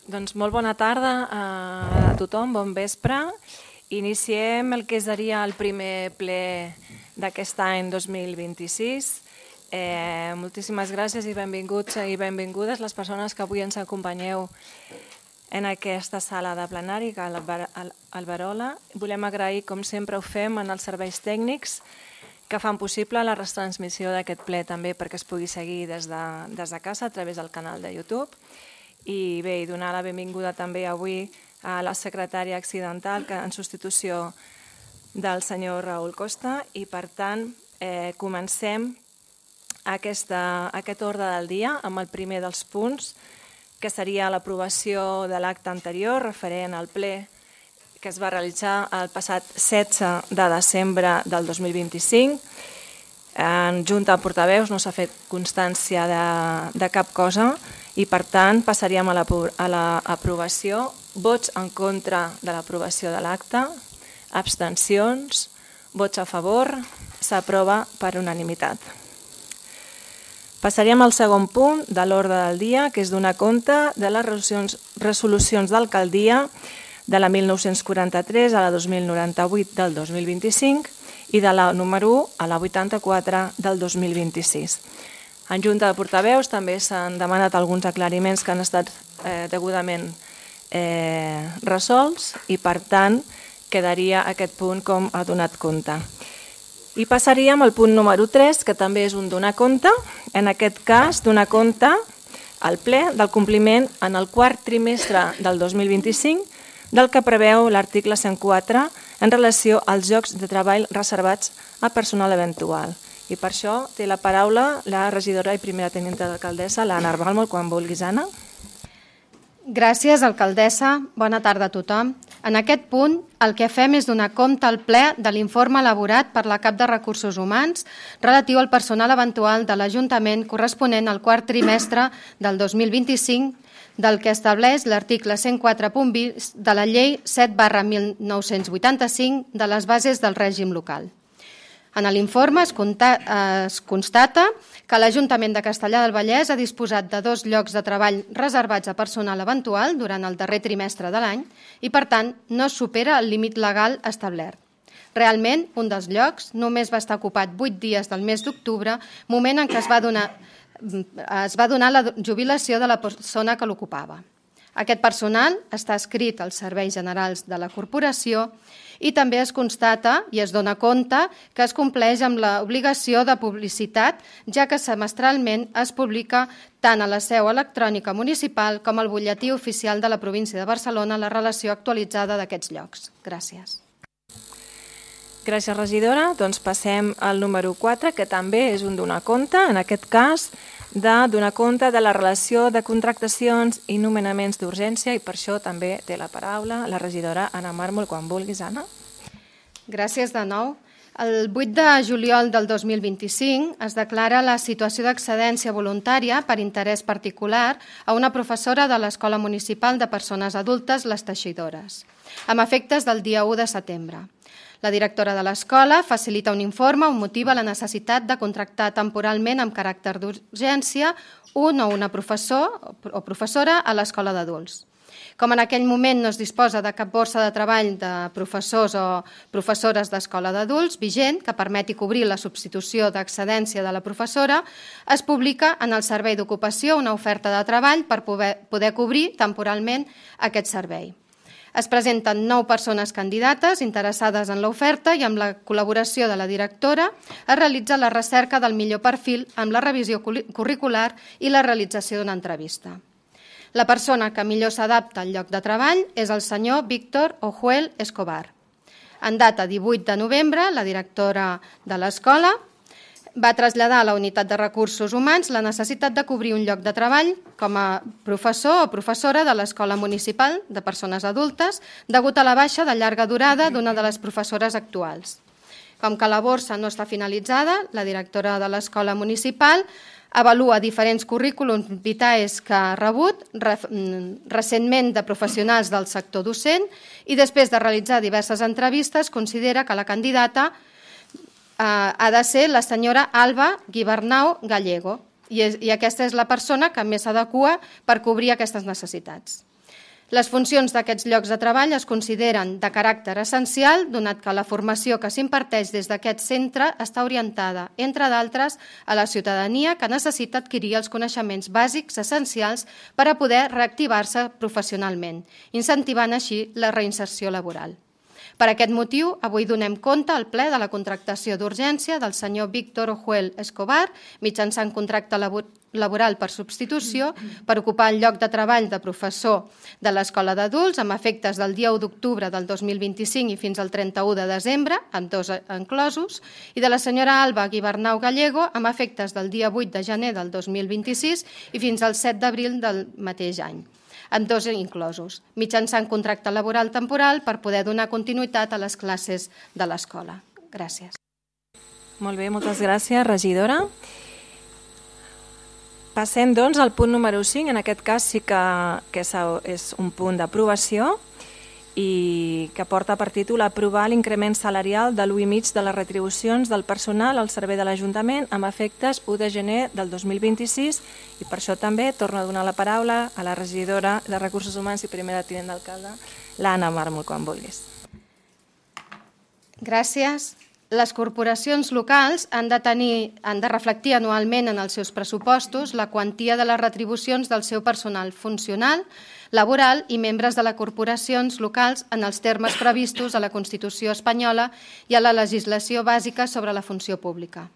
Doncs molt bona tarda a tothom, bon vespre. Iniciem el que seria el primer ple d'aquest any 2026. Moltíssimes gràcies i benvinguts i benvingudes les persones que avui ens acompanyeu en aquesta sala de plenari a Alberola. Volem agrair, com sempre ho fem, als serveis tècnics que fan possible la retransmissió d'aquest ple també perquè es pugui seguir des de casa a través del canal de YouTube. I bé, donar la benvinguda també avui a la secretària accidental en substitució del senyor Raül Costa i per tant comencem aquest ordre del dia amb el primer dels punts que seria l'aprovació de l'acte anterior referent al ple que es va realitzar el passat 16 de desembre del 2025. En Junta de Portaveus no s'ha fet constància de cap cosa i per tant passaríem a l'aprovació. Vots en contra de l'aprovació de l'acte, abstencions, vots a favor, s'aprova per unanimitat. Passaríem al segon punt de l'ordre del dia, que és donar compte de les resolucions d'alcaldia de la 1943 a la 2098 del 2025 i de la número 1 a la 84 del 2026. En Junta de Portaveus també s'han demanat alguns aclariments que han estat degudament resolts i per tant quedaria aquest punt com ha donat compte. I passaríem al punt número 3, que també és un donar compte, en aquest cas donar compte al ple del compliment en el quart trimestre del 2025 del que preveu l'article 104 en relació als llocs de treball reservats a personal eventual. I per això té la paraula la regidora i primera tenienta d'alcaldessa, l'Anna Arbalmo, quan vulguis, Anna. Gràcies, alcaldessa. Bona tarda a tothom. En aquest punt, el que fem és donar compte al ple de l'informe elaborat per la cap de Recursos Humans relatiu al personal eventual de l'Ajuntament corresponent al quart trimestre del 2025, del que estableix l'article 104.20 de la Llei 7/1985 de les bases del règim local. En l'informe es constata que l'Ajuntament de Castellar del Vallès ha disposat de 2 llocs de treball reservats a personal eventual durant el darrer trimestre de l'any i, per tant, no supera el límit legal establert. Realment, un dels llocs només va estar ocupat 8 dies del mes d'octubre, moment en què es va donar la jubilació de la persona que l'ocupava. Aquest personal està adscrit als serveis generals de la corporació i també es constata i es dona compte que es compleix amb l'obligació de publicitat, ja que semestralment es publica tant a la seu electrònica municipal com al butlletí oficial de la província de Barcelona la relació actualitzada d'aquests llocs. Gràcies. Gràcies, regidora. Doncs passem al número 4, que també és un donar compte, en aquest cas, de donar compte de la relació de contractacions i nomenaments d'urgència i per això també té la paraula la regidora Anna Mármol, quan vulguis, Anna. Gràcies de nou. El 8 de juliol del 2025 es declara la situació d'excedència voluntària per interès particular a una professora de l'Escola Municipal de Persones Adultes, Les Teixidores, amb efectes del dia 1 de setembre. La directora de l'escola facilita un informe on motiva la necessitat de contractar temporalment amb caràcter d'urgència un o una professor o professora a l'escola d'adults. Com en aquell moment no es disposa de cap borsa de treball de professors o professores d'escola d'adults vigent que permeti cobrir la substitució d'excedència de la professora, es publica en el Servei d'Ocupació una oferta de treball per poder cobrir temporalment aquest servei. Es presenten 9 persones candidates interessades en l'oferta i amb la col·laboració de la directora es realitza la recerca del millor perfil amb la revisió curricular i la realització d'una entrevista. La persona que millor s'adapta al lloc de treball és el senyor Víctor Ojuel Escobar. En data 18 de novembre, la directora de l'escola va traslladar a la Unitat de Recursos Humans la necessitat de cobrir un lloc de treball com a professor o professora de l'Escola Municipal de Persones Adultes degut a la baixa de llarga durada d'una de les professores actuals. Com que la borsa no està finalitzada, la directora de l'Escola Municipal avalua diferents currículums vitae que ha rebut recentment de professionals del sector docent i després de realitzar diverses entrevistes considera que la candidata ha de ser la senyora Alba Guibernau Gallego i aquesta és la persona que més s'adequa per cobrir aquestes necessitats. Les funcions d'aquests llocs de treball es consideren de caràcter essencial, donat que la formació que s'imparteix des d'aquest centre està orientada, entre d'altres, a la ciutadania que necessita adquirir els coneixements bàsics essencials per a poder reactivar-se professionalment, incentivant així la reinserció laboral. Per aquest motiu, avui donem compte al ple de la contractació d'urgència del senyor Víctor Ojuel Escobar, mitjançant contracte laboral per substitució, per ocupar el lloc de treball de professor de l'Escola d'Adults amb efectes del dia 1 d'octubre del 2025 i fins al 31 de desembre, amb 2 enclosos, i de la senyora Alba Guibernau Gallego amb efectes del dia 8 de gener del 2026 i fins al 7 d'abril del mateix any, amb 2 inclosos, mitjançant contracte laboral temporal per poder donar continuïtat a les classes de l'escola. Gràcies. Molt bé, moltes gràcies, regidora. Passem, doncs, al punt número 5. En aquest cas sí que és un punt d'aprovació i que porta per títol aprovar l'increment salarial de l'1,5 de les retribucions del personal al servei de l'Ajuntament amb efectes 1 de gener del 2026 i per això també torno a donar la paraula a la regidora de Recursos Humans i primera tinent d'alcalde, l'Anna Màrmol, quan vulguis. Gràcies. Les corporacions locals han de reflectir anualment en els seus pressupostos la quantia de les retribucions del seu personal funcional, laboral i membres de les corporacions locals en els termes previstos a la Constitució espanyola i a la legislació bàsica sobre la funció pública.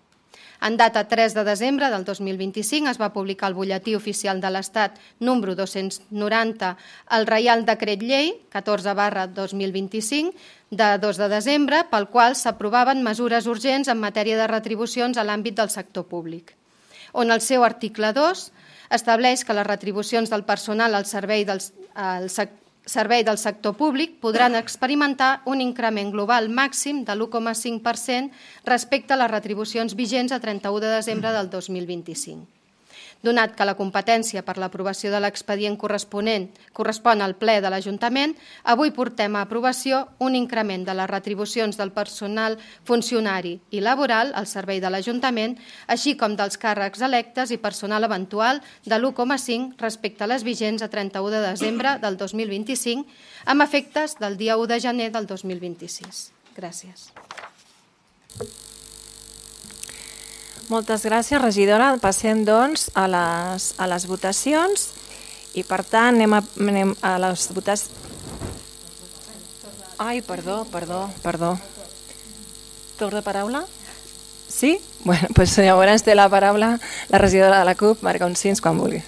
En data 3 de desembre del 2025 es va publicar al Butlletí Oficial de l'Estat número 290 el Reial Decret Llei 14/2025 de 2 de desembre pel qual s'aprovaven mesures urgents en matèria de retribucions a l'àmbit del sector públic, on el seu article 2 estableix que les retribucions del personal al servei del sector públic podran experimentar un increment global màxim de l'1,5% respecte a les retribucions vigents a 31 de desembre del 2025. Donat que la competència per l'aprovació de l'expedient correspon al ple de l'Ajuntament, avui portem a aprovació un increment de les retribucions del personal funcionari i laboral al servei de l'Ajuntament, així com dels càrrecs electes i personal eventual de l'1,5 respecte a les vigents a 31 de desembre del 2025, amb efectes del dia 1 de gener del 2026. Gràcies. Moltes gràcies, regidora. Passem, doncs, a les votacions i, per tant, anem a les votacions. Ai, perdó. Torn de paraula? Sí? Bé, doncs llavors té la paraula la regidora de la CUP, Marga Oncins, quan vulgui.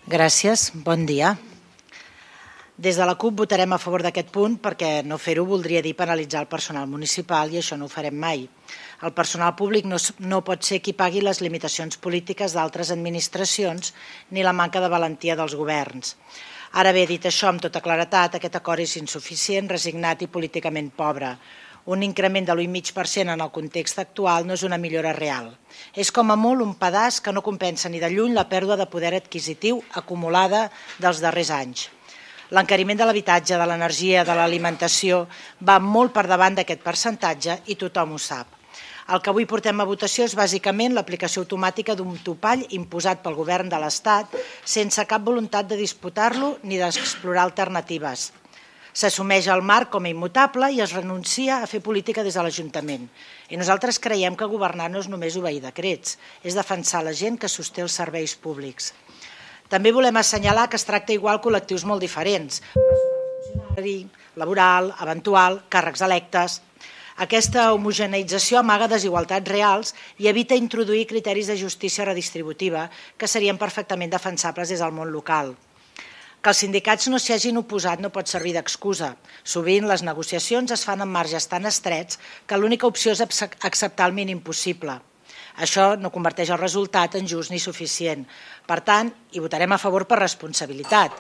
Gràcies, bon dia. Des de la CUP votarem a favor d'aquest punt perquè no fer-ho voldria dir penalitzar el personal municipal i això no ho farem mai. El personal públic no pot ser qui pagui les limitacions polítiques d'altres administracions ni la manca de valentia dels governs. Ara bé, dit això amb tota claretat, aquest acord és insuficient, resignat i políticament pobre. Un increment de l'1,5% en el context actual no és una millora real. És com a molt un pedaç que no compensa ni de lluny la pèrdua de poder adquisitiu acumulada dels darrers anys. L'encariment de l'habitatge, de l'energia, de l'alimentació va molt per davant d'aquest percentatge i tothom ho sap. El que avui portem a votació és bàsicament l'aplicació automàtica d'un topall imposat pel govern de l'Estat sense cap voluntat de disputar-lo ni d'explorar alternatives. S'assumeix el marc com a immutable i es renuncia a fer política des de l'Ajuntament. I nosaltres creiem que governar no és només obeir decrets, és defensar la gent que sosté els serveis públics. També volem assenyalar que es tracta igual col·lectius molt diferents, funcionari, laboral, eventual, càrrecs electes. Aquesta homogeneïtzació amaga desigualtats reals i evita introduir criteris de justícia redistributiva que serien perfectament defensables des del món local. Que els sindicats no s'hi hagin oposat no pot servir d'excusa. Sovint les negociacions es fan en marges tan estrets que l'única opció és acceptar el mínim possible. Això no converteix el resultat en just ni suficient. Per tant, hi votarem a favor per responsabilitat.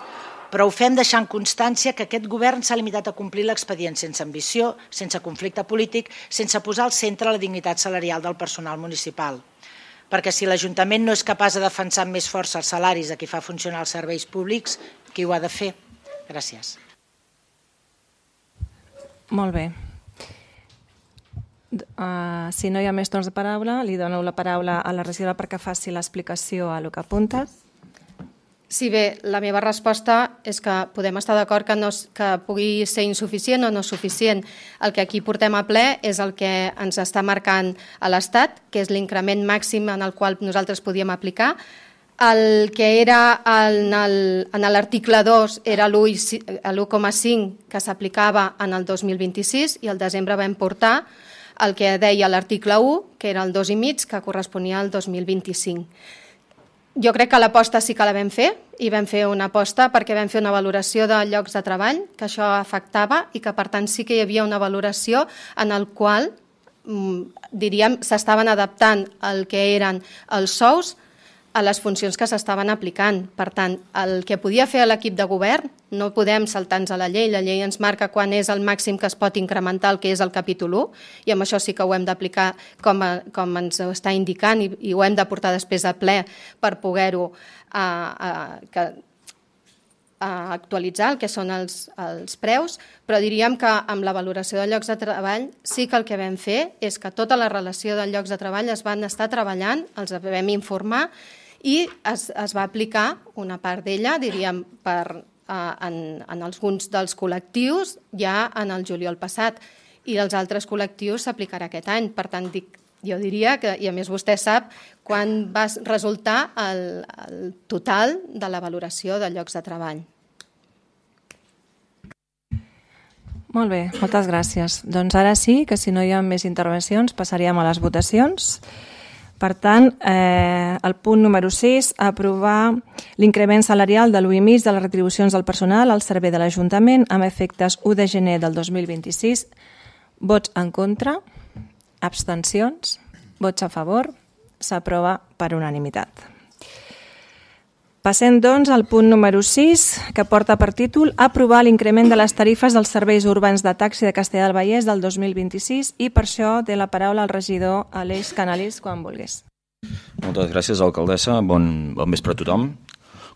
Però ho fem deixant constància que aquest govern s'ha limitat a complir l'expedient sense ambició, sense conflicte polític, sense posar al centre la dignitat salarial del personal municipal. Perquè si l'Ajuntament no és capaç de defensar amb més força els salaris de qui fa funcionar els serveis públics, qui ho ha de fer? Gràcies. Molt bé. Si no hi ha més torns de paraula, li dono la paraula a la regidora perquè faci l'explicació a el que apuntes. Sí, bé, la meva resposta és que podem estar d'acord que pugui ser insuficient o no suficient. El que aquí portem a ple és el que ens està marcant a l'Estat, que és l'increment màxim en el qual nosaltres podíem aplicar. El que era en l'article 2 era l'1,5 que s'aplicava en el 2026 i al desembre vam portar el que deia l'article 1, que era el 2,5, que corresponia al 2025. Jo crec que l'aposta sí que la vam fer, i vam fer una aposta perquè vam fer una valoració de llocs de treball, que això afectava, i que per tant sí que hi havia una valoració en el qual, diríem, s'estaven adaptant el que eren els sous a les funcions que s'estaven aplicant. Per tant, el que podia fer l'equip de govern, no podem saltar-nos a la llei ens marca quan és el màxim que es pot incrementar el que és el capítol 1, i amb això sí que ho hem d'aplicar com ens està indicant i ho hem de portar després a ple per poder-ho actualitzar el que són els preus, però diríem que amb la valoració de llocs de treball sí que el que vam fer és que tota la relació de llocs de treball es van estar treballant, els vam informar i es va aplicar una part d'ella, diríem, en alguns dels col·lectius ja en el juliol passat, i els altres col·lectius s'aplicarà aquest any. Per tant, jo diria que, i a més vostè sap, quan va resultar el total de la valoració de llocs de treball. Molt bé, moltes gràcies. Doncs ara sí, que si no hi ha més intervencions, passaríem a les votacions. Per tant, el punt número 6, aprovar l'increment salarial de l'1,5 de les retribucions del personal al servei de l'Ajuntament amb efectes 1 de gener del 2026. Vots en contra, abstencions, vots a favor, s'aprova per unanimitat. Passem, doncs, al punt número 6, que porta per títol aprovar l'increment de les tarifes dels serveis urbans de taxi de Castellar del Vallès del 2026, i per això té la paraula el regidor Aleix Canalís, quan vulguis. Moltes gràcies, alcaldessa. Bon vespre a tothom.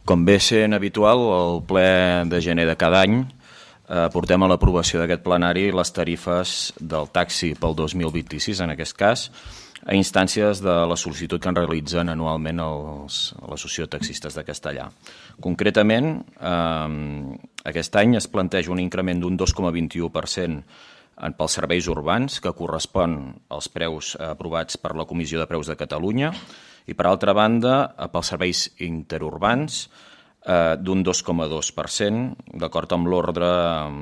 Com bé sent habitual, al ple de gener de cada any portem a l'aprovació d'aquest plenari les tarifes del taxi pel 2026, en aquest cas, a instàncies de la sol·licitud que en realitzen anualment l'Associació de Taxistes de Castellar. Concretament, aquest any es planteja un increment d'un 2,21% pels serveis urbans, que correspon als preus aprovats per la Comissió de Preus de Catalunya, i per altra banda, pels serveis interurbans, d'un 2,2%, d'acord amb l'ordre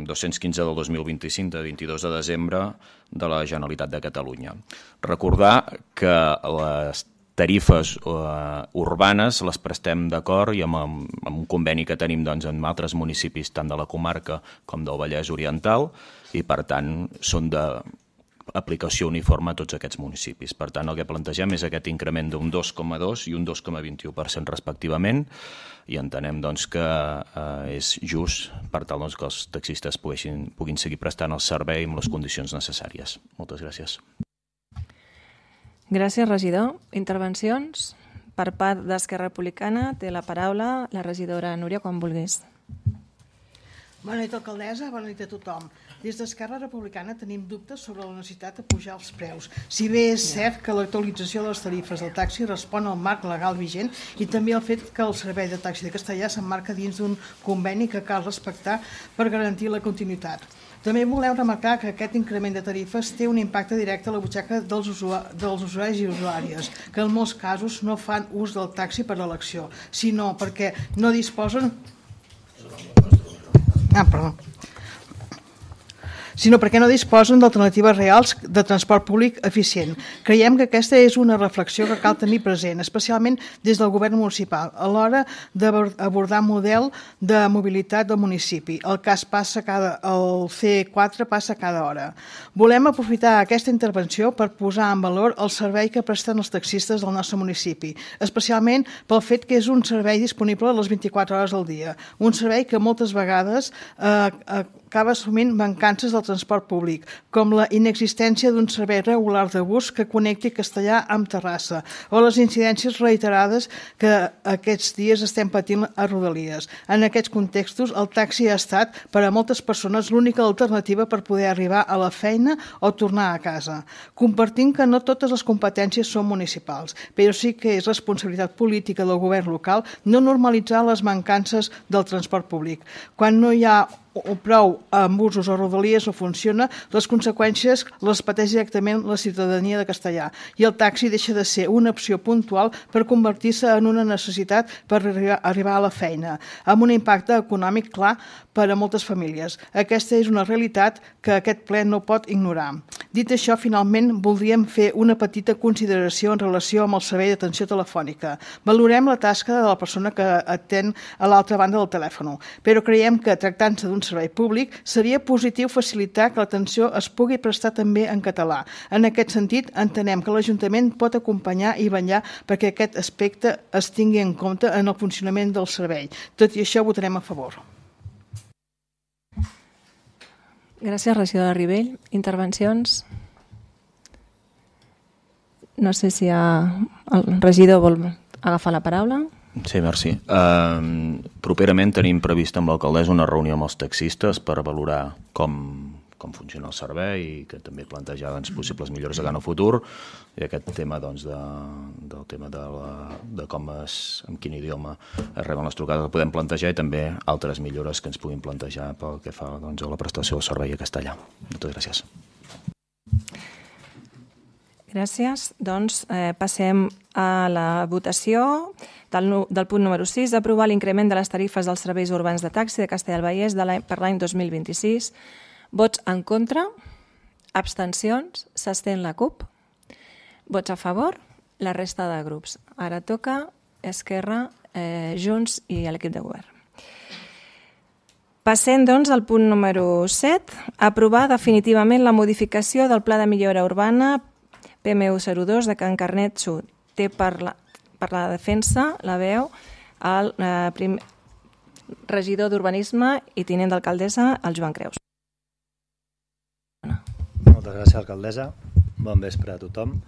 215 del 2025 de 22 de desembre de la Generalitat de Catalunya. Recordar que les tarifes urbanes les prestem d'acord i amb un conveni que tenim amb altres municipis tant de la comarca com del Vallès Oriental, i per tant són d'aplicació uniforme a tots aquests municipis. Per tant, el que plantegem és aquest increment d'un 2,2 i un 2,21% respectivament, i entenem que és just per tal que els taxistes puguin seguir prestant el servei amb les condicions necessàries. Moltes gràcies. Gràcies, regidor. Intervencions? Per part d'Esquerra Republicana té la paraula la regidora Núria, quan vulguis. Bona nit, alcaldessa, bona nit a tothom. Des d'Esquerra Republicana tenim dubtes sobre la necessitat de pujar els preus. Si bé és cert que l'actualització de les tarifes del taxi respon al marc legal vigent, i també el fet que el servei de taxi de Castellar s'emmarca dins d'un conveni que cal respectar per garantir la continuïtat. També volem remarcar que aquest increment de tarifes té un impacte directe a la butxaca dels usuaris i usuàries, que en molts casos no fan ús del taxi per elecció, sinó perquè no disposen d'alternatives reals de transport públic eficient. Creiem que aquesta és una reflexió que cal tenir present, especialment des del govern municipal, a l'hora d'abordar model de mobilitat del municipi. El C4 passa cada hora. Volem aprofitar aquesta intervenció per posar en valor el servei que presten els taxistes del nostre municipi, especialment pel fet que és un servei disponible a les 24 hores del dia, un servei que moltes vegades acaba assumint mancances del transport públic, com la inexistència d'un servei regular de bus que connecti Castellar amb Terrassa, o les incidències reiterades que aquests dies estem patint a Rodalies. En aquests contextos, el taxi ha estat, per a moltes persones, l'única alternativa per poder arribar a la feina o tornar a casa. Compartim que no totes les competències són municipals, però sí que és responsabilitat política del govern local no normalitzar les mancances del transport públic. Quan no hi ha prou amb busos o rodalies no funciona, les conseqüències les pateix directament la ciutadania de Castellar i el taxi deixa de ser una opció puntual per convertir-se en una necessitat per arribar a la feina, amb un impacte econòmic clar per a moltes famílies. Aquesta és una realitat que aquest ple no pot ignorar. Dit això, finalment voldríem fer una petita consideració en relació amb el servei d'atenció telefònica. Valorem la tasca de la persona que atén a l'altra banda del telèfon, però creiem que, tractant-se d'un servei públic, seria positiu facilitar que l'atenció es pugui prestar també en català. En aquest sentit, entenem que l'Ajuntament pot acompanyar i vetllar perquè aquest aspecte es tingui en compte en el funcionament del servei. Tot i això, votarem a favor. Gràcies, regidora Ribell. Intervencions? No sé si el regidor vol agafar la paraula. Sí, merci. Properament tenim previst amb l'alcaldessa una reunió amb els taxistes per valorar com funciona el servei i que també plantejar possibles millores a cara al futur, i aquest tema del tema de com en quin idioma es reben les trucades el podem plantejar, i també altres millores que ens puguin plantejar pel que fa a la prestació del servei a castellà. Moltes gràcies. Gràcies. Doncs passem a la votació del punt número 6, aprovar l'increment de les tarifes dels serveis urbans de taxi de Castellar del Vallès per l'any 2026. Vots en contra, abstencions, s'abstén la CUP. Vots a favor, la resta de grups. Ara toca Esquerra, Junts i l'equip de govern. Passem, doncs, al punt número 7, aprovar definitivament la modificació del Pla de Millora Urbana PMU02 de Can Carnet Sud. Té per la defensa la veu el regidor d'Urbanisme i tinent d'alcaldessa, el Joan Creus. Moltes gràcies, alcaldessa. Bon vespre a tothom.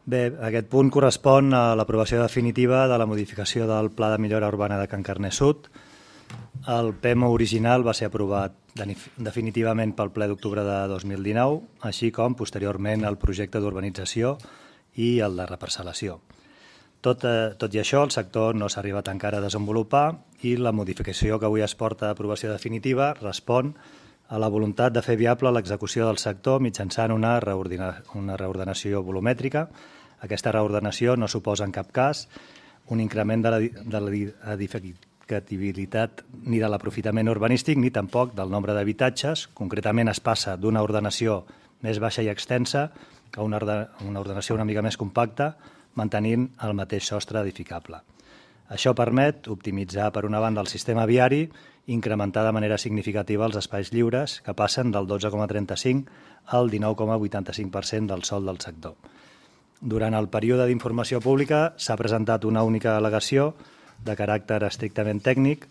Bé, aquest punt correspon a l'aprovació definitiva de la modificació del Pla de Millora Urbana de Can Carnet Sud. El PMU original va ser aprovat definitivament pel ple d'octubre de 2019, així com posteriorment el projecte d'urbanització i el de reparcel·lació. Tot i això, el sector no s'ha arribat encara a desenvolupar i la modificació que avui es porta a aprovació definitiva respon a la voluntat de fer viable l'execució del sector mitjançant una reordenació volumètrica. Aquesta reordenació no suposa en cap cas un increment de l'edificabilitat ni de l'aprofitament urbanístic ni tampoc del nombre d'habitatges. Concretament es passa d'una ordenació més baixa i extensa a una ordenació una mica més compacta, mantenint el mateix sostre edificable. Això permet optimitzar, per una banda, el sistema viari i incrementar de manera significativa els espais lliures, que passen del 12,35% al 19,85% del sòl del sector. Durant el període d'informació pública s'ha presentat una única al·legació de caràcter estrictament tècnic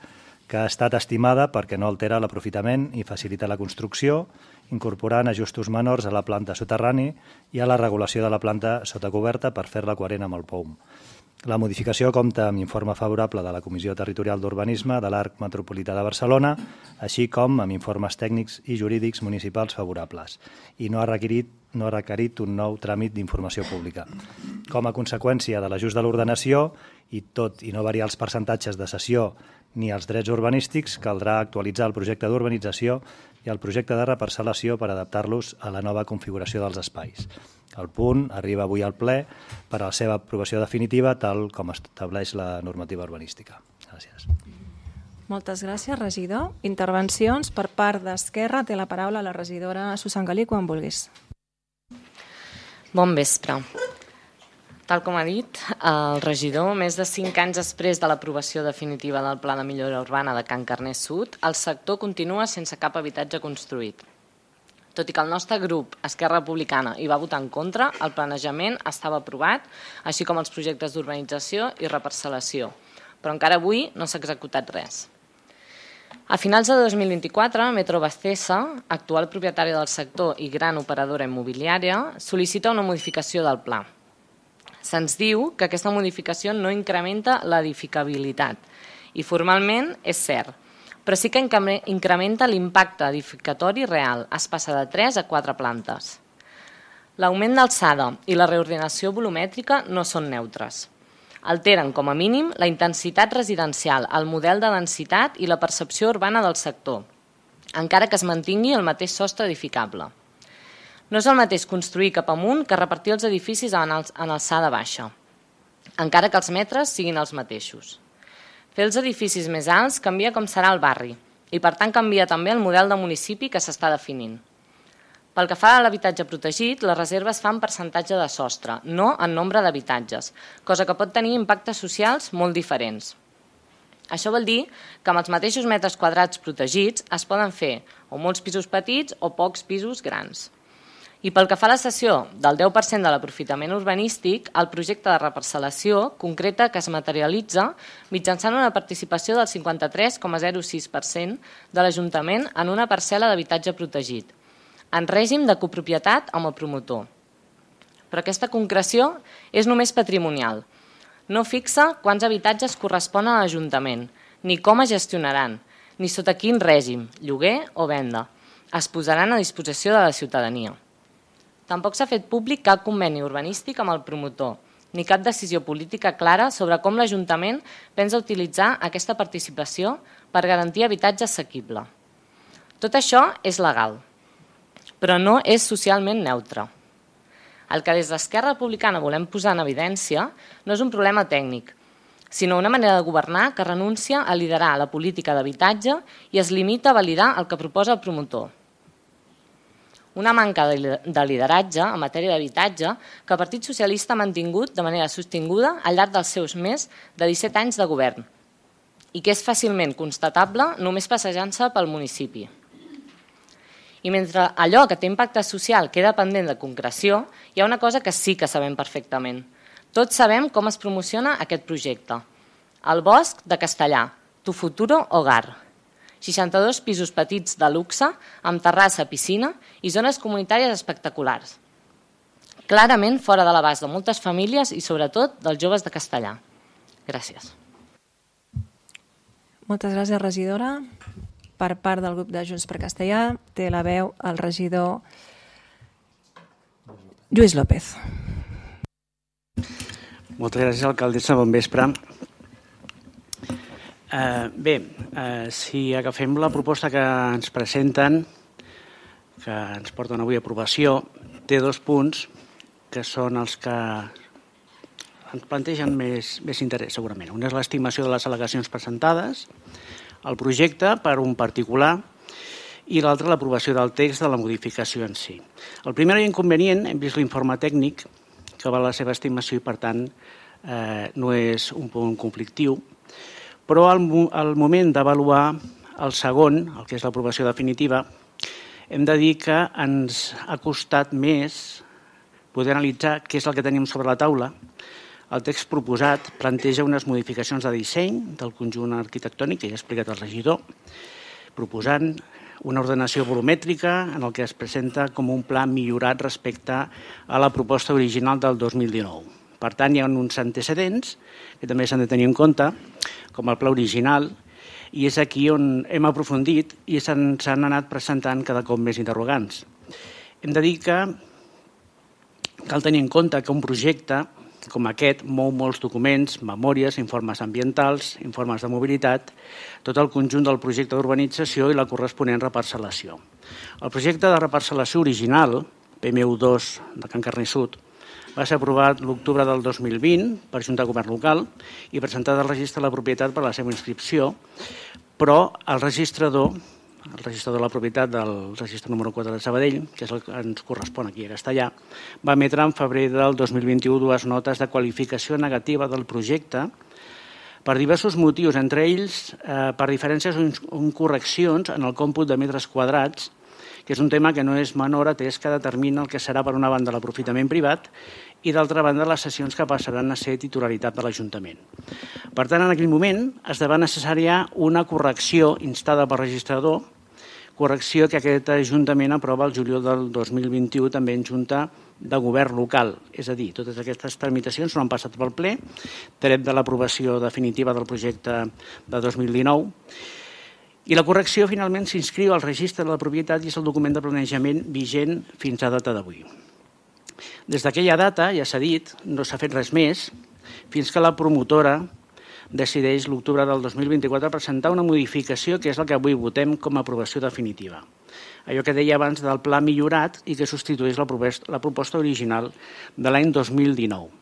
que ha estat estimada perquè no altera l'aprofitament i facilita la construcció, incorporant ajustos menors a la planta soterrani i a la regulació de la planta sota coberta per fer-la coherent amb el POUM. La modificació compta amb informe favorable de la Comissió Territorial d'Urbanisme de l'Arc Metropolità de Barcelona, així com amb informes tècnics i jurídics municipals favorables, i no ha requerit un nou tràmit d'informació pública. Com a conseqüència de l'ajust de l'ordenació, i tot i no variar els percentatges de cessió ni els drets urbanístics, caldrà actualitzar el projecte d'urbanització i el projecte de reparcel·lació per adaptar-los a la nova configuració dels espais. El punt arriba avui al ple per a la seva aprovació definitiva, tal com estableix la normativa urbanística. Gràcies. Moltes gràcies, regidor. Intervencions per part d'Esquerra. Té la paraula la regidora Susan Galí, quan vulguis. Bon vespre. Tal com ha dit el regidor, més de 5 anys després de l'aprovació definitiva del Pla de Millora Urbana de Can Carnet Sud, el sector continua sense cap habitatge construït. Tot i que el nostre grup, Esquerra Republicana, hi va votar en contra, el planejament estava aprovat, així com els projectes d'urbanització i reparcel·lació, però encara avui no s'ha executat res. A finals de 2024, Metrobacesa, actual propietària del sector i gran operadora immobiliària, sol·licita una modificació del pla. Se'ns diu que aquesta modificació no incrementa l'edificabilitat i formalment és cert, però sí que incrementa l'impacte edificatori real. Es passa de 3 a 4 plantes. L'augment d'alçada i la reordinació volumètrica no són neutres. Alteren, com a mínim, la intensitat residencial, el model de densitat i la percepció urbana del sector, encara que es mantingui el mateix sostre edificable. No és el mateix construir cap amunt que repartir els edificis en alçada baixa, encara que els metres siguin els mateixos. Fer els edificis més alts canvia com serà el barri i, per tant, canvia també el model de municipi que s'està definint. Pel que fa a l'habitatge protegit, les reserves fan percentatge de sostre, no en nombre d'habitatges, cosa que pot tenir impactes socials molt diferents. Això vol dir que amb els mateixos metres quadrats protegits es poden fer o molts pisos petits o pocs pisos grans. I pel que fa a la cessió del 10% de l'aprofitament urbanístic, el projecte de reparcel·lació concreta que es materialitza mitjançant una participació del 53,06% de l'Ajuntament en una parcel·la d'habitatge protegit, en règim de copropietat amb el promotor. Però aquesta concreció és només patrimonial. No fixa quants habitatges corresponen a l'Ajuntament, ni com es gestionaran, ni sota quin règim, lloguer o venda, es posaran a disposició de la ciutadania. Tampoc s'ha fet públic cap conveni urbanístic amb el promotor, ni cap decisió política clara sobre com l'Ajuntament pensa utilitzar aquesta participació per garantir habitatge assequible. Tot això és legal, però no és socialment neutre. El que des d'Esquerra Republicana volem posar en evidència no és un problema tècnic, sinó una manera de governar que renuncia a liderar la política d'habitatge i es limita a validar el que proposa el promotor. Una manca de lideratge en matèria d'habitatge que el Partit Socialista ha mantingut de manera sostinguda al llarg dels seus més de 17 anys de govern i que és fàcilment constatable només passejant-se pel municipi. I mentre allò que té impacte social queda pendent de concreció, hi ha una cosa que sí que sabem perfectament. Tots sabem com es promociona aquest projecte. El Bosc de Castellà, Tu Futuro Hogar. 62 pisos petits de luxe, amb terrassa, piscina i zones comunitàries espectaculars. Clarament fora de l'abast de moltes famílies i sobretot dels joves de Castellà. Gràcies. Moltes gràcies, regidora. Per part del grup de Junts per Castellà té la veu el regidor Lluís López. Moltes gràcies, alcaldessa. Bon vespre. Si agafem la proposta que ens presenten, que ens porten avui a aprovació, té 2 punts que són els que ens plantegen més interès, segurament. Un és l'estimació de les al·legacions presentades, el projecte per un particular i l'altre l'aprovació del text de la modificació en si. El primer inconvenient, hem vist l'informe tècnic que va a la seva estimació i per tant no és un punt conflictiu, però al moment d'avaluar el segon, el que és l'aprovació definitiva, hem de dir que ens ha costat més poder analitzar què és el que tenim sobre la taula. El text proposat planteja unes modificacions de disseny del conjunt arquitectònic, que ja ha explicat el regidor, proposant una ordenació volumètrica en el que es presenta com un pla millorat respecte a la proposta original del 2019. Per tant, hi ha uns antecedents que també s'han de tenir en compte, com el pla original, i és aquí on hem aprofundit i se'ns han anat presentant cada cop més interrogants. Hem de dir que cal tenir en compte que un projecte com aquest mou molts documents, memòries, informes ambientals, informes de mobilitat, tot el conjunt del projecte d'urbanització i la corresponent reparcel·lació. El projecte de reparcel·lació original, PMU2 de Can Carner Sud, va ser aprovat l'octubre del 2020 per Junta de Govern Local i presentat al registre de la propietat per a la seva inscripció, però el registrador de la propietat del registre número 4 de Sabadell, que és el que ens correspon aquí a Castellà, va emetre en febrer del 2021 2 notes de qualificació negativa del projecte per diversos motius, entre ells per diferències o incorreccions en el còmput de metres quadrats que és un tema que no és menor atès que determina el que serà per una banda l'aprofitament privat i d'altra banda les cessions que passaran a ser titularitat de l'Ajuntament. Per tant, en aquell moment esdevé necessària una correcció instada pel registrador, correcció que aquest Ajuntament aprova el juliol del 2021 també en Junta de Govern local. És a dir, totes aquestes tramitacions no han passat pel ple, tret de l'aprovació definitiva del projecte de 2019, i la correcció finalment s'inscriu al registre de la propietat i és el document de planejament vigent fins a data d'avui. Des d'aquella data, ja s'ha dit, no s'ha fet res més fins que la promotora decideix l'octubre del 2024 presentar una modificació que és el que avui votem com a aprovació definitiva. Allò que deia abans del pla millorat i que substitueix la proposta original de l'any 2019.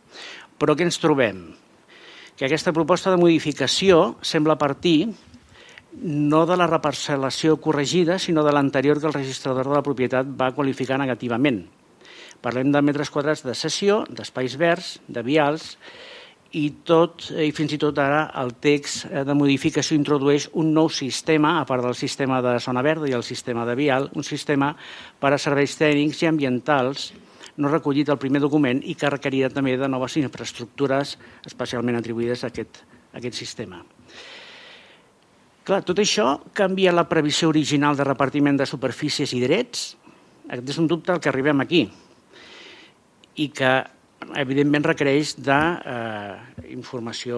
Però què ens trobem? Que aquesta proposta de modificació sembla partir no de la reparcel·lació corregida, sinó de l'anterior que el registrador de la propietat va qualificar negativament. Parlem de metres quadrats de cessió, d'espais verds, de vials, i fins i tot ara el text de modificació introdueix un nou sistema, a part del sistema de zona verda i el sistema de vial, un sistema per a serveis tècnics i ambientals no recollit al primer document i que requeria també de noves infraestructures especialment atribuïdes a aquest sistema. Clar, tot això canvia la previsió original de repartiment de superfícies i drets? Aquest és un dubte al que arribem aquí i que evidentment requereix d'informació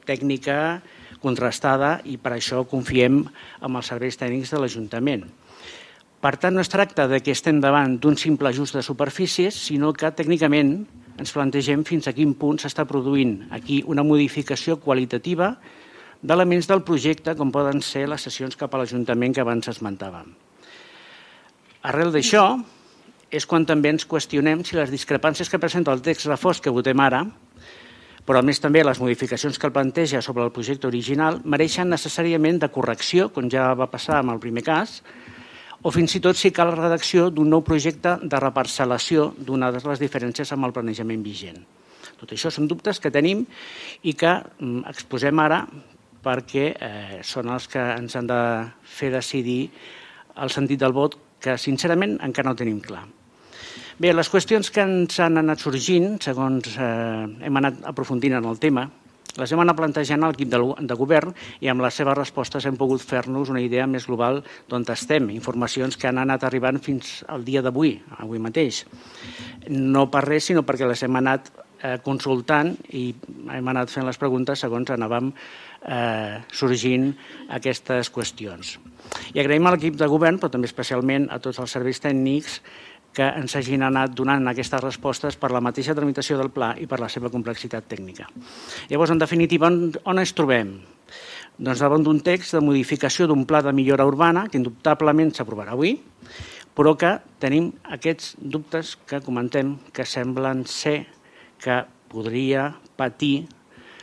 tècnica contrastada i per això confiem en els serveis tècnics de l'Ajuntament. Per tant, no es tracta que estem davant d'un simple ajust de superfícies, sinó que tècnicament ens plantegem fins a quin punt s'està produint aquí una modificació qualitativa d'elements del projecte com poden ser les cessions cap a l'Ajuntament que abans esmentàvem. Arrel d'això, és quan també ens qüestionem si les discrepàncies que presenta el text refós que votem ara, però a més també les modificacions que el planteja sobre el projecte original, mereixen necessàriament de correcció, com ja va passar amb el primer cas, o fins i tot si cal la redacció d'un nou projecte de reparcel·lació donades les diferències amb el planejament vigent. Tot això són dubtes que tenim i que exposem ara perquè són els que ens han de fer decidir el sentit del vot, que sincerament encara no tenim clar. Bé, les qüestions que ens han anat sorgint, segons hem anat aprofundint en el tema, les hem anat plantejant a l'equip de govern i amb les seves respostes hem pogut fer-nos una idea més global d'on estem, informacions que han anat arribant fins al dia d'avui, avui mateix. No per res, sinó perquè les hem anat consultant i hem anat fent les preguntes segons anàvem sorgint aquestes qüestions. I agraïm a l'equip de govern, però també especialment a tots els serveis tècnics que ens hagin anat donant aquestes respostes per la mateixa tramitació del pla i per la seva complexitat tècnica. Llavors, en definitiva, on ens trobem? Doncs davant d'un text de modificació d'un pla de millora urbana que indubtablement s'aprovarà avui, però que tenim aquests dubtes que comentem que semblen ser que podria patir,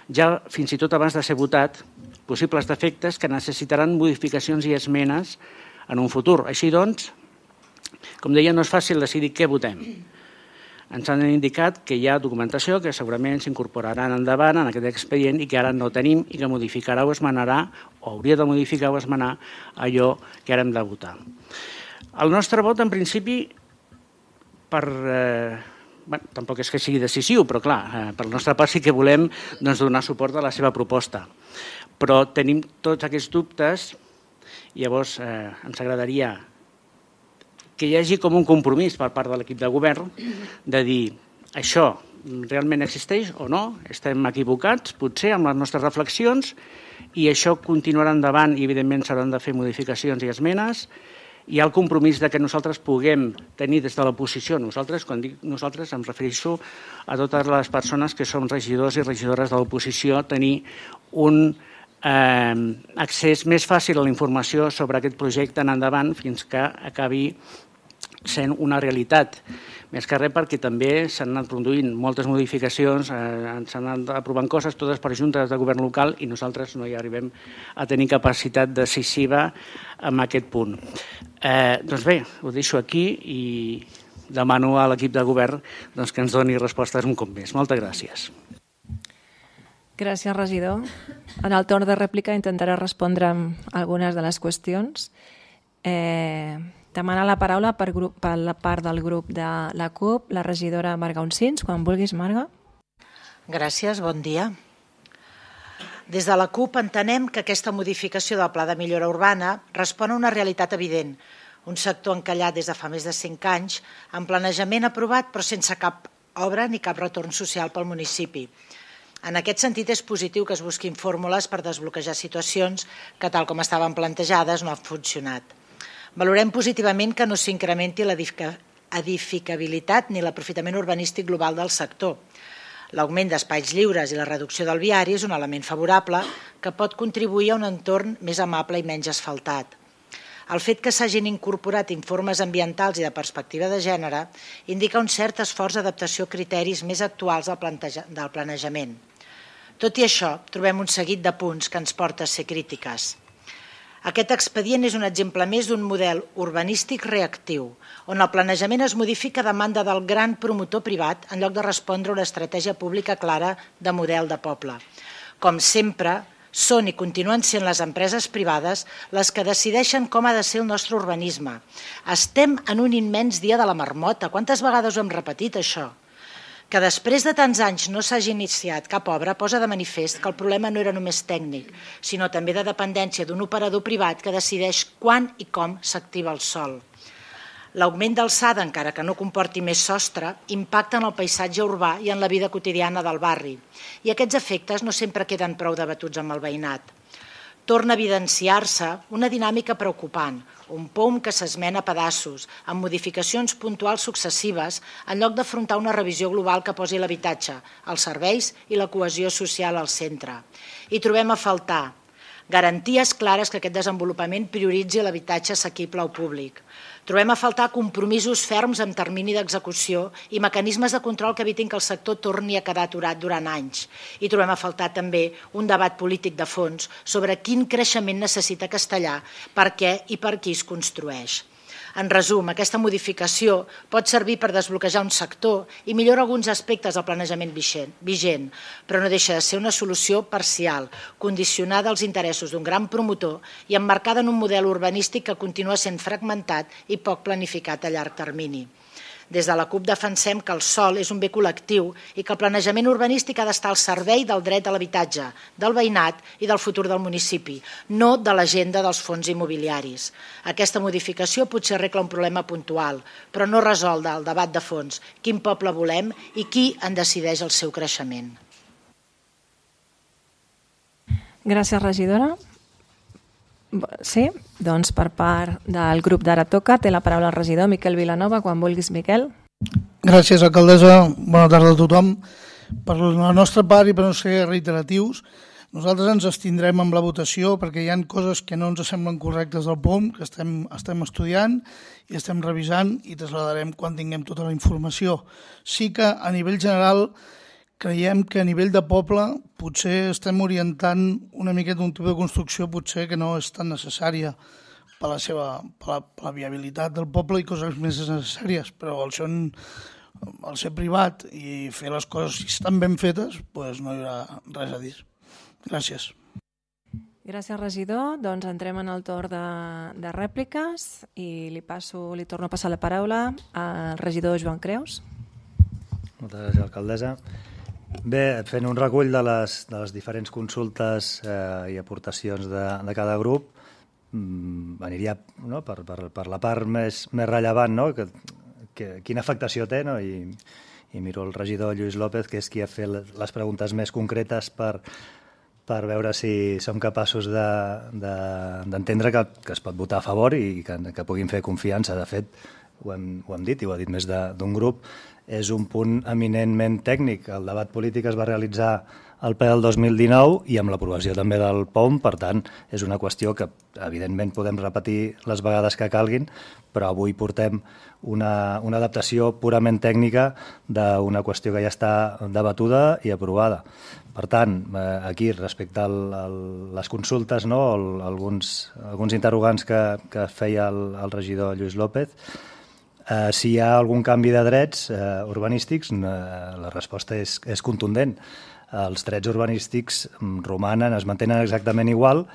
ja fins i tot abans de ser votat, possibles defectes que necessitaran modificacions i esmenes en un futur. Així doncs, com deia, no és fàcil decidir què votem. Ens han indicat que hi ha documentació que segurament s'incorporaran endavant en aquest expedient i que ara no tenim i que modificarà o esmenarà, o hauria de modificar o esmenar allò que ara hem de votar. El nostre vot, en principi, tampoc és que sigui decisiu, però clar, per la nostra part sí que volem donar suport a la seva proposta. Però tenim tots aquests dubtes i llavors ens agradaria que hi hagi com un compromís per part de l'equip de govern de dir això realment existeix o no, estem equivocats, potser amb les nostres reflexions, i això continuarà endavant i evidentment s'hauran de fer modificacions i esmenes. Hi ha el compromís de que nosaltres puguem tenir des de l'oposició, nosaltres, quan dic nosaltres em refereixo a totes les persones que som regidors i regidores de l'oposició, tenir un accés més fàcil a la informació sobre aquest projecte en endavant fins que acabi sent una realitat. Més que res perquè també s'han anat produint moltes modificacions, s'han anat aprovant coses totes per juntes de govern local i nosaltres no hi arribem a tenir capacitat decisiva en aquest punt. Doncs bé, ho deixo aquí i demano a l'equip de govern que ens doni respostes un cop més. Moltes gràcies. Gràcies, regidor. En el torn de rèplica intentaré respondre a algunes de les qüestions. Demana la paraula per la part del grup de la CUP, la regidora Marga Uncins. Quan vulguis, Marga. Gràcies, bon dia. Des de la CUP entenem que aquesta modificació del Pla de Millora Urbana respon a una realitat evident, un sector encallat des de fa més de 5 anys, amb planejament aprovat però sense cap obra ni cap retorn social pel municipi. En aquest sentit, és positiu que es busquin fórmules per desbloquejar situacions que, tal com estaven plantejades, no han funcionat. Valorem positivament que no s'incrementi l'edificabilitat ni l'aprofitament urbanístic global del sector. L'augment d'espais lliures i la reducció del viari és un element favorable que pot contribuir a un entorn més amable i menys asfaltat. El fet que s'hagin incorporat informes ambientals i de perspectiva de gènere indica un cert esforç d'adaptació a criteris més actuals del planejament. Tot i això, trobem un seguit de punts que ens porta a ser crítiques. Aquest expedient és un exemple més d'un model urbanístic reactiu, on el planejament es modifica a demanda del gran promotor privat en lloc de respondre a una estratègia pública clara de model de poble. Com sempre, són i continuen sent les empreses privades les que decideixen com ha de ser el nostre urbanisme. Estem en un immens dia de la marmota. Quantes vegades ho hem repetit, això? Que després de tants anys no s'hagi iniciat cap obra posa de manifest que el problema no era només tècnic, sinó també de dependència d'un operador privat que decideix quan i com s'activa el sòl. L'augment d'alçada, encara que no comporti més sostre, impacta en el paisatge urbà i en la vida quotidiana del barri. I aquests efectes no sempre queden prou debatuts amb el veïnat. Torna a evidenciar-se una dinàmica preocupant, un POM que s'esmena a pedaços, amb modificacions puntuals successives, en lloc d'afrontar una revisió global que posi l'habitatge, els serveis i la cohesió social al centre. I trobem a faltar garanties clares que aquest desenvolupament prioritzi l'habitatge assequible al públic. Trobem a faltar compromisos ferms amb termini d'execució i mecanismes de control que evitin que el sector torni a quedar aturat durant anys. I trobem a faltar també un debat polític de fons sobre quin creixement necessita Castellar, per què i per qui es construeix. En resum, aquesta modificació pot servir per desbloquejar un sector i millora alguns aspectes del planejament vigent, però no deixa de ser una solució parcial, condicionada als interessos d'un gran promotor i emmarcada en un model urbanístic que continua sent fragmentat i poc planificat a llarg termini. Des de la CUP defensem que el sòl és un bé col·lectiu i que el planejament urbanístic ha d'estar al servei del dret a l'habitatge, del veïnat i del futur del municipi, no de l'agenda dels fons immobiliaris. Aquesta modificació potser arregla un problema puntual, però no resol el debat de fons, quin poble volem i qui en decideix el seu creixement. Gràcies, regidora. Sí, doncs per part del grup d'Ara Toca té la paraula el regidor Miquel Vilanova. Quan vulguis, Miquel. Gràcies, alcaldessa. Bona tarda a tothom. Per la nostra part i per no ser reiteratius, nosaltres ens abstindrem amb la votació perquè hi ha coses que no ens semblen correctes del POM, que estem estudiant i estem revisant i traslladarem quan tinguem tota la informació. Sí que a nivell general creiem que a nivell de poble potser estem orientant una miqueta un tipus de construcció potser que no és tan necessària per la viabilitat del poble i coses més necessàries, però al ser privat i fer les coses si estan ben fetes, doncs no hi haurà res a dir. Gràcies. Gràcies, regidor. Doncs entrem en el torn de rèpliques i li torno a passar la paraula al regidor Joan Creus. Moltes gràcies, alcaldessa. Bé, fent un recull de les diferents consultes i aportacions de cada grup, aniria per la part més rellevant, quina afectació té, i miro el regidor Lluís López, que és qui ha fet les preguntes més concretes per veure si som capaços d'entendre que es pot votar a favor i que puguin fer confiança. De fet, ho hem dit i ho ha dit més d'un grup, és un punt eminentment tècnic. El debat polític es va realitzar al ple del 2019 i amb l'aprovació també del POM, per tant, és una qüestió que evidentment podem repetir les vegades que calguin, però avui portem una adaptació purament tècnica d'una qüestió que ja està debatuda i aprovada. Per tant, aquí, respecte a les consultes, alguns interrogants que feia el regidor Lluís López, si hi ha algun canvi de drets urbanístics, la resposta és contundent. Els drets urbanístics romanen, es mantenen exactament igual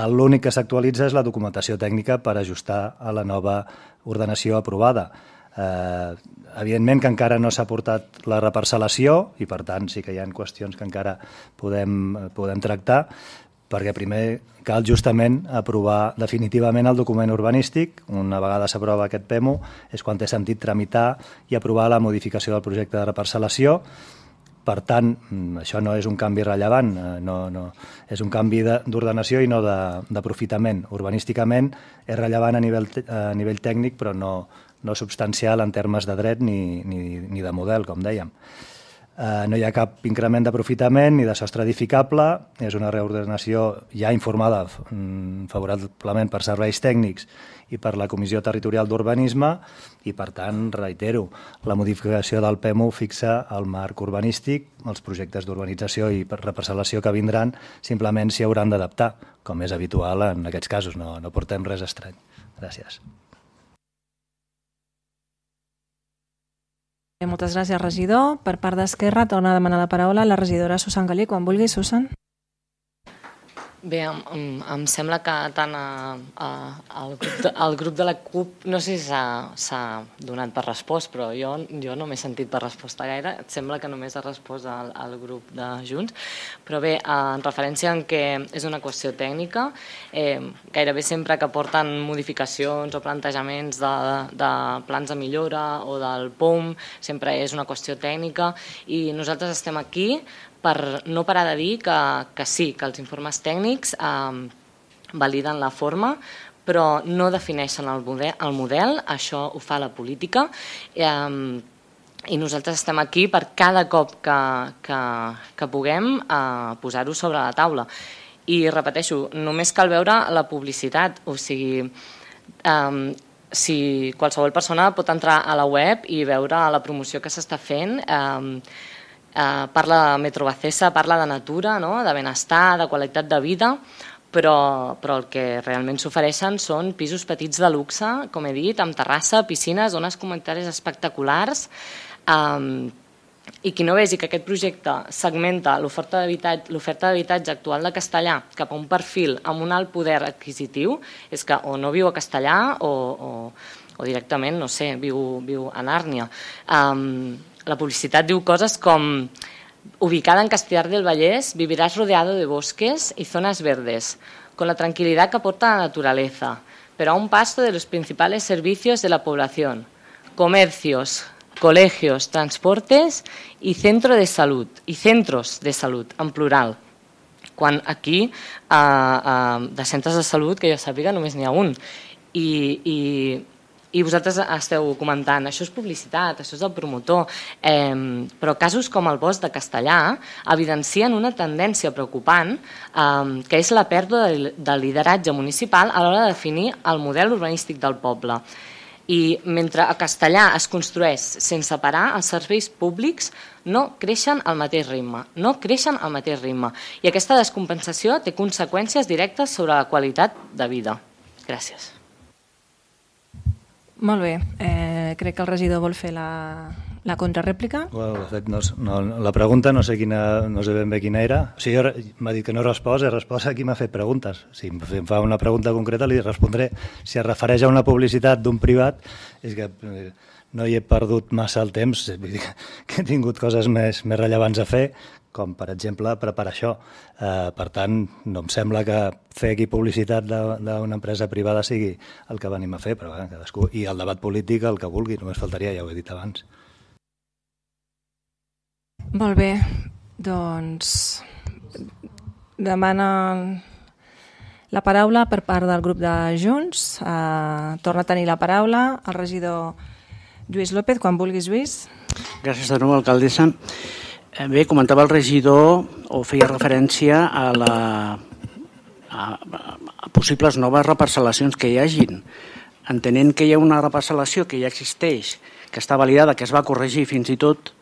L'únic que s'actualitza és la documentació tècnica per ajustar a la nova ordenació aprovada. Evidentment que encara no s'ha portat la reparcel·lació i per tant sí que hi ha qüestions que encara podem tractar, perquè primer cal justament aprovar definitivament el document urbanístic. Una vegada s'aprova aquest PEMO és quan té sentit tramitar i aprovar la modificació del projecte de reparcel·lació. Per tant, això no és un canvi rellevant, és un canvi d'ordenació i no d'aprofitament. Urbanísticament és rellevant a nivell tècnic, però no substancial en termes de dret ni de model, com dèiem. No hi ha cap increment d'aprofitament ni de sostre edificable, és una reordenació ja informada favorablement per serveis tècnics i per la Comissió Territorial d'Urbanisme i, per tant, reitero, la modificació del PEMO fixa el marc urbanístic, els projectes d'urbanització i reparcel·lació que vindran simplement s'hi hauran d'adaptar, com és habitual en aquests casos, no portem res estrany. Gràcies. Moltes gràcies, regidor. Per part d'Esquerra, torna a demanar la paraula la regidora Susan Galí. Quan vulgui, Susan. Bé, em sembla que tant el grup de la CUP, no sé si s'ha donat per respost, però jo no m'he sentit per resposta gaire. Et sembla que només ha respost al grup de Junts. Però bé, en referència en què és una qüestió tècnica, gairebé sempre que porten modificacions o plantejaments de plans de millora o del POM, sempre és una qüestió tècnica i nosaltres estem aquí per no parar de dir que sí, que els informes tècnics validen la forma, però no defineixen el model, això ho fa la política, i nosaltres estem aquí per cada cop que puguem posar-ho sobre la taula. I repeteixo, només cal veure la publicitat, o sigui, si qualsevol persona pot entrar a la web i veure la promoció que s'està fent. Parla de Metro Bacesa, parla de natura, de benestar, de qualitat de vida, però el que realment s'ofereixen són pisos petits de luxe, com he dit, amb terrassa, piscines, zones comunitàries espectaculars, i qui no vegi que aquest projecte segmenta l'oferta d'habitatge actual de Castellà cap a un perfil amb un alt poder adquisitiu, és que o no viu a Castellà o directament, no sé, viu a Nàrnia. La publicitat diu coses com: ubicada en Castellar del Vallès, vivirás rodeado de bosques y zonas verdes, con la tranquilidad que aporta la naturaleza, pero a un paso de los principales servicios de la población, comercios, colegios, transportes y centros de salud, en plural. Quan aquí, de centres de salut, que jo sàpiga, només n'hi ha un. I vosaltres esteu comentant, això és publicitat, això és el promotor, però casos com el Bosc de Castellà evidencien una tendència preocupant, que és la pèrdua del lideratge municipal a l'hora de definir el model urbanístic del poble. I mentre a Castellà es construeix sense parar, els serveis públics no creixen al mateix ritme. I aquesta descompensació té conseqüències directes sobre la qualitat de vida. Gràcies. Molt bé. Crec que el regidor vol fer la contrarèplica. De fet, la pregunta no sé ben bé quina era. O sigui, m'ha dit que no he respost a qui m'ha fet preguntes. Si em fa una pregunta concreta li respondré. Si es refereix a una publicitat d'un privat, és que no hi he perdut massa el temps, que he tingut coses més rellevants a fer, com per exemple preparar això. Per tant, no em sembla que fer aquí publicitat d'una empresa privada sigui el que venim a fer, però cadascú, i el debat polític el que vulgui, només faltaria, ja ho he dit abans. Molt bé, doncs demana la paraula per part del grup de Junts. Torna a tenir la paraula el regidor Lluís López, quan vulguis, Lluís. Gràcies de nou, alcaldessa. Bé, comentava el regidor, o feia referència a possibles noves reparcel·lacions que hi hagin. Entenent que hi ha una reparcel·lació que ja existeix, que està validada, que es va corregir fins i tot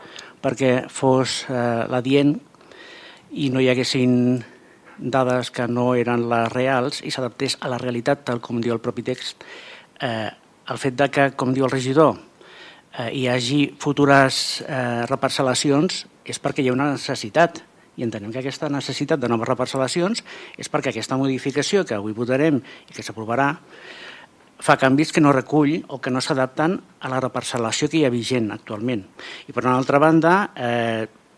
perquè fos l'adient i no hi haguessin dades que no eren les reals i s'adaptés a la realitat, tal com diu el propi text. El fet que, com diu el regidor, hi hagi futures reparcel·lacions és perquè hi ha una necessitat i entenem que aquesta necessitat de noves reparcel·lacions és perquè aquesta modificació que avui votarem i que s'aprovarà fa canvis que no recull o que no s'adapten a la reparcel·lació que hi ha vigent actualment. I per una altra banda,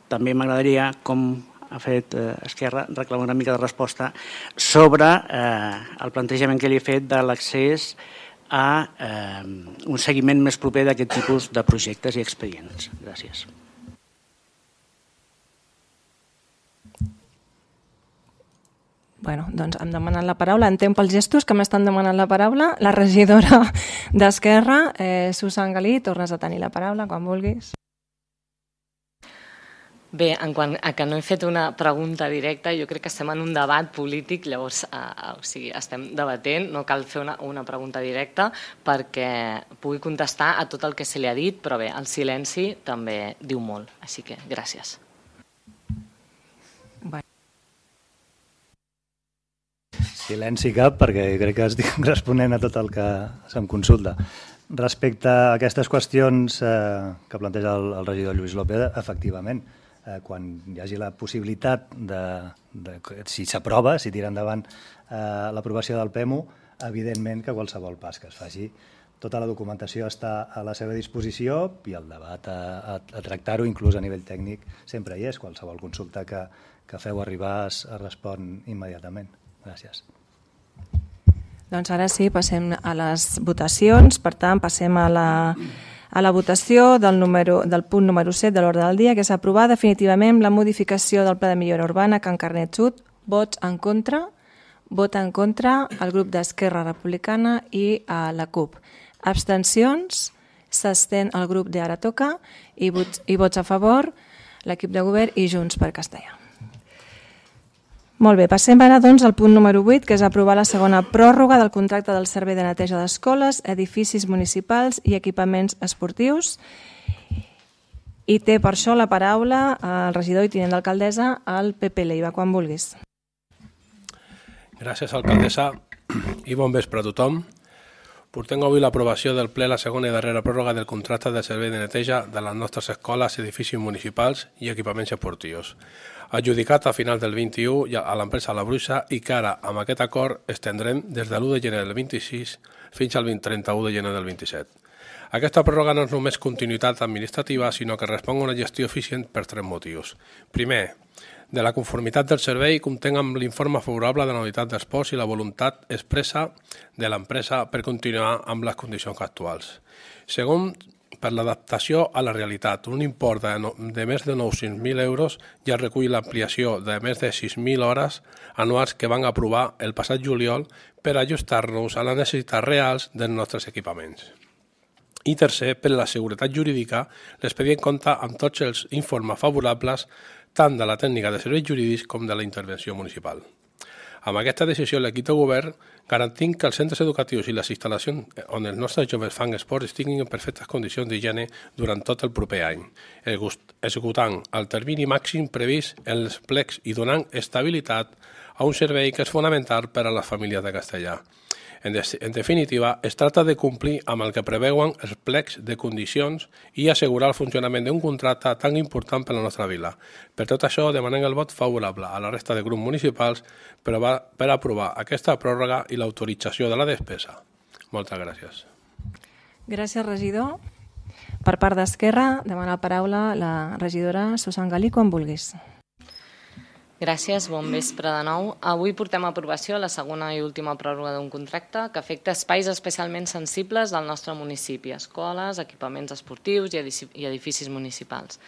també m'agradaria, com ha fet Esquerra, reclamar una mica de resposta sobre el plantejament que li he fet de l'accés a un seguiment més proper d'aquest tipus de projectes i expedients. Gràcies. Bueno, doncs em demanen la paraula. Entenc pels gestos que m'estan demanant la paraula. La regidora d'Esquerra, Susan Galí, tornes a tenir la paraula quan vulguis. Bé, en quant a que no he fet una pregunta directa, jo crec que estem en un debat polític, llavors estem debatent, no cal fer una pregunta directa perquè pugui contestar a tot el que se li ha dit, però bé, el silenci també diu molt, així que gràcies. Silenci cap, perquè crec que estic responent a tot el que se'm consulta. Respecte a aquestes qüestions que planteja el regidor Lluís López, efectivament, quan hi hagi la possibilitat si s'aprova, si tira endavant l'aprovació del PEMU, evidentment que qualsevol pas que es faci, tota la documentació està a la seva disposició i el debat a tractar-ho, inclús a nivell tècnic, sempre hi és. Qualsevol consulta que feu arribar es respon immediatament. Gràcies. Doncs ara sí, passem a les votacions. Per tant, passem a la votació del punt número 7 de l'ordre del dia, que és aprovar definitivament la modificació del Pla de Millora Urbana Can Carnet Sud. Vots en contra. Vota en contra el grup d'Esquerra Republicana i la CUP. Abstencions. S'abstén el grup de Ara Toca i vots a favor l'equip de govern i Junts per Castellà. Molt bé, passem ara doncs al punt número 8, que és aprovar la segona pròrroga del contracte del servei de neteja d'escoles, edificis municipals i equipaments esportius. I té per això la paraula el regidor i tinent d'alcaldessa, el Pepe Leiva, quan vulguis. Gràcies, alcaldessa, i bon vespre a tothom. Portem avui l'aprovació del ple la segona i darrera pròrroga del contracte de servei de neteja de les nostres escoles, edificis municipals i equipaments esportius, adjudicat a final del 21 a l'empresa La Bruixa i que ara, amb aquest acord, estendrem des de l'1 de gener del 26 fins al 31 de gener del 27. Aquesta pròrroga no és només continuïtat administrativa, sinó que respon a una gestió eficient per 3 motius. Primer, de la conformitat del servei comptem amb l'informe favorable de la unitat d'esports i la voluntat expressa de l'empresa per continuar amb les condicions actuals. Segon, per l'adaptació a la realitat. Un import de més de 900.000 euros ja recull l'ampliació de més de 6.000 hores anuals que van aprovar el passat juliol per ajustar-nos a les necessitats reals dels nostres equipaments. I tercer, per la seguretat jurídica, l'expedient compta amb tots els informes favorables tant de la tècnica de serveis jurídics com de la intervenció municipal. Amb aquesta decisió, l'equip de govern garantint que els centres educatius i les instal·lacions on els nostres joves fan esport estiguin en perfectes condicions d'higiene durant tot el proper any, executant el termini màxim previst en els plecs i donant estabilitat a un servei que és fonamental per a les famílies de Castellà. En definitiva, es tracta de complir amb el que preveuen els plecs de condicions i assegurar el funcionament d'un contracte tan important per a la nostra vila. Per tot això, demanem el vot favorable a la resta de grups municipals per aprovar aquesta pròrroga i l'autorització de la despesa. Moltes gràcies. Gràcies, regidor. Per part d'Esquerra, demana la paraula la regidora Susan Galí, quan vulguis. Gràcies, bon vespre de nou. Avui portem a aprovació la segona i última pròrroga d'un contracte que afecta espais especialment sensibles del nostre municipi, escoles, equipaments esportius i edificis municipals.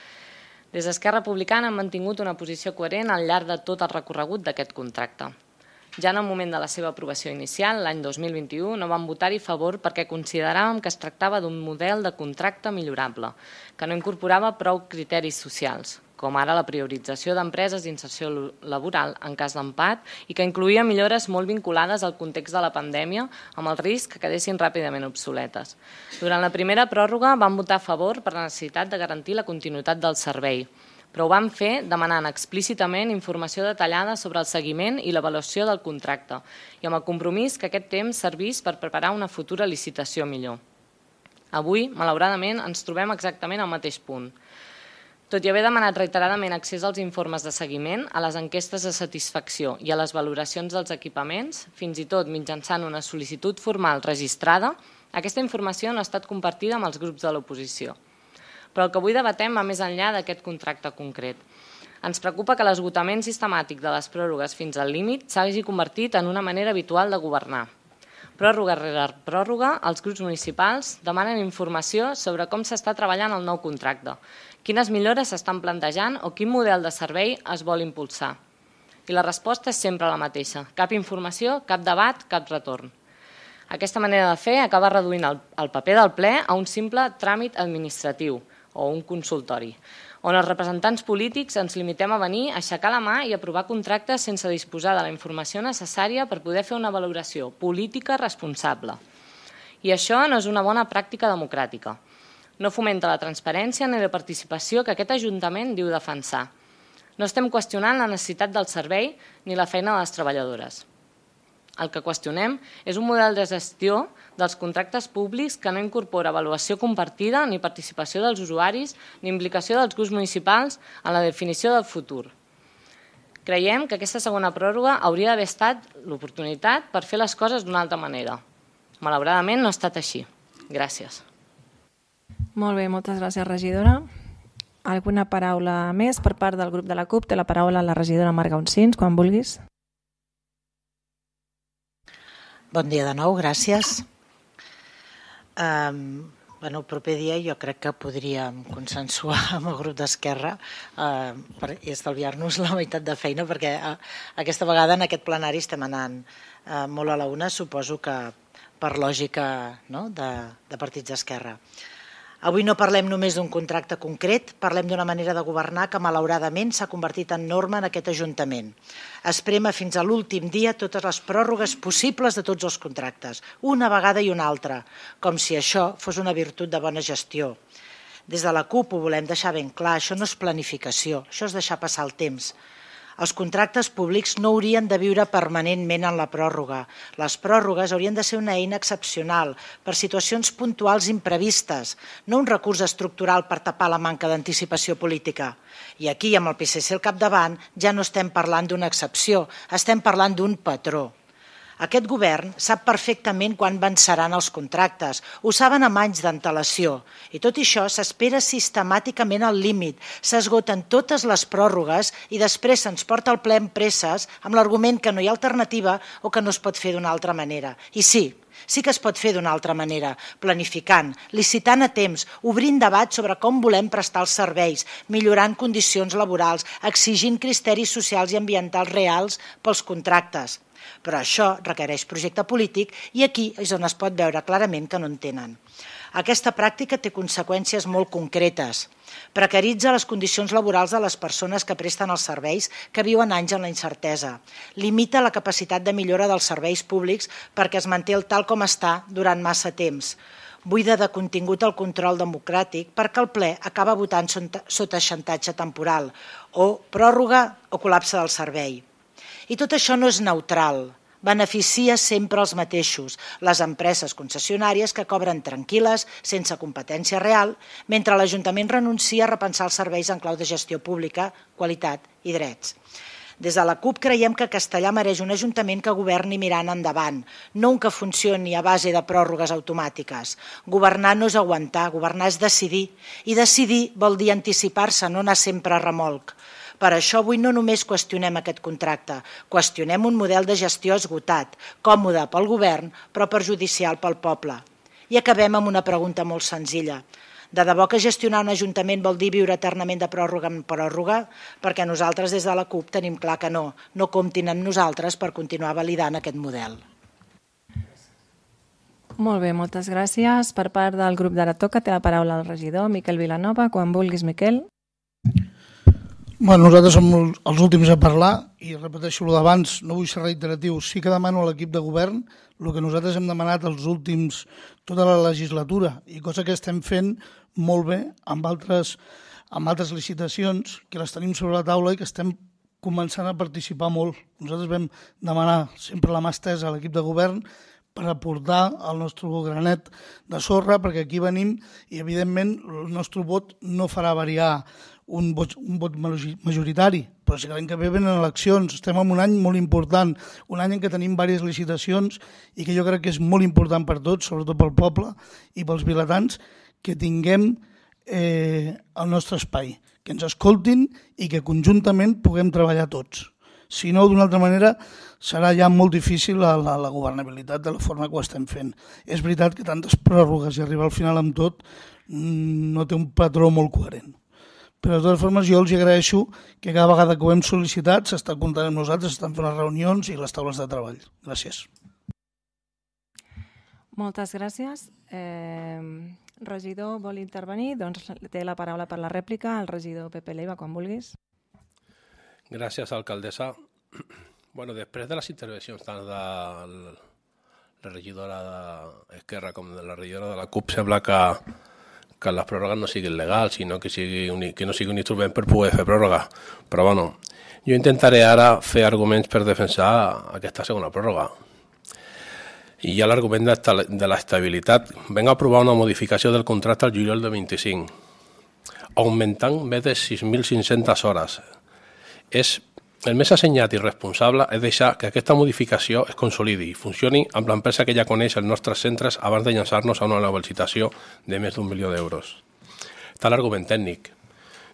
Des d'Esquerra Republicana hem mantingut una posició coherent al llarg de tot el recorregut d'aquest contracte. Ja en el moment de la seva aprovació inicial, l'any 2021, no vam votar-hi a favor perquè consideràvem que es tractava d'un model de contracte millorable, que no incorporava prou criteris socials, com ara la priorització d'empreses d'inserció laboral en cas d'empat i que incloïa millores molt vinculades al context de la pandèmia amb el risc que quedessin ràpidament obsoletes. Durant la primera pròrroga vam votar a favor per la necessitat de garantir la continuïtat del servei, però ho vam fer demanant explícitament informació detallada sobre el seguiment i l'avaluació del contracte i amb el compromís que aquest temps servís per preparar una futura licitació millor. Avui, malauradament, ens trobem exactament al mateix punt. Tot i haver demanat reiteradament accés als informes de seguiment, a les enquestes de satisfacció i a les valoracions dels equipaments, fins i tot mitjançant una sol·licitud formal registrada, aquesta informació no ha estat compartida amb els grups de l'oposició. Però el que avui debatem va més enllà d'aquest contracte concret. Ens preocupa que l'esgotament sistemàtic de les pròrrogues fins al límit s'hagi convertit en una manera habitual de governar. Pròrroga rere pròrroga, els grups municipals demanen informació sobre com s'està treballant el nou contracte, quines millores s'estan plantejant o quin model de servei es vol impulsar. I la resposta és sempre la mateixa. Cap informació, cap debat, cap retorn. Aquesta manera de fer acaba reduint el paper del ple a un simple tràmit administratiu o un consultori, on els representants polítics ens limitem a venir, a aixecar la mà i aprovar contractes sense disposar de la informació necessària per poder fer una valoració política responsable. I això no és una bona pràctica democràtica. No fomenta la transparència ni la participació que aquest Ajuntament diu defensar. No estem qüestionant la necessitat del servei ni la feina de les treballadores. El que qüestionem és un model de gestió dels contractes públics que no incorpora avaluació compartida ni participació dels usuaris ni implicació dels grups municipals en la definició del futur. Creiem que aquesta segona pròrroga hauria d'haver estat l'oportunitat per fer les coses d'una altra manera. Malauradament no ha estat així. Gràcies. Molt bé, moltes gràcies, regidora. Alguna paraula més per part del grup de la CUP? Té la paraula la regidora Marga Uncins, quan vulguis. Bon dia de nou, gràcies. El proper dia jo crec que podríem consensuar amb el grup d'Esquerra i estalviar-nos la meitat de feina, perquè aquesta vegada en aquest plenari estem anant molt a la una, suposo que per lògica de partits d'Esquerra. Avui no parlem només d'un contracte concret, parlem d'una manera de governar que malauradament s'ha convertit en norma en aquest Ajuntament. Es prema fins a l'últim dia totes les pròrrogues possibles de tots els contractes, una vegada i una altra, com si això fos una virtut de bona gestió. Des de la CUP ho volem deixar ben clar, això no és planificació, això és deixar passar el temps. Els contractes públics no haurien de viure permanentment en la pròrroga. Les pròrrogues haurien de ser una eina excepcional per situacions puntuals imprevistes, no un recurs estructural per tapar la manca d'anticipació política. I aquí, amb el PSC al capdavant, ja no estem parlant d'una excepció, estem parlant d'un patró. Aquest govern sap perfectament quan venceran els contractes, ho saben amb anys d'antelació, i tot això s'espera sistemàticament al límit, s'esgoten totes les pròrrogues i després se'ns porta al ple amb presses amb l'argument que no hi ha alternativa o que no es pot fer d'una altra manera. I sí que es pot fer d'una altra manera, planificant, licitant a temps, obrint debat sobre com volem prestar els serveis, millorant condicions laborals, exigint criteris socials i ambientals reals pels contractes. Però això requereix projecte polític i aquí és on es pot veure clarament que no en tenen. Aquesta pràctica té conseqüències molt concretes. Precaritza les condicions laborals de les persones que presten els serveis que viuen anys en la incertesa. Limita la capacitat de millora dels serveis públics perquè es manté el tal com està durant massa temps. Buida de contingut el control democràtic perquè el ple acaba votant sota xantatge temporal o pròrroga o col·lapse del servei. I tot això no és neutral, beneficia sempre els mateixos, les empreses concessionàries que cobren tranquil·les, sense competència real, mentre l'Ajuntament renuncia a repensar els serveis en clau de gestió pública, qualitat i drets. Des de la CUP creiem que Castellà mereix un Ajuntament que governi mirant endavant, no un que funcioni a base de pròrrogues automàtiques. Governar no és aguantar, governar és decidir, i decidir vol dir anticipar-se, no anar sempre a remolc. Per això avui no només qüestionem aquest contracte, qüestionem un model de gestió esgotat, còmode pel govern, però perjudicial pel poble. I acabem amb una pregunta molt senzilla. De debò que gestionar un ajuntament vol dir viure eternament de pròrroga en pròrroga? Perquè nosaltres des de la CUP tenim clar que no comptin amb nosaltres per continuar validant aquest model. Molt bé, moltes gràcies. Per part del grup d'Ara Toca té la paraula el regidor Miquel Vilanova. Quan vulguis, Miquel. Nosaltres som els últims a parlar i repeteixo el d'abans, no vull ser reiteratiu, sí que demano a l'equip de govern el que nosaltres hem demanat els últims, tota la legislatura, i cosa que estem fent molt bé amb altres licitacions que les tenim sobre la taula i que estem començant a participar molt. Nosaltres vam demanar sempre la mà estesa a l'equip de govern per aportar el nostre granet de sorra, perquè aquí venim i evidentment el nostre vot no farà variar un vot majoritari, però si l'any que ve venen eleccions, estem en un any molt important, un any en què tenim diverses licitacions i que jo crec que és molt important per tots, sobretot pel poble i pels vilatans, que tinguem el nostre espai, que ens escoltin i que conjuntament puguem treballar tots. Si no, d'una altra manera, serà ja molt difícil la governabilitat de la forma que ho estem fent. És veritat que tantes pròrrogues i arribar al final amb tot no té un patró molt coherent. Però de totes formes jo els agraeixo que cada vegada que ho hem sol·licitat s'està comptant amb nosaltres, s'estan fent les reunions i les taules de treball. Gràcies. Moltes gràcies. Regidor vol intervenir? Doncs té la paraula per la rèplica el regidor Pepe Leiva, quan vulguis. Gràcies, alcaldessa. Bueno, després de les intervencions tant de la regidora d'Esquerra com de la regidora de la CUP, sembla que les pròrrogues no siguin legals, sinó que no sigui un instrument per poder fer pròrroga. Però bueno, jo intentaré ara fer arguments per defensar aquesta segona pròrroga. I hi ha l'argument de l'estabilitat. Vam aprovar una modificació del contracte al juliol de 25, augmentant més de 6.500 hores. El més assenyat i responsable és deixar que aquesta modificació es consolidi i funcioni amb l'empresa que ja coneix els nostres centres abans de llançar-nos a una nova licitació de més d'1 milió d'euros. Està l'argument tècnic.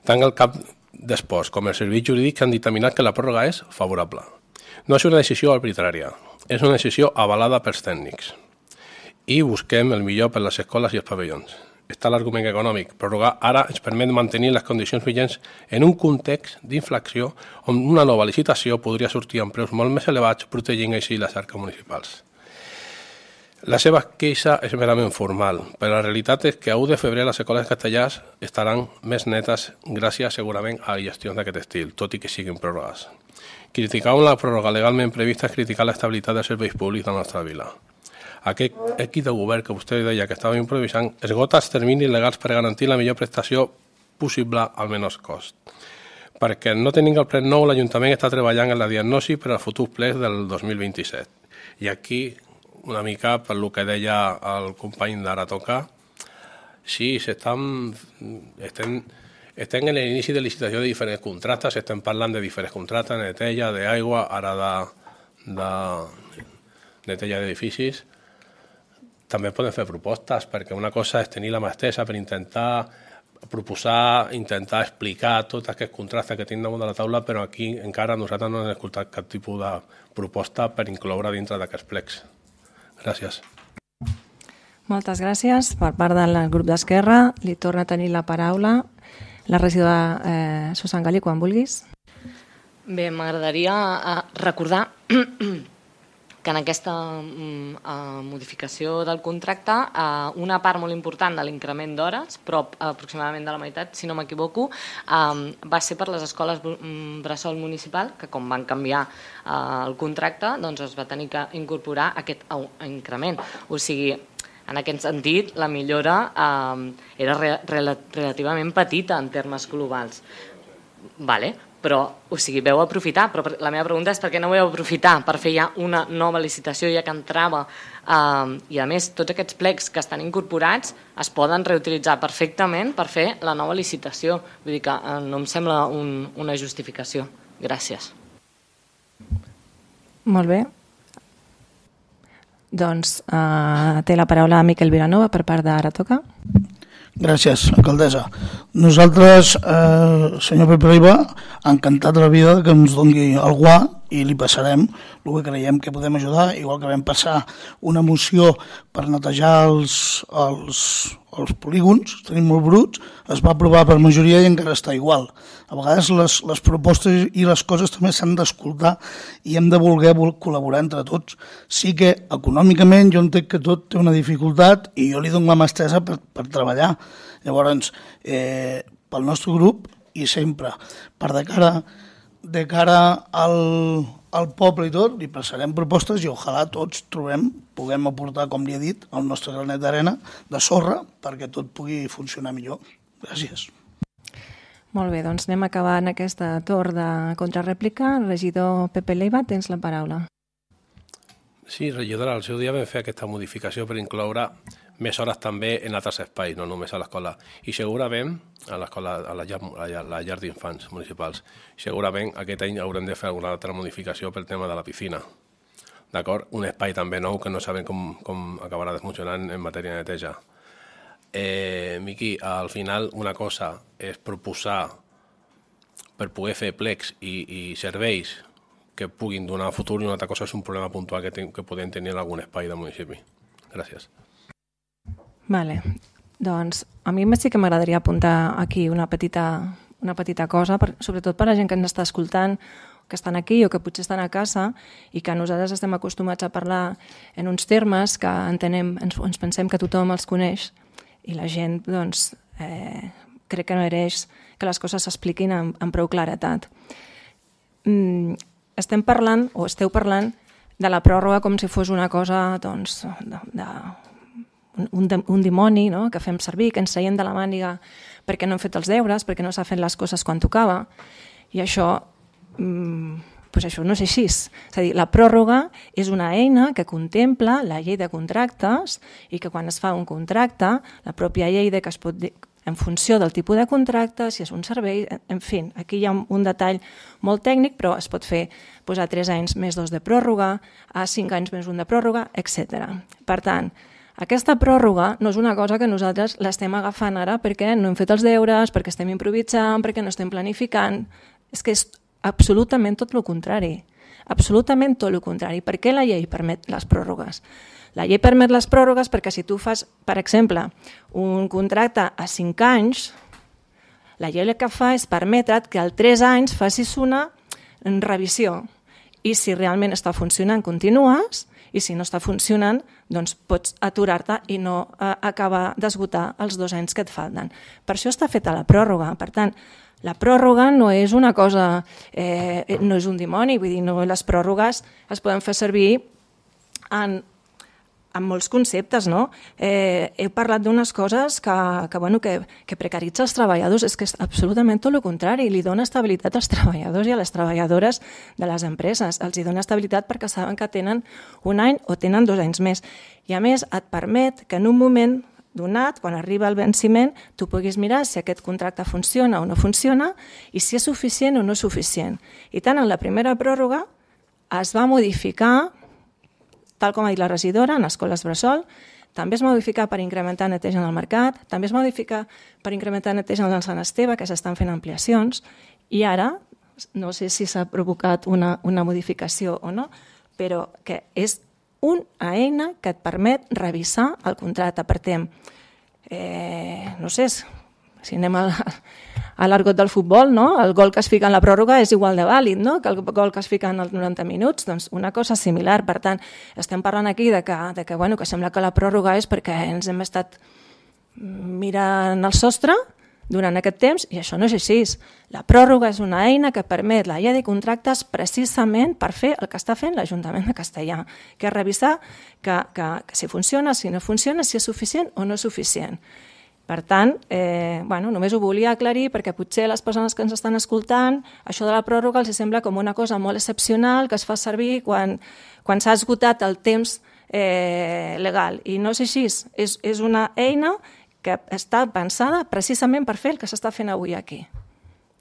Tant el cap d'esports com el servei jurídic han dictaminat que la pròrroga és favorable. No és una decisió arbitrària, és una decisió avalada pels tècnics. I busquem el millor per les escoles i els pavellons. Està l'argument econòmic. Prorrogar ara ens permet mantenir les condicions vigents en un context d'inflació on una nova licitació podria sortir amb preus molt més elevats, protegint així les arques municipals. La seva queixa és merament formal, però la realitat és que a 1 de febrer les escoles castellars estaran més netes gràcies segurament a gestions d'aquest estil, tot i que siguin pròrrogues. Criticar una pròrroga legalment prevista és criticar l'estabilitat dels serveis públics de la nostra vila. Aquest equip de govern que vostè deia que estava improvisant esgota els terminis legals per garantir la millor prestació possible al menor cost. Perquè no tenint el ple nou, l'Ajuntament està treballant en la diagnosi per al futur ple del 2027. I aquí, una mica per el que deia el company d'Ara Toca, sí, estem en l'inici de licitació de diferents contractes, estem parlant de diferents contractes, neteja, d'aigua, ara de neteja d'edificis. També podem fer propostes, perquè una cosa és tenir la mà estesa per intentar proposar, intentar explicar tots aquests contractes que tenim damunt de la taula, però aquí encara nosaltres no hem escoltat cap tipus de proposta per incloure dintre d'aquests plecs. Gràcies. Moltes gràcies. Per part del grup d'Esquerra, li torna a tenir la paraula la regidora Susan Gali, quan vulguis. Bé, m'agradaria recordar que en aquesta modificació del contracte una part molt important de l'increment d'hores, però aproximadament de la meitat, si no m'equivoco, va ser per les escoles bressol municipal, que com van canviar el contracte, doncs es va tenir que incorporar aquest increment. O sigui, en aquest sentit, la millora era relativament petita en termes globals. Vale. Però, o sigui, veu aprofitar, però la meva pregunta és per què no veu aprofitar per fer ja una nova licitació ja que entrava i a més tots aquests plecs que estan incorporats es poden reutilitzar perfectament per fer la nova licitació. Vull dir que no em sembla una justificació. Gràcies. Molt bé. Doncs té la paraula Miquel Vilanova per part d'Ara Toca. Gràcies, alcaldessa. Nosaltres, senyor Pepe Leiva, encantat de la vida que ens doni el guà i li passarem el que creiem que podem ajudar, igual que vam passar una moció per netejar els polígons, tenim molt bruts, es va aprovar per majoria i encara està igual. A vegades les propostes i les coses també s'han d'escoltar i hem de voler col·laborar entre tots. Sí que econòmicament jo entenc que tot té una dificultat i jo li dono la mà estesa per treballar. Llavors, pel nostre grup i sempre per de cara al poble i tot, li passarem propostes i ojalà tots puguem aportar, com li he dit, el nostre granet d'arena de sorra perquè tot pugui funcionar millor. Gràcies. Molt bé, doncs anem acabant aquesta torn de contrarèplica. Regidor Pepe Leiva, tens la paraula. Sí, regidora, al seu dia vam fer aquesta modificació per incloure més hores també en altres espais, no només a l'escola. I segurament, a la llar d'infants municipals, segurament aquest any haurem de fer alguna altra modificació pel tema de la piscina. D'acord? Un espai també nou que no sabem com acabarà de funcionar en matèria de neteja. Miqui, al final una cosa és proposar per poder fer plecs i serveis que puguin donar futur i una altra cosa és un problema puntual que podem tenir en algun espai del municipi. Gràcies. Vale. Doncs a mi sí que m'agradaria apuntar aquí una petita cosa, sobretot per la gent que ens està escoltant, que estan aquí o que potser estan a casa i que nosaltres estem acostumats a parlar en uns termes que entenem, ens pensem que tothom els coneix i la gent, doncs, crec que no mereix que les coses s'expliquin amb prou claretat. Estem parlant, o esteu parlant, de la pròrroga com si fos una cosa, doncs, un dimoni, no?, que fem servir, que ens traiem de la màniga perquè no hem fet els deures, perquè no s'ha fet les coses quan tocava. I això, doncs això no és així. És a dir, la pròrroga és una eina que contempla la llei de contractes i que quan es fa un contracte, la pròpia llei que es pot dir en funció del tipus de contracte, si és un servei, en fi, aquí hi ha un detall molt tècnic, però es pot fer a 3 anys més 2 de pròrroga, a 5 anys més 1 de pròrroga, etc. Per tant, aquesta pròrroga no és una cosa que nosaltres l'estem agafant ara perquè no hem fet els deures, perquè estem improvisant, perquè no estem planificant. És que és absolutament tot el contrari. Absolutament tot el contrari. Per què la llei permet les pròrrogues? La llei permet les pròrrogues perquè si tu fas, per exemple, un contracte a 5 anys, la llei el que fa és permetre't que al 3 anys facis una revisió i si realment està funcionant continues i si no està funcionant doncs pots aturar-te i no acabar d'esgotar els 2 anys que et falten. Per això està feta la pròrroga. Per tant, la pròrroga no és una cosa, no és un dimoni, vull dir, les pròrrogues es poden fer servir en molts conceptes, no? He parlat d'unes coses que precaritza els treballadors, és que és absolutament tot el contrari, li dona estabilitat als treballadors i a les treballadores de les empreses, els hi dona estabilitat perquè saben que tenen 1 any o tenen 2 anys més. I a més et permet que en un moment donat, quan arriba el venciment, tu puguis mirar si aquest contracte funciona o no funciona i si és suficient o no és suficient. I tant en la primera pròrroga es va modificar, tal com ha dit la regidora, en escoles bressol, també es modifica per incrementar neteja en el mercat, també es modifica per incrementar neteja en el Sant Esteve, que s'estan fent ampliacions, i ara, no sé si s'ha provocat una modificació o no, però que és una eina que et permet revisar el contracte. Per tant, no sé, si anem a l'argot del futbol, no? El gol que es fica en la pròrroga és igual de vàlid, no?, que el gol que es fica en els 90 minuts, doncs una cosa similar. Per tant, estem parlant aquí que sembla que la pròrroga és perquè ens hem estat mirant el sostre durant aquest temps i això no és així. La pròrroga és una eina que permet la llei de contractes precisament per fer el que està fent l'Ajuntament de Castellar, que és revisar que si funciona, si no funciona, si és suficient o no és suficient. Per tant, només ho volia aclarir perquè potser les persones que ens estan escoltant, això de la pròrroga els sembla com una cosa molt excepcional que es fa servir quan s'ha esgotat el temps legal. I no és així, és una eina que està pensada precisament per fer el que s'està fent avui aquí.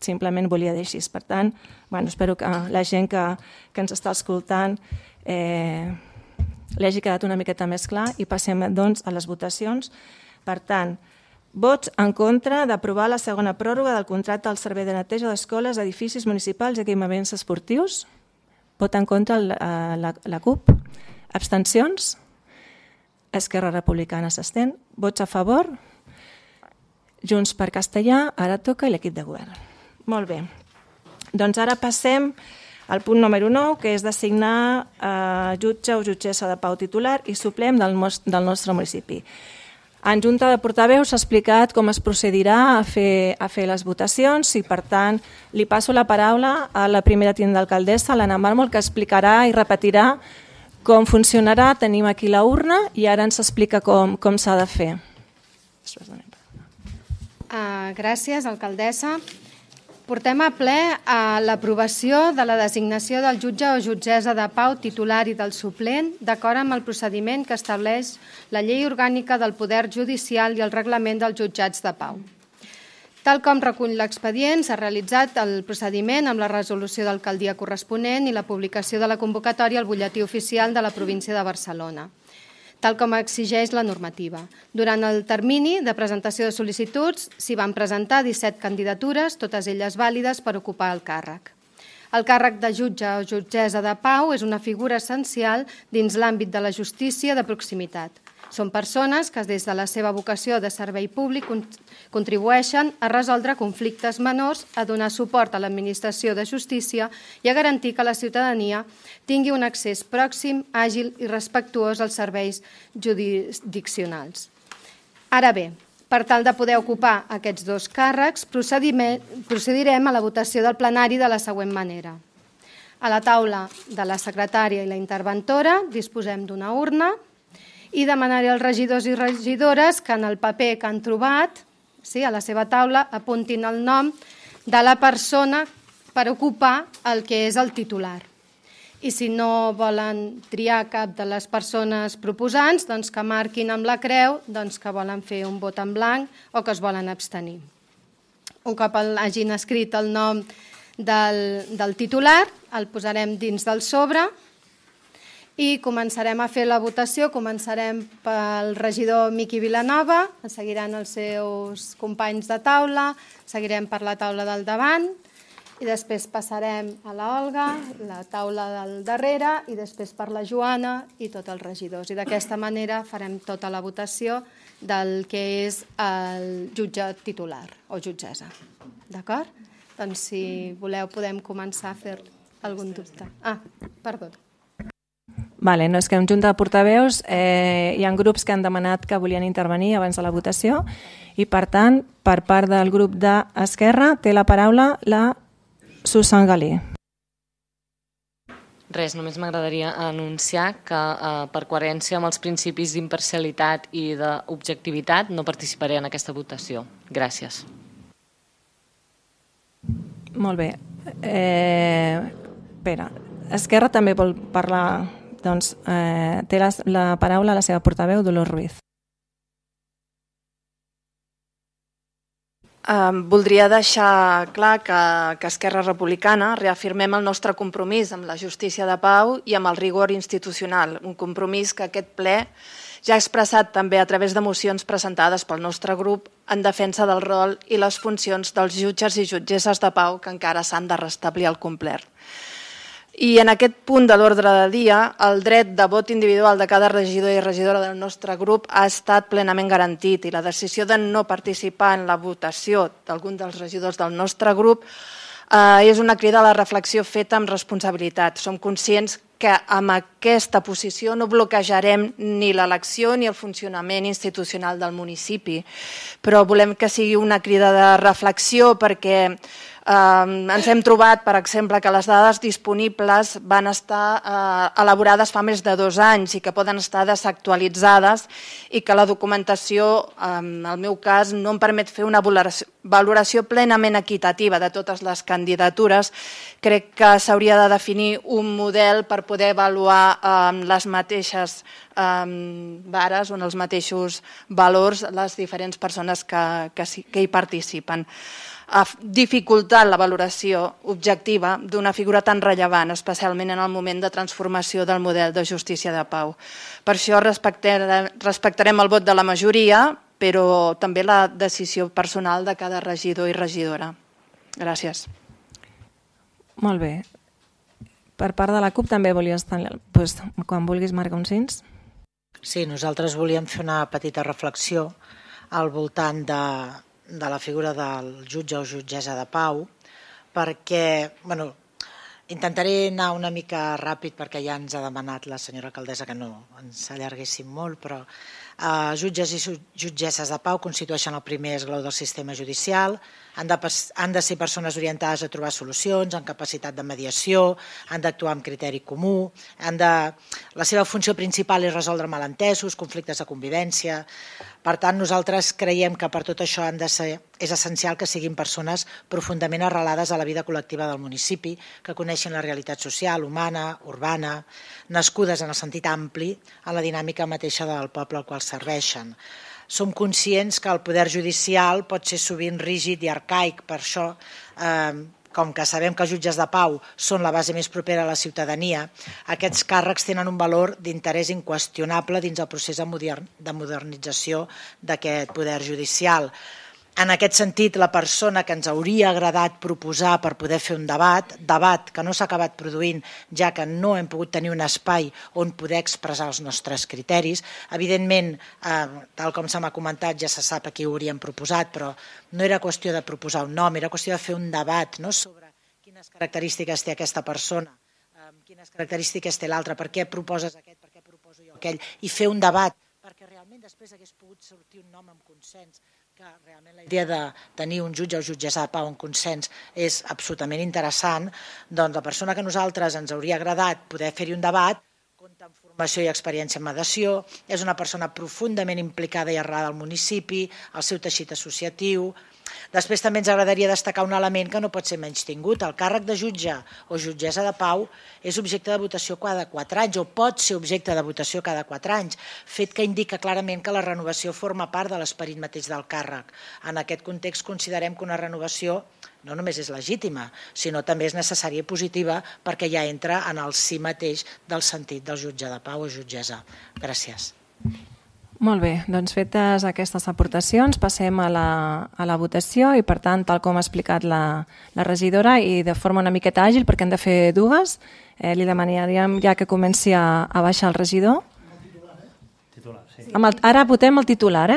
Simplement volia dir així. Per tant, espero que la gent que ens està escoltant li hagi quedat una miqueta més clar i passem doncs a les votacions. Per tant, vots en contra d'aprovar la segona pròrroga del contracte del servei de neteja d'escoles, edificis municipals i equipaments esportius. Vot en contra la CUP. Abstencions? Esquerra Republicana s'abstén. Vots a favor? Junts per Castellar, ara toca l'equip de govern. Molt bé. Doncs ara passem al punt número 9, que és designar jutge o jutgessa de pau titular i suplent del nostre municipi. En Junta de Portaveus s'ha explicat com es procedirà a fer les votacions i, per tant, li passo la paraula a la primera tinent d'alcaldessa, l'Anna Màrmol, que explicarà i repetirà com funcionarà. Tenim aquí la urna i ara ens explica com s'ha de fer. Gràcies, alcaldessa. Portem a ple a l'aprovació de la designació del jutge o jutgessa de pau titular i del suplent d'acord amb el procediment que estableix la Llei Orgànica del Poder Judicial i el Reglament dels Jutjats de Pau. Tal com recull l'expedient, s'ha realitzat el procediment amb la resolució d'alcaldia corresponent i la publicació de la convocatòria al butlletí oficial de la província de Barcelona, tal com exigeix la normativa. Durant el termini de presentació de sol·licituds s'hi van presentar 17 candidatures, totes elles vàlides per ocupar el càrrec. El càrrec de jutge o jutgessa de pau és una figura essencial dins l'àmbit de la justícia de proximitat. Són persones que des de la seva vocació de servei públic contribueixen a resoldre conflictes menors, a donar suport a l'administració de justícia i a garantir que la ciutadania tingui un accés pròxim, àgil i respectuós als serveis jurisdiccionals. Ara bé, per tal de poder ocupar aquests dos càrrecs, procedirem a la votació del plenari de la següent manera. A la taula de la secretària i la interventora disposem d'una urna i demanaré als regidors i regidores que en el paper que han trobat, a la seva taula, apuntin el nom de la persona per ocupar el que és el titular. I si no volen triar cap de les persones proposants, doncs que marquin amb la creu que volen fer un vot en blanc o que es volen abstenir. Un cop hagin escrit el nom del titular, el posarem dins del sobre i començarem a fer la votació. Començarem pel regidor Miqui Vilanova, seguiran els seus companys de taula, seguirem per la taula del davant i després passarem a la Olga, la taula del darrere i després per la Joana i tots els regidors. I d'aquesta manera farem tota la votació del que és el jutge titular o jutgessa. D'acord? Doncs si voleu podem començar a fer algun dubte. Perdó. Vale, no, és que en Junta de Portaveus hi ha grups que han demanat que volien intervenir abans de la votació i, per tant, per part del grup d'Esquerra té la paraula la Susan Galí. Res, només m'agradaria anunciar que per coherència amb els principis d'imparcialitat i d'objectivitat no participaré en aquesta votació. Gràcies. Molt bé. Espera, Esquerra també vol parlar. Doncs té la paraula la seva portaveu, Dolors Ruiz. Voldria deixar clar que Esquerra Republicana reafirmem el nostre compromís amb la justícia de pau i amb el rigor institucional, un compromís que aquest ple ja ha expressat també a través de mocions presentades pel nostre grup en defensa del rol i les funcions dels jutges i jutgesses de pau que encara s'han de restablir al complet. I en aquest punt de l'ordre del dia, el dret de vot individual de cada regidor i regidora del nostre grup ha estat plenament garantit i la decisió de no participar en la votació d'algun dels regidors del nostre grup és una crida a la reflexió feta amb responsabilitat. Som conscients que amb aquesta posició no bloquejarem ni l'elecció ni el funcionament institucional del municipi, però volem que sigui una crida de reflexió perquè ens hem trobat, per exemple, que les dades disponibles van estar elaborades fa més de 2 anys i que poden estar desactualitzades i que la documentació, en el meu cas, no em permet fer una valoració plenament equitativa de totes les candidatures. Crec que s'hauria de definir un model per poder avaluar les mateixes vares o en els mateixos valors les diferents persones que hi participen. Ha dificultat la valoració objectiva d'una figura tan rellevant, especialment en el moment de transformació del model de justícia de pau. Per això respectarem el vot de la majoria, però també la decisió personal de cada regidor i regidora. Gràcies. Molt bé. Per part de la CUP també volies tenir... Quan vulguis, marca un cins. Sí, nosaltres volíem fer una petita reflexió al voltant de la figura del jutge o jutgessa de pau, perquè, intentaré anar una mica ràpid perquè ja ens ha demanat la senyora alcaldessa que no ens allarguéssim molt, però jutges i jutgesses de pau constitueixen el primer esglaó del sistema judicial, han de ser persones orientades a trobar solucions, amb capacitat de mediació, han d'actuar amb criteri comú, la seva funció principal és resoldre malentesos, conflictes de convivència. Per tant, nosaltres creiem que per tot això han de ser és essencial que siguin persones profundament arrelades a la vida col·lectiva del municipi, que coneixin la realitat social, humana, urbana, nascudes en el sentit ampli en la dinàmica mateixa del poble al qual serveixen. Som conscients que el poder judicial pot ser sovint rígid i arcaic, per això, com que sabem que els jutges de pau són la base més propera a la ciutadania, aquests càrrecs tenen un valor d'interès inqüestionable dins el procés de modernització d'aquest poder judicial. En aquest sentit, la persona que ens hauria agradat proposar per poder fer un debat que no s'ha acabat produint, ja que no hem pogut tenir un espai on poder expressar els nostres criteris. Evidentment, tal com se m'ha comentat, ja se sap a qui ho hauríem proposat, però no era qüestió de proposar un nom, era qüestió de fer un debat sobre quines característiques té aquesta persona, quines característiques té l'altra, per què proposes aquest, per què proposo jo aquell, i fer un debat, perquè realment després hagués pogut sortir un nom amb consens, que realment la idea de tenir un jutge o jutgessa de pau en consens és absolutament interessant, doncs la persona que a nosaltres ens hauria agradat poder fer-hi un debat, compta amb formació i experiència en mediació, és una persona profundament implicada i arrelada al municipi, al seu teixit associatiu. Després també ens agradaria destacar un element que no pot ser menystingut. El càrrec de jutge o jutgessa de pau és objecte de votació cada 4 anys o pot ser objecte de votació cada 4 anys, fet que indica clarament que la renovació forma part de l'esperit mateix del càrrec. En aquest context considerem que una renovació no només és legítima, sinó també és necessària i positiva perquè ja entra en el si mateix del sentit del jutge de pau o jutgessa. Gràcies. Molt bé, doncs fetes aquestes aportacions passem a la votació i per tant, tal com ha explicat la regidora i de forma una miqueta àgil perquè hem de fer dues, li demanaríem ja que comenci a baixar el regidor. Ara votem el titular,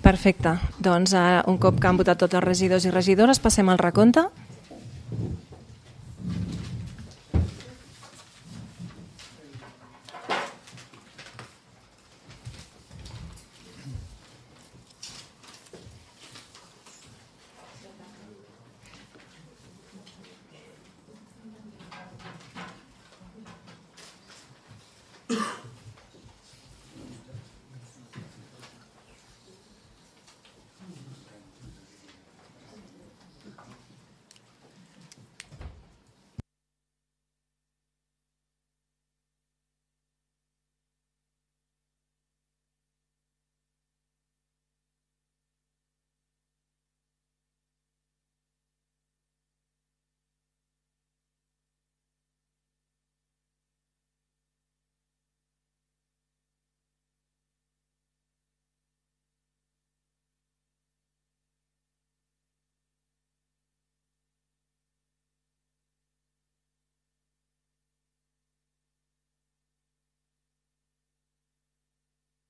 Perfecte. Doncs un cop que han votat tots els regidors i regidores passem al recompte.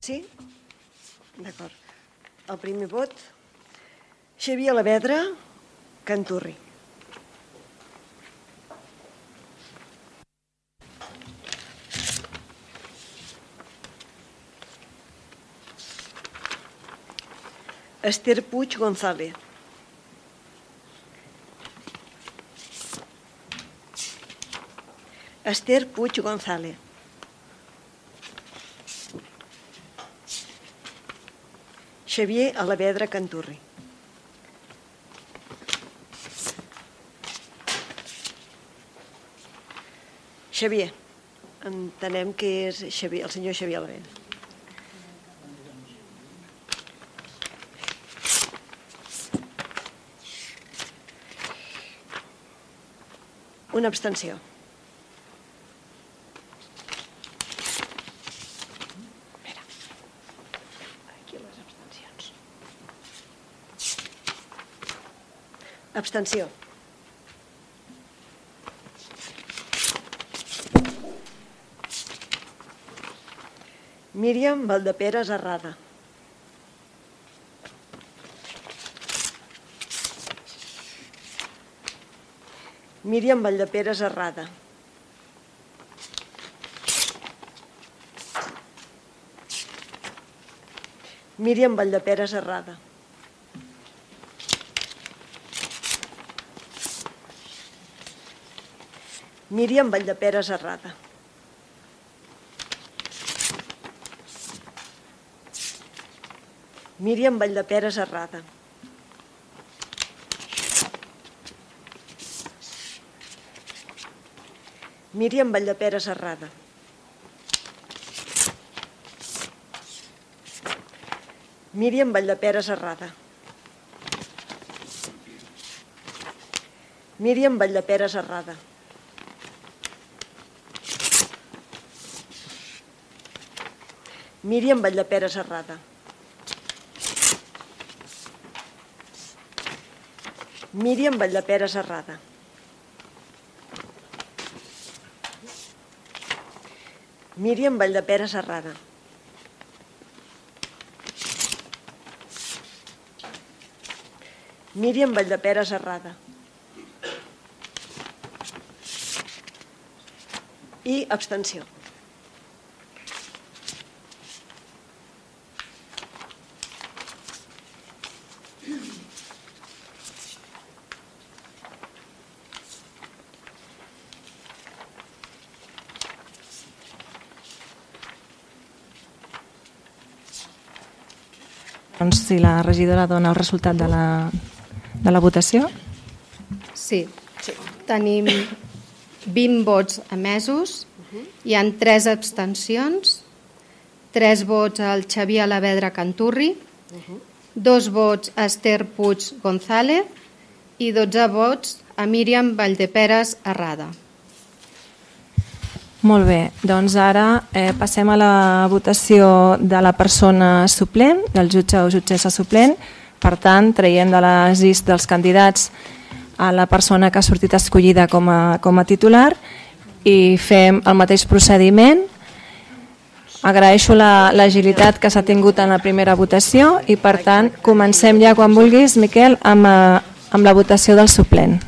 Sí? D'acord. El primer vot, Xavier Alavedra, Canturri. Esther Puig González. Esther Puig González. Xavier Alavedra Canturri. Xavier. Entenem que és Xavier, el senyor Xavier Alavedra. Una abstenció. Aquí les abstencions. Abstenció. Míriam Valdeperes Arrada. Míriam Valdeperes Arrada. Míriam Valdeperes Arrada. Míriam Valdeperes Arrada. Míriam Valdeperes Arrada. Míriam Valdeperes Arrada. Míriam Valdeperes Arrada. Míriam Valdeperes Arrada. Míriam Valdeperes Arrada. Míriam Valdeperes Arrada. Míriam Valdeperes Arrada. Míriam Valdeperes Arrada. I abstenció. Doncs si la regidora dona el resultat de la votació. Sí. Tenim 20 vots emesos, hi han 3 abstencions, 3 vots al Xavier Alavedra Canturri, 2 vots a Esther Puig González i 12 vots a Míriam Valdeperes Arrada. Molt bé, doncs ara passem a la votació de la persona suplent, del jutge o jutgessa suplent. Per tant, traiem de les llistes dels candidats a la persona que ha sortit escollida com a titular i fem el mateix procediment. Agraeixo l'agilitat que s'ha tingut en la primera votació i, per tant, comencem ja quan vulguis, Miquel, amb la votació del suplent.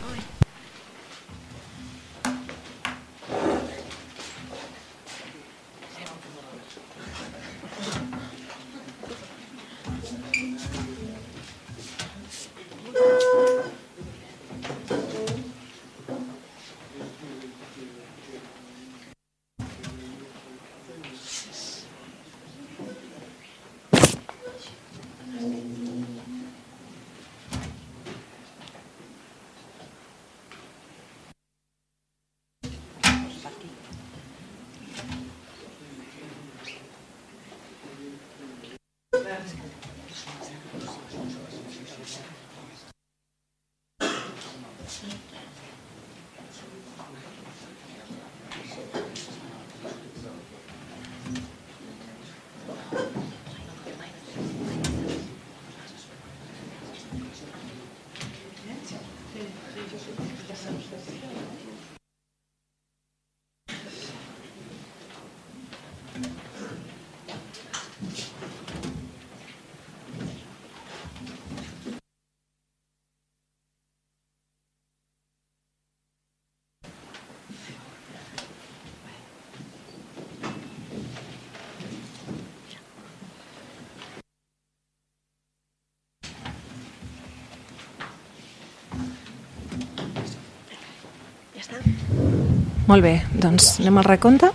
Molt bé, doncs anem al recompte.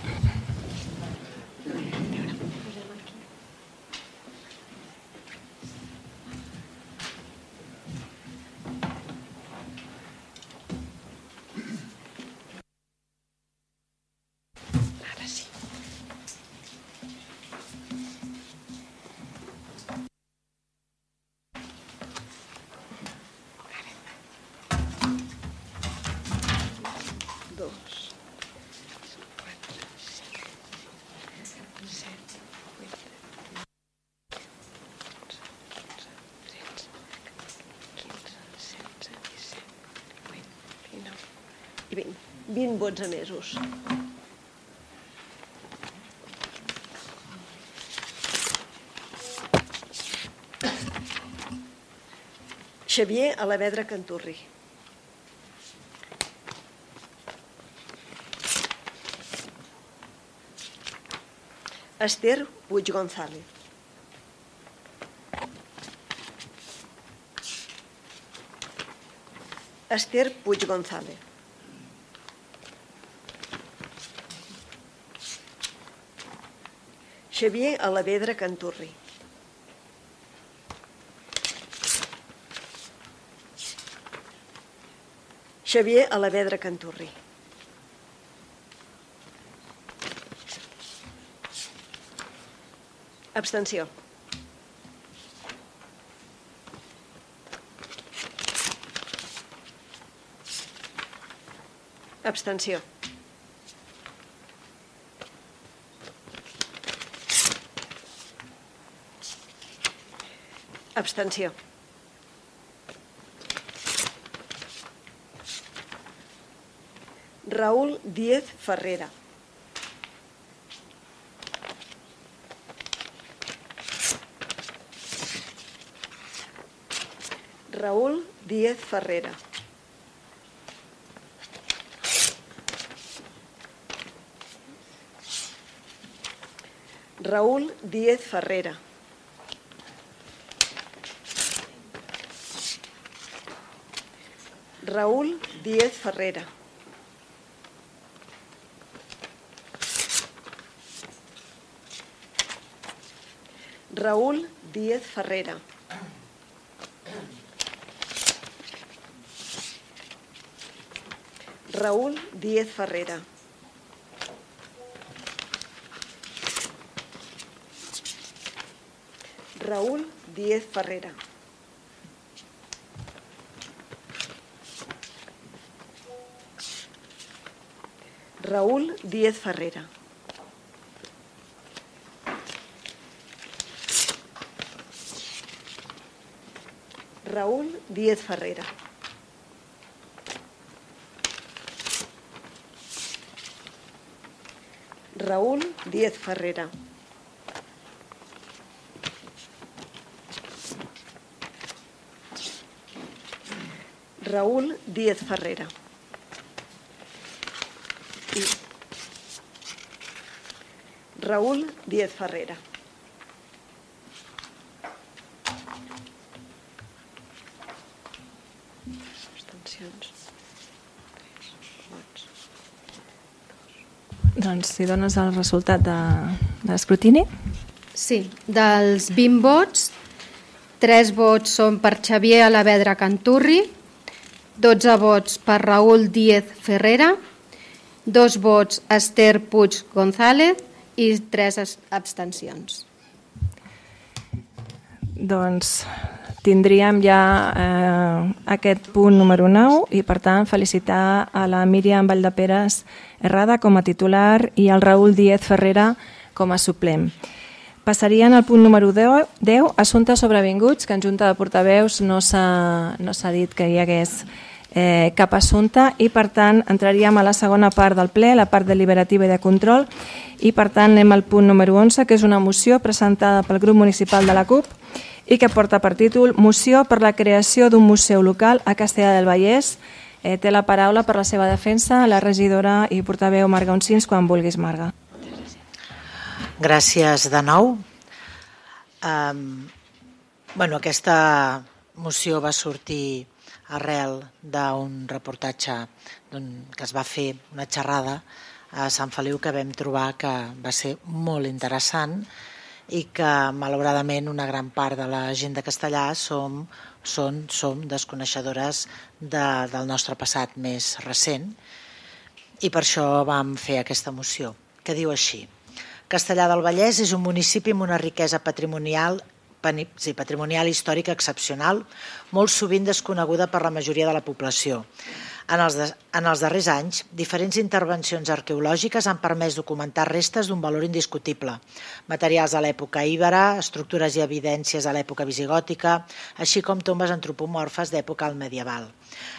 I 20 vots emesos. Xavier Alavedra Canturri. Esther Puig González. Esther Puig González. Xavier Alavedra Canturri. Xavier Alavedra Canturri. Abstenció. Abstenció. Abstenció. Raúl Díez Ferrera. Raúl Díez Ferrera. Raúl Díez Ferrera. Raúl Díez Ferrera. Raúl Díez Ferrera. Raúl Díez Ferrera. Raúl Díez Ferrera. Raúl Díez Ferrera. Raúl Díez Ferrera. Raúl Díez Ferrera. Raúl Díez Ferrera. Raúl Díez Ferrera. Doncs si dones el resultat de l'escrutini. Sí, dels 20 vots, 3 vots són per Xavier Alavedra Canturri, 12 vots per Raúl Díez Ferrera, 2 vots Esther Puig González i 3 abstencions. Doncs tindríem ja aquest punt número 9 i, per tant, felicitar a la Míriam Valldeperes Herrada com a titular i al Raúl Díez Ferrera com a suplent. Passaríem al punt número 10, assumptes sobrevinguts, que en Junta de Portaveus no s'ha dit que hi hagués cap assumpte i, per tant, entraríem a la segona part del ple, la part deliberativa i de control, i, per tant, anem al punt número 11, que és una moció presentada pel grup municipal de la CUP i que porta per títol Moció per la creació d'un museu local a Castellar del Vallès. Té la paraula per la seva defensa la regidora i portaveu Marga Oncins, quan vulguis, Marga. Gràcies de nou. Aquesta moció va sortir arrel d'un reportatge que es va fer una xerrada a Sant Feliu que vam trobar que va ser molt interessant i que malauradament una gran part de la gent de Castellà som desconeixedores del nostre passat més recent i per això vam fer aquesta moció, que diu així: Castellar del Vallès és un municipi amb una riquesa patrimonial històrica excepcional, molt sovint desconeguda per la majoria de la població. En els darrers anys, diferents intervencions arqueològiques han permès documentar restes d'un valor indiscutible, materials de l'època íbera, estructures i evidències de l'època visigòtica, així com tombes antropomorfes d'època medieval.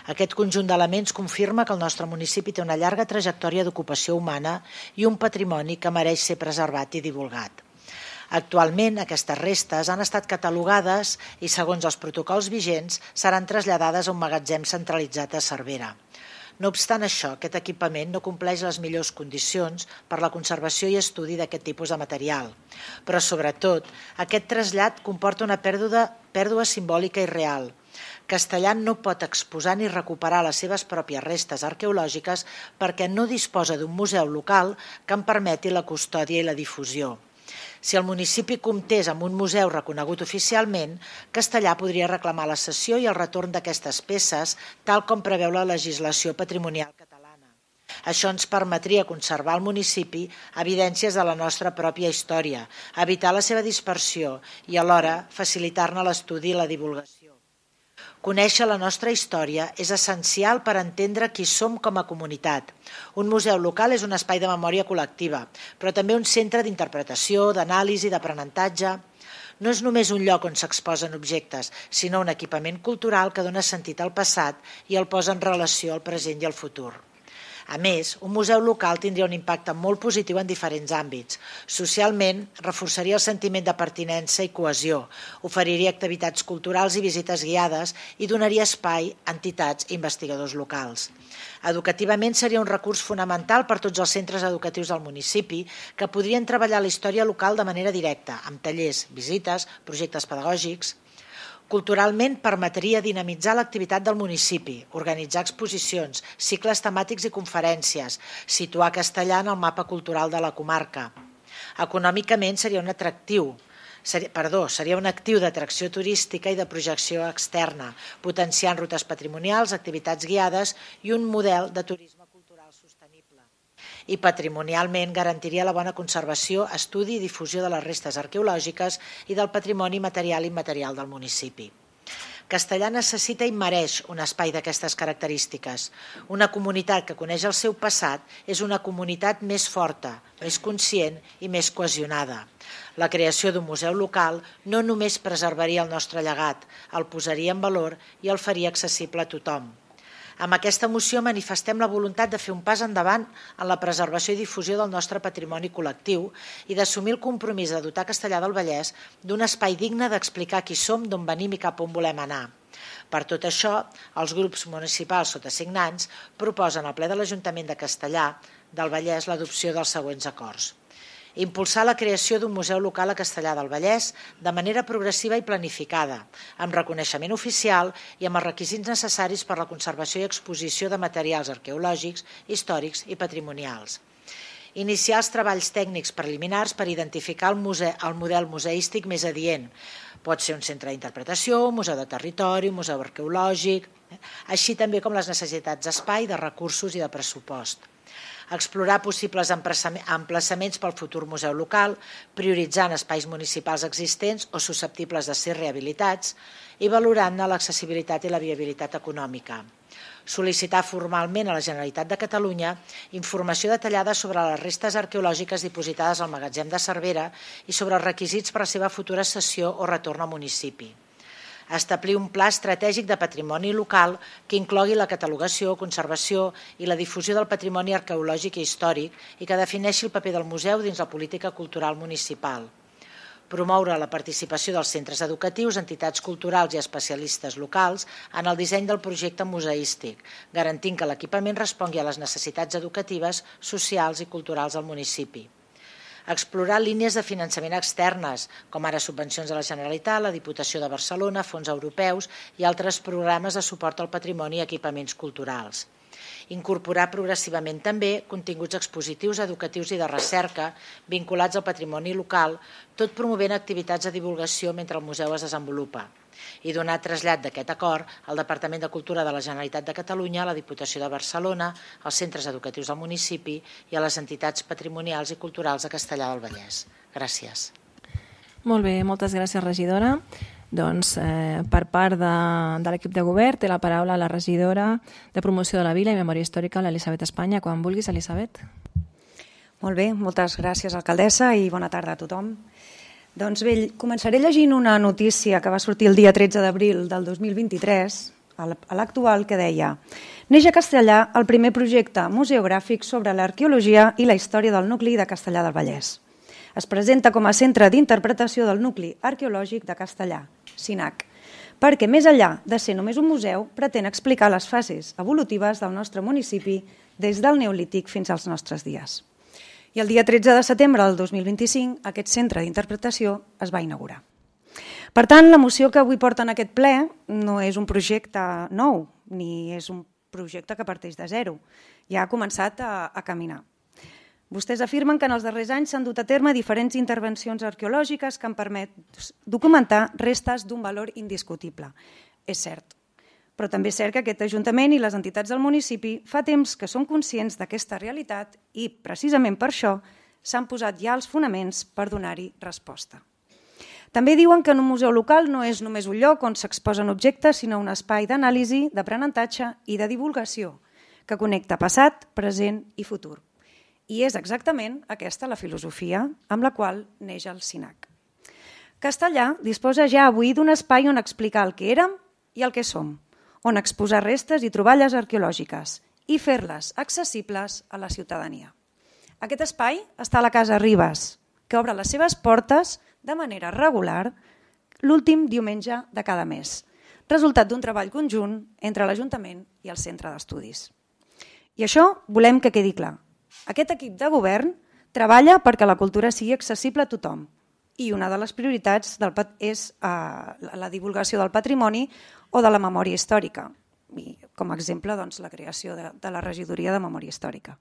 Aquest conjunt d'elements confirma que el nostre municipi té una llarga trajectòria d'ocupació humana i un patrimoni que mereix ser preservat i divulgat. Actualment, aquestes restes han estat catalogades i, segons els protocols vigents, seran traslladades a un magatzem centralitzat a Cervera. No obstant això, aquest equipament no compleix les millors condicions per la conservació i estudi d'aquest tipus de material. Però, sobretot, aquest trasllat comporta una pèrdua simbòlica i real. Castellar no pot exposar ni recuperar les seves pròpies restes arqueològiques perquè no disposa d'un museu local que en permeti la custòdia i la difusió. Si el municipi comptés amb un museu reconegut oficialment, Castellar podria reclamar la cessió i el retorn d'aquestes peces, tal com preveu la legislació patrimonial catalana. Això ens permetria conservar al municipi evidències de la nostra pròpia història, evitar la seva dispersió i alhora facilitar-ne l'estudi i la divulgació. Conèixer la nostra història és essencial per entendre qui som com a comunitat. Un museu local és un espai de memòria col·lectiva, però també un centre d'interpretació, d'anàlisi, d'aprenentatge. No és només un lloc on s'exposen objectes, sinó un equipament cultural que dona sentit al passat i el posa en relació al present i al futur. A més, un museu local tindria un impacte molt positiu en diferents àmbits. Socialment, reforçaria el sentiment de pertinença i cohesió, oferiria activitats culturals i visites guiades i donaria espai a entitats i investigadors locals. Educativament seria un recurs fonamental per tots els centres educatius del municipi que podrien treballar la història local de manera directa, amb tallers, visites, projectes pedagògics. Culturalment permetria dinamitzar l'activitat del municipi, organitzar exposicions, cicles temàtics i conferències, situar Castellar en el mapa cultural de la comarca. Econòmicament seria un actiu d'atracció turística i de projecció externa, potenciant rutes patrimonials, activitats guiades i un model de turisme cultural sostenible. I patrimonialment garantiria la bona conservació, estudi i difusió de les restes arqueològiques i del patrimoni material i immaterial del municipi. Castellar necessita i mereix un espai d'aquestes característiques. Una comunitat que coneix el seu passat és una comunitat més forta, més conscient i més cohesionada. La creació d'un museu local no només preservaria el nostre llegat, el posaria en valor i el faria accessible a tothom. Amb aquesta moció manifestem la voluntat de fer un pas endavant en la preservació i difusió del nostre patrimoni col·lectiu i d'assumir el compromís de dotar Castellar del Vallès d'un espai digne d'explicar qui som, d'on venim i cap on volem anar. Per tot això, els grups municipals sotasignants proposen al ple de l'Ajuntament de Castellar del Vallès l'adopció dels següents acords. Impulsar la creació d'un museu local a Castellar del Vallès de manera progressiva i planificada, amb reconeixement oficial i amb els requisits necessaris per a la conservació i exposició de materials arqueològics, històrics i patrimonials. Iniciar els treballs tècnics preliminars per identificar el model museístic més adient. Pot ser un centre d'interpretació, un museu de territori, un museu arqueològic, així també com les necessitats d'espai, de recursos i de pressupost. Explorar possibles emplaçaments pel futur museu local, prioritzant espais municipals existents o susceptibles de ser rehabilitats i valorant-ne l'accessibilitat i la viabilitat econòmica. Sol·licitar formalment a la Generalitat de Catalunya informació detallada sobre les restes arqueològiques dipositades al magatzem de Cervera i sobre els requisits per a la seva futura cessió o retorn al municipi. Establir un pla estratègic de patrimoni local que inclogui la catalogació, conservació i la difusió del patrimoni arqueològic i històric i que defineixi el paper del museu dins la política cultural municipal. Promoure la participació dels centres educatius, entitats culturals i especialistes locals en el disseny del projecte museístic, garantint que l'equipament respongui a les necessitats educatives, socials i culturals del municipi. Explorar línies de finançament externes, com ara subvencions de la Generalitat, la Diputació de Barcelona, fons europeus i altres programes de suport al patrimoni i equipaments culturals. Incorporar progressivament també continguts expositius, educatius i de recerca vinculats al patrimoni local, tot promovent activitats de divulgació mentre el museu es desenvolupa. I donar trasllat d'aquest acord al Departament de Cultura de la Generalitat de Catalunya, a la Diputació de Barcelona, als centres educatius del municipi i a les entitats patrimonials i culturals de Castellar del Vallès. Gràcies. Molt bé, moltes gràcies, regidora. Doncs, per part de l'equip de govern, té la paraula la regidora de Promoció de la Vila i Memòria Històrica, l'Elisabet Espanya. Quan vulguis, Elisabet. Molt bé, moltes gràcies, alcaldessa, i bona tarda a tothom. Doncs bé, començaré llegint una notícia que va sortir el dia 13 d'abril del 2023, a l'actual, que deia: neix a Castellar el primer projecte museogràfic sobre l'arqueologia i la història del nucli de Castellar del Vallès. Es presenta com a centre d'interpretació del nucli arqueològic de Castellar, CINAC, perquè més enllà de ser només un museu, pretén explicar les fases evolutives del nostre municipi des del Neolític fins als nostres dies. I el dia 13 de setembre del 2025 aquest centre d'interpretació es va inaugurar. Per tant, la moció que avui porta en aquest ple no és un projecte nou, ni és un projecte que parteix de zero. Ja ha començat a caminar. Vostès afirmen que en els darrers anys s'han dut a terme diferents intervencions arqueològiques que han permès documentar restes d'un valor indiscutible. És cert. Però també és cert que aquest Ajuntament i les entitats del municipi fa temps que són conscients d'aquesta realitat i, precisament per això, s'han posat ja els fonaments per donar-hi resposta. També diuen que en un museu local no és només un lloc on s'exposen objectes, sinó un espai d'anàlisi, d'aprenentatge i de divulgació que connecta passat, present i futur. I és exactament aquesta la filosofia amb la qual neix el CINAC. Castellar disposa ja avui d'un espai on explicar el que érem i el que som, on exposar restes i troballes arqueològiques i fer-les accessibles a la ciutadania. Aquest espai està a la Casa Ribes, que obre les seves portes de manera regular l'últim diumenge de cada mes, resultat d'un treball conjunt entre l'Ajuntament i el Centre d'Estudis. I això volem que quedi clar. Aquest equip de govern treballa perquè la cultura sigui accessible a tothom i una de les prioritats és la divulgació del patrimoni o de la memòria històrica, i com a exemple la creació de la regidoria de memòria històrica.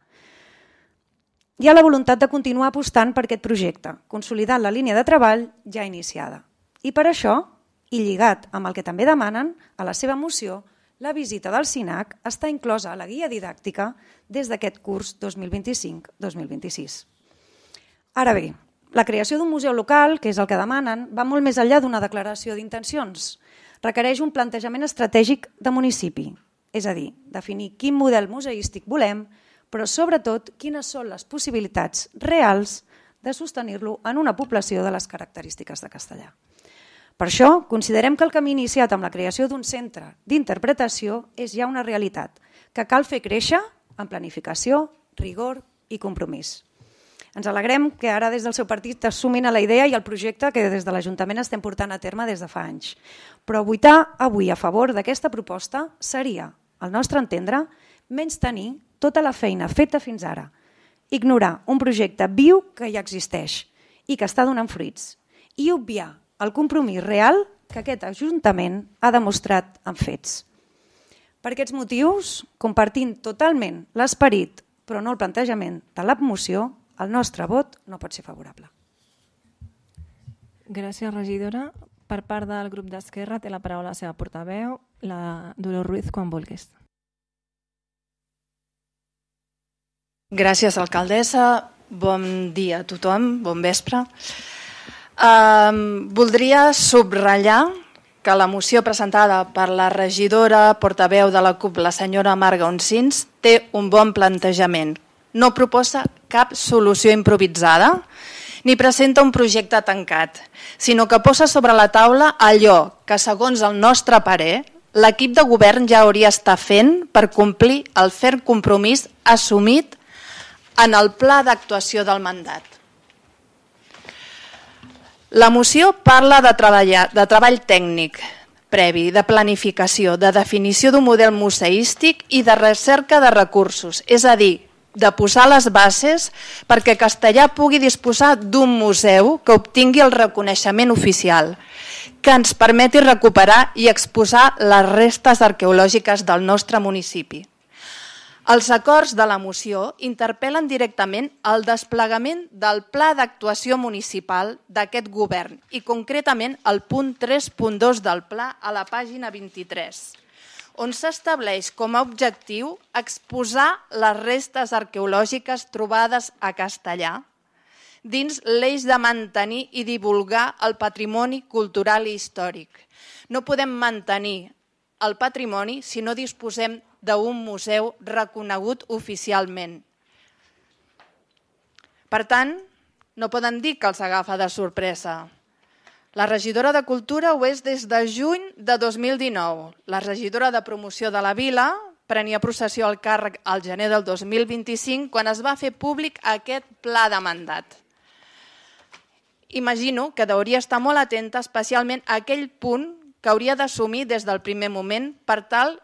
Hi ha la voluntat de continuar apostant per aquest projecte, consolidant la línia de treball ja iniciada. I per això, i lligat amb el que també demanen a la seva moció, la visita del CINAC està inclosa a la guia didàctica des d'aquest curs 2025-2026. Ara bé, la creació d'un museu local, que és el que demanen, va molt més enllà d'una declaració d'intencions. Requereix un plantejament estratègic de municipi, és a dir, definir quin model museístic volem, però sobretot quines són les possibilitats reals de sostenir-lo en una població de les característiques de Castellar. Per això, considerem que el camí iniciat amb la creació d'un centre d'interpretació és ja una realitat, que cal fer créixer amb planificació, rigor i compromís. Ens alegrem que ara des del seu partit es sumin a la idea i al projecte que des de l'Ajuntament estem portant a terme des de fa anys. Però votar avui a favor d'aquesta proposta seria, al nostre entendre, menystenir tota la feina feta fins ara, ignorar un projecte viu que ja existeix i que està donant fruits i obviar el compromís real que aquest Ajuntament ha demostrat en fets. Per aquests motius, compartint totalment l'esperit, però no el plantejament de la moció, el nostre vot no pot ser favorable. Gràcies, regidora. Per part del grup d'Esquerra té la paraula la seva portaveu, la Dolors Ruiz, quan vulguis. Gràcies, alcaldessa. Bon dia a tothom, bon vespre. Voldria subratllar que la moció presentada per la regidora portaveu de la CUP, la senyora Marga Oncins, té un bon plantejament. No proposa cap solució improvisada ni presenta un projecte tancat, sinó que posa sobre la taula allò que, segons el nostre parer, l'equip de govern ja hauria estat fent per complir el ferm compromís assumit en el pla d'actuació del mandat. La moció parla de treball tècnic previ, de planificació, de definició d'un model museístic i de recerca de recursos, és a dir, de posar les bases perquè Castellar pugui disposar d'un museu que obtingui el reconeixement oficial, que ens permeti recuperar i exposar les restes arqueològiques del nostre municipi. Els acords de la moció interpel·len directament el desplegament del Pla d'Actuació Municipal d'aquest govern i concretament el punt 3.2 del pla a la pàgina 23, on s'estableix com a objectiu exposar les restes arqueològiques trobades a Castellar dins l'eix de mantenir i divulgar el patrimoni cultural i històric. No podem mantenir el patrimoni si no disposem d'un museu reconegut oficialment. Per tant, no poden dir que els agafa de sorpresa. La regidora de Cultura ho és des de juny de 2019. La regidora de Promoció de la Vila prenia possessió al càrrec al gener del 2025 quan es va fer públic aquest pla de mandat. Imagino que hauria estar molt atenta especialment a aquell punt que hauria d'assumir des del primer moment per tal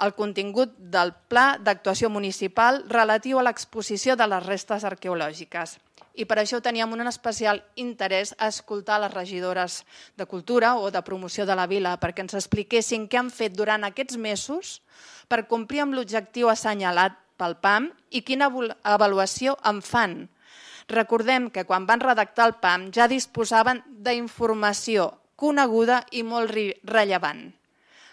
el contingut del Pla d'Actuació Municipal relatiu a l'exposició de les restes arqueològiques. I per això teníem un especial interès a escoltar les regidores de Cultura o de Promoció de la Vila perquè ens expliquessin què han fet durant aquests mesos per complir amb l'objectiu assenyalat pel PAM i quina avaluació en fan. Recordem que quan van redactar el PAM ja disposaven d'informació coneguda i molt rellevant.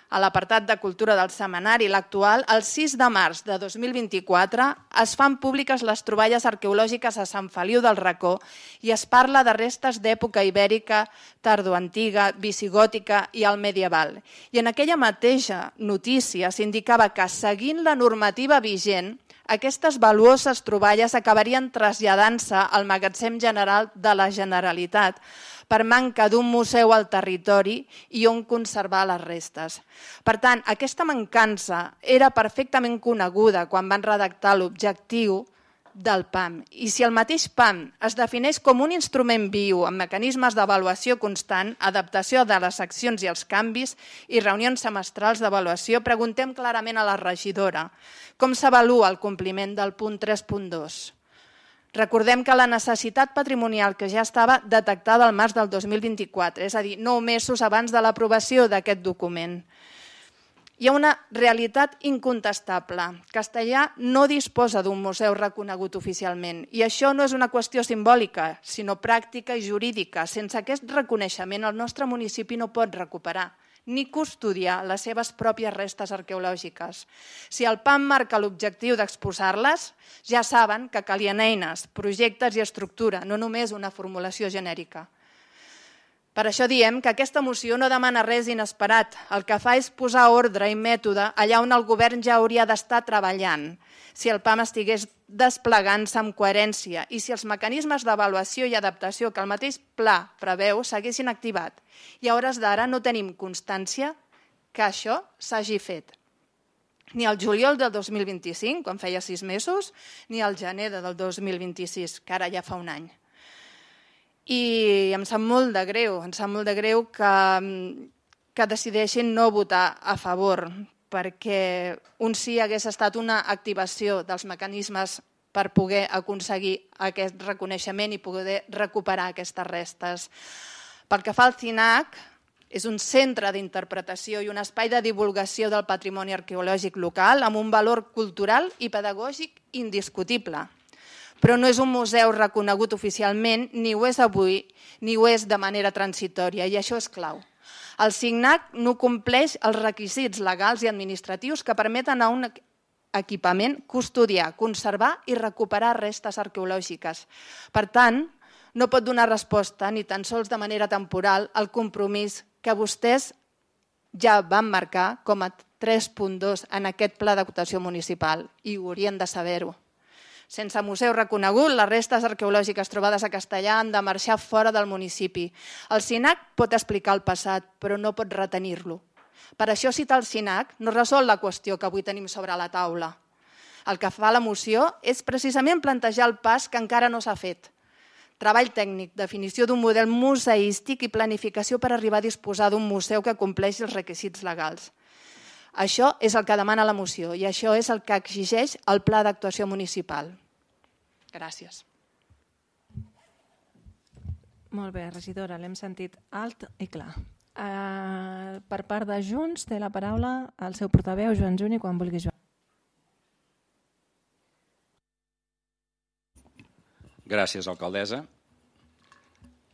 A l'apartat de Cultura del setmanari, l'actual, el 6 de març de 2024 es fan públiques les troballes arqueològiques a Sant Feliu del Racó i es parla de restes d'època ibèrica, tardoantiga, visigòtica i el medieval. I en aquella mateixa notícia s'indicava que, seguint la normativa vigent, aquestes valuoses troballes acabarien traslladant-se al Magatzem General de la Generalitat per manca d'un museu al territori i on conservar les restes. Per tant, aquesta mancança era perfectament coneguda quan van redactar l'objectiu del PAM. I si el mateix PAM es defineix com un instrument viu amb mecanismes d'avaluació constant, adaptació de les accions i els canvis i reunions semestrals d'avaluació, preguntem clarament a la regidora com s'avalua el compliment del punt 3.2. Recordem que la necessitat patrimonial que ja estava detectada al març del 2024, és a dir, 9 mesos abans de l'aprovació d'aquest document. Hi ha una realitat incontestable. Castellar no disposa d'un museu reconegut oficialment i això no és una qüestió simbòlica, sinó pràctica i jurídica. Sense aquest reconeixement el nostre municipi no pot recuperar ni custodiar les seves pròpies restes arqueològiques. Si el PAM marca l'objectiu d'exposar-les, ja saben que calien eines, projectes i estructura, no només una formulació genèrica. Per això diem que aquesta moció no demana res inesperat. El que fa és posar ordre i mètode allà on el govern ja hauria d'estar treballant. Si el PAM estigués desplegant-se amb coherència i si els mecanismes d'avaluació i adaptació que el mateix pla preveu s'haguessin activat. I a hores d'ara no tenim constància que això s'hagi fet. Ni al juliol del 2025, quan feia 6 mesos, ni al gener del 2026, que ara ja fa un any. I em sap molt de greu que decideixin no votar a favor, perquè un sí hagués estat una activació dels mecanismes per poder aconseguir aquest reconeixement i poder recuperar aquestes restes. Pel que fa al CINAC, és un centre d'interpretació i un espai de divulgació del patrimoni arqueològic local amb un valor cultural i pedagògic indiscutible. Però no és un museu reconegut oficialment, ni ho és avui, ni ho és de manera transitòria, i això és clau. El CINAC no compleix els requisits legals i administratius que permeten a un equipament custodiar, conservar i recuperar restes arqueològiques. Per tant, no pot donar resposta, ni tan sols de manera temporal, al compromís que vostès ja van marcar com a 3.2 en aquest pla d'actuació municipal, i ho haurien de saber-ho. Sense museu reconegut, les restes arqueològiques trobades a Castellar han de marxar fora del municipi. El CINAC pot explicar el passat, però no pot retenir-lo. Per això citar el CINAC no resol la qüestió que avui tenim sobre la taula. El que fa la moció és precisament plantejar el pas que encara no s'ha fet. Treball tècnic, definició d'un model museístic i planificació per arribar a disposar d'un museu que compleixi els requisits legals. Això és el que demana la moció i això és el que exigeix el Pla d'Actuació Municipal. Gràcies. Molt bé, regidora, l'hem sentit alt i clar. Per part de Junts té la paraula el seu portaveu, Joan Juni, quan vulgui, Joan. Gràcies, alcaldessa.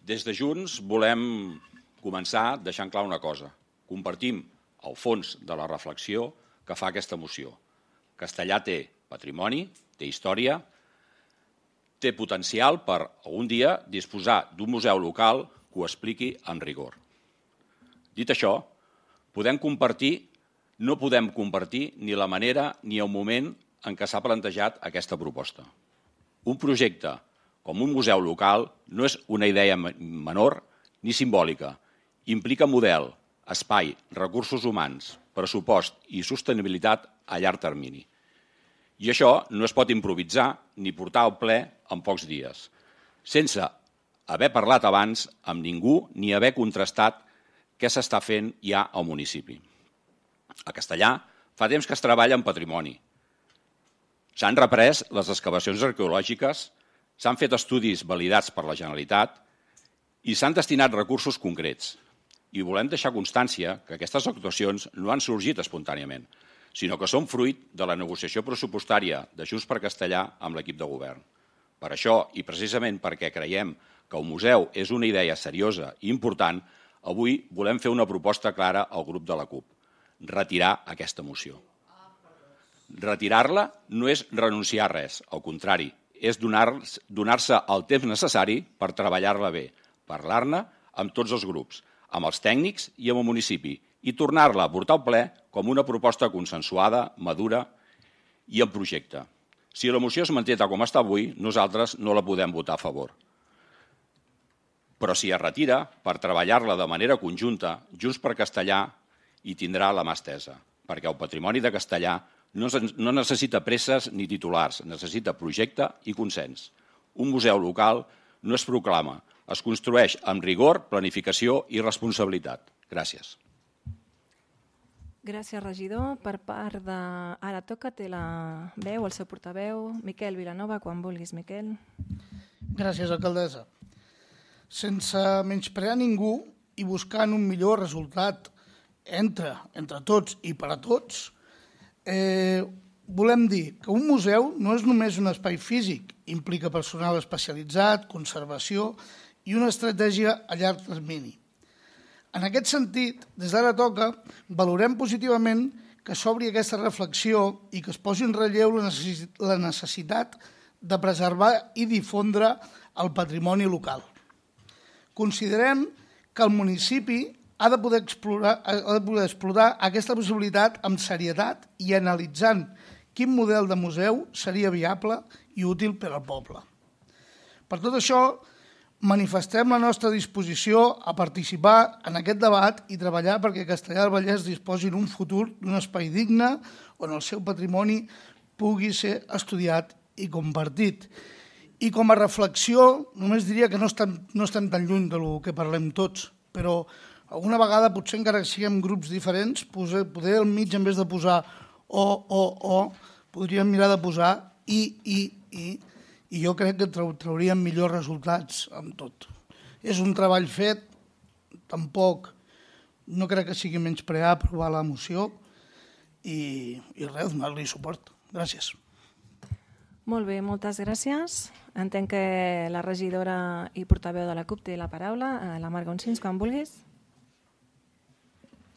Des de Junts volem començar deixant clar una cosa. Compartim el fons de la reflexió que fa aquesta moció. Castellà té patrimoni, té història, té potencial per algun dia disposar d'un museu local que ho expliqui amb rigor. Dit això, no podem compartir ni la manera ni el moment en què s'ha plantejat aquesta proposta. Un projecte com un museu local no és una idea menor ni simbòlica. Implica model, espai, recursos humans, pressupost i sostenibilitat a llarg termini. I això no es pot improvisar ni portar al ple en pocs dies, sense haver parlat abans amb ningú ni haver contrastat què s'està fent ja al municipi. A Castellà fa temps que es treballa en patrimoni. S'han reprès les excavacions arqueològiques, s'han fet estudis validats per la Generalitat i s'han destinat recursos concrets. I volem deixar constància que aquestes actuacions no han sorgit espontàniament, sinó que són fruit de la negociació pressupostària de Junts per Castellà amb l'equip de govern. Per això, i precisament perquè creiem que el museu és una idea seriosa i important, avui volem fer una proposta clara al grup de la CUP: retirar aquesta moció. Retirar-la no és renunciar a res, al contrari, és donar-se el temps necessari per treballar-la bé, parlar-ne amb tots els grups, amb els tècnics i amb el municipi, i tornar-la a portar al ple com una proposta consensuada, madura i en projecte. Si la moció es manté tal com està avui, nosaltres no la podem votar a favor. Però si es retira, per treballar-la de manera conjunta, Junts per Castellà hi tindrà la mà estesa, perquè el patrimoni de Castellà no necessita presses ni titulars, necessita projecte i consens. Un museu local no es proclama, es construeix amb rigor, planificació i responsabilitat. Gràcies. Gràcies, regidor. Per part de... Ara toca, té la veu, el seu portaveu. Miquel Vilanova, quan vulguis, Miquel. Gràcies, alcaldessa. Sense menysprear ningú i buscant un millor resultat entre tots i per a tots, volem dir que un museu no és només un espai físic, implica personal especialitzat, conservació i una estratègia a llarg termini. En aquest sentit, des d'ara toca, valorem positivament que s'obri aquesta reflexió i que es posi en relleu la necessitat de preservar i difondre el patrimoni local. Considerem que el municipi ha de poder explorar aquesta possibilitat amb serietat i analitzant quin model de museu seria viable i útil per al poble. Per tot això, manifestem la nostra disposició a participar en aquest debat i treballar perquè Castellar del Vallès disposi en un futur d'un espai digne on el seu patrimoni pugui ser estudiat i compartit. I com a reflexió, només diria que no estem tan lluny del que parlem tots, però alguna vegada, potser encara que siguem grups diferents, poder al mig, en vez de posar o, podríem mirar de posar i jo crec que trauríem millors resultats amb tot. És un treball fet, tampoc no crec que sigui menysprear aprovar la moció i res, donar-li suport. Gràcies. Molt bé, moltes gràcies. Entenc que la regidora i portaveu de la CUP té la paraula. La Marga Onsins, quan vulguis.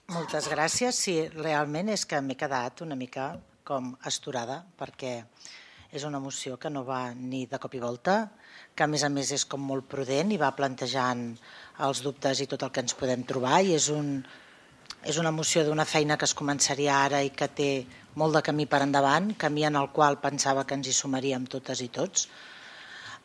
Moltes gràcies. Sí, realment és que m'he quedat una mica com astorada, perquè és una moció que no va ni de cop i volta, que a més és com molt prudent i va plantejant els dubtes i tot el que ens podem trobar, i és una moció d'una feina que es començaria ara i que té molt de camí per endavant, camí en el qual pensava que ens hi sumaríem totes i tots.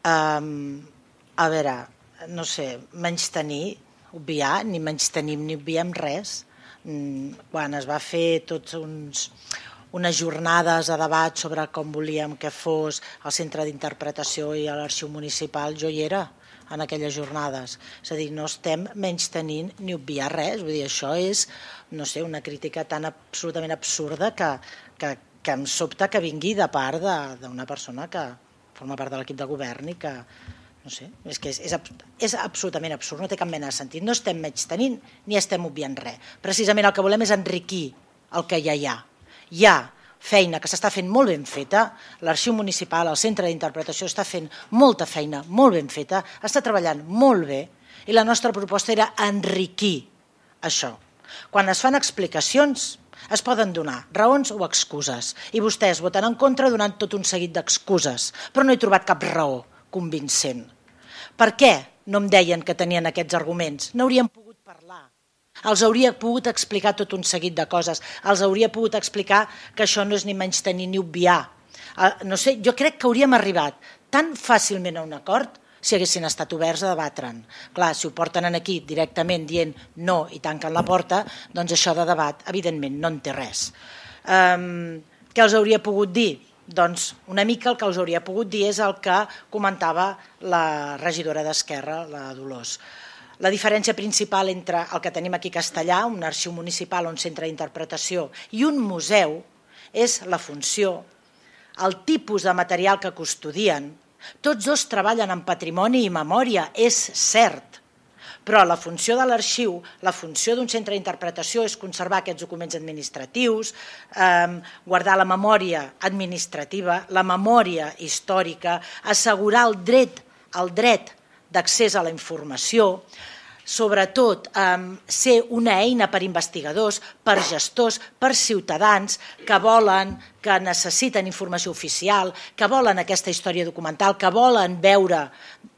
A veure, no sé, menystenir, obviar, ni menystenim ni obviem res. Quan es va fer tots unes jornades de debat sobre com volíem que fos el centre d'interpretació i l'arxiu municipal, jo hi era en aquelles jornades. És a dir, no estem menystenint ni obviar res. Vull dir, això és, no sé, una crítica tan absolutament absurda que em sobta que vingui de part d'una persona que forma part de l'equip de govern i que, no sé, és que és absolutament absurd, no té cap mena de sentit. No estem menystenint ni estem obviant res. Precisament el que volem és enriquir el que ja hi ha. Hi ha feina que s'està fent molt ben feta, l'Arxiu Municipal, el Centre d'Interpretació està fent molta feina molt ben feta, està treballant molt bé i la nostra proposta era enriquir això. Quan es fan explicacions es poden donar raons o excuses i vostès voten en contra donant tot un seguit d'excuses, però no he trobat cap raó convincent. Per què no em deien que tenien aquests arguments? N'hauríem pogut parlar. Els hauria pogut explicar tot un seguit de coses. Els hauria pogut explicar que això no és ni menystenir ni obviar. No sé, jo crec que hauríem arribat tan fàcilment a un acord si haguessin estat oberts a debatre'n. Clar, si ho porten aquí directament dient no i tanquen la porta, doncs això de debat, evidentment, no en té res. Què els hauria pogut dir? Doncs una mica el que us hauria pogut dir és el que comentava la regidora d'Esquerra, la Dolors. La diferència principal entre el que tenim aquí a Castellà, un arxiu municipal o un centre d'interpretació, i un museu és la funció, el tipus de material que custodien. Tots dos treballen en patrimoni i memòria, és cert, però la funció de l'arxiu, la funció d'un centre d'interpretació és conservar aquests documents administratius, guardar la memòria administrativa, la memòria històrica, assegurar el dret d'accés a la informació, sobretot ser una eina per investigadors, per gestors, per ciutadans que volen, que necessiten informació oficial, que volen aquesta història documental, que volen veure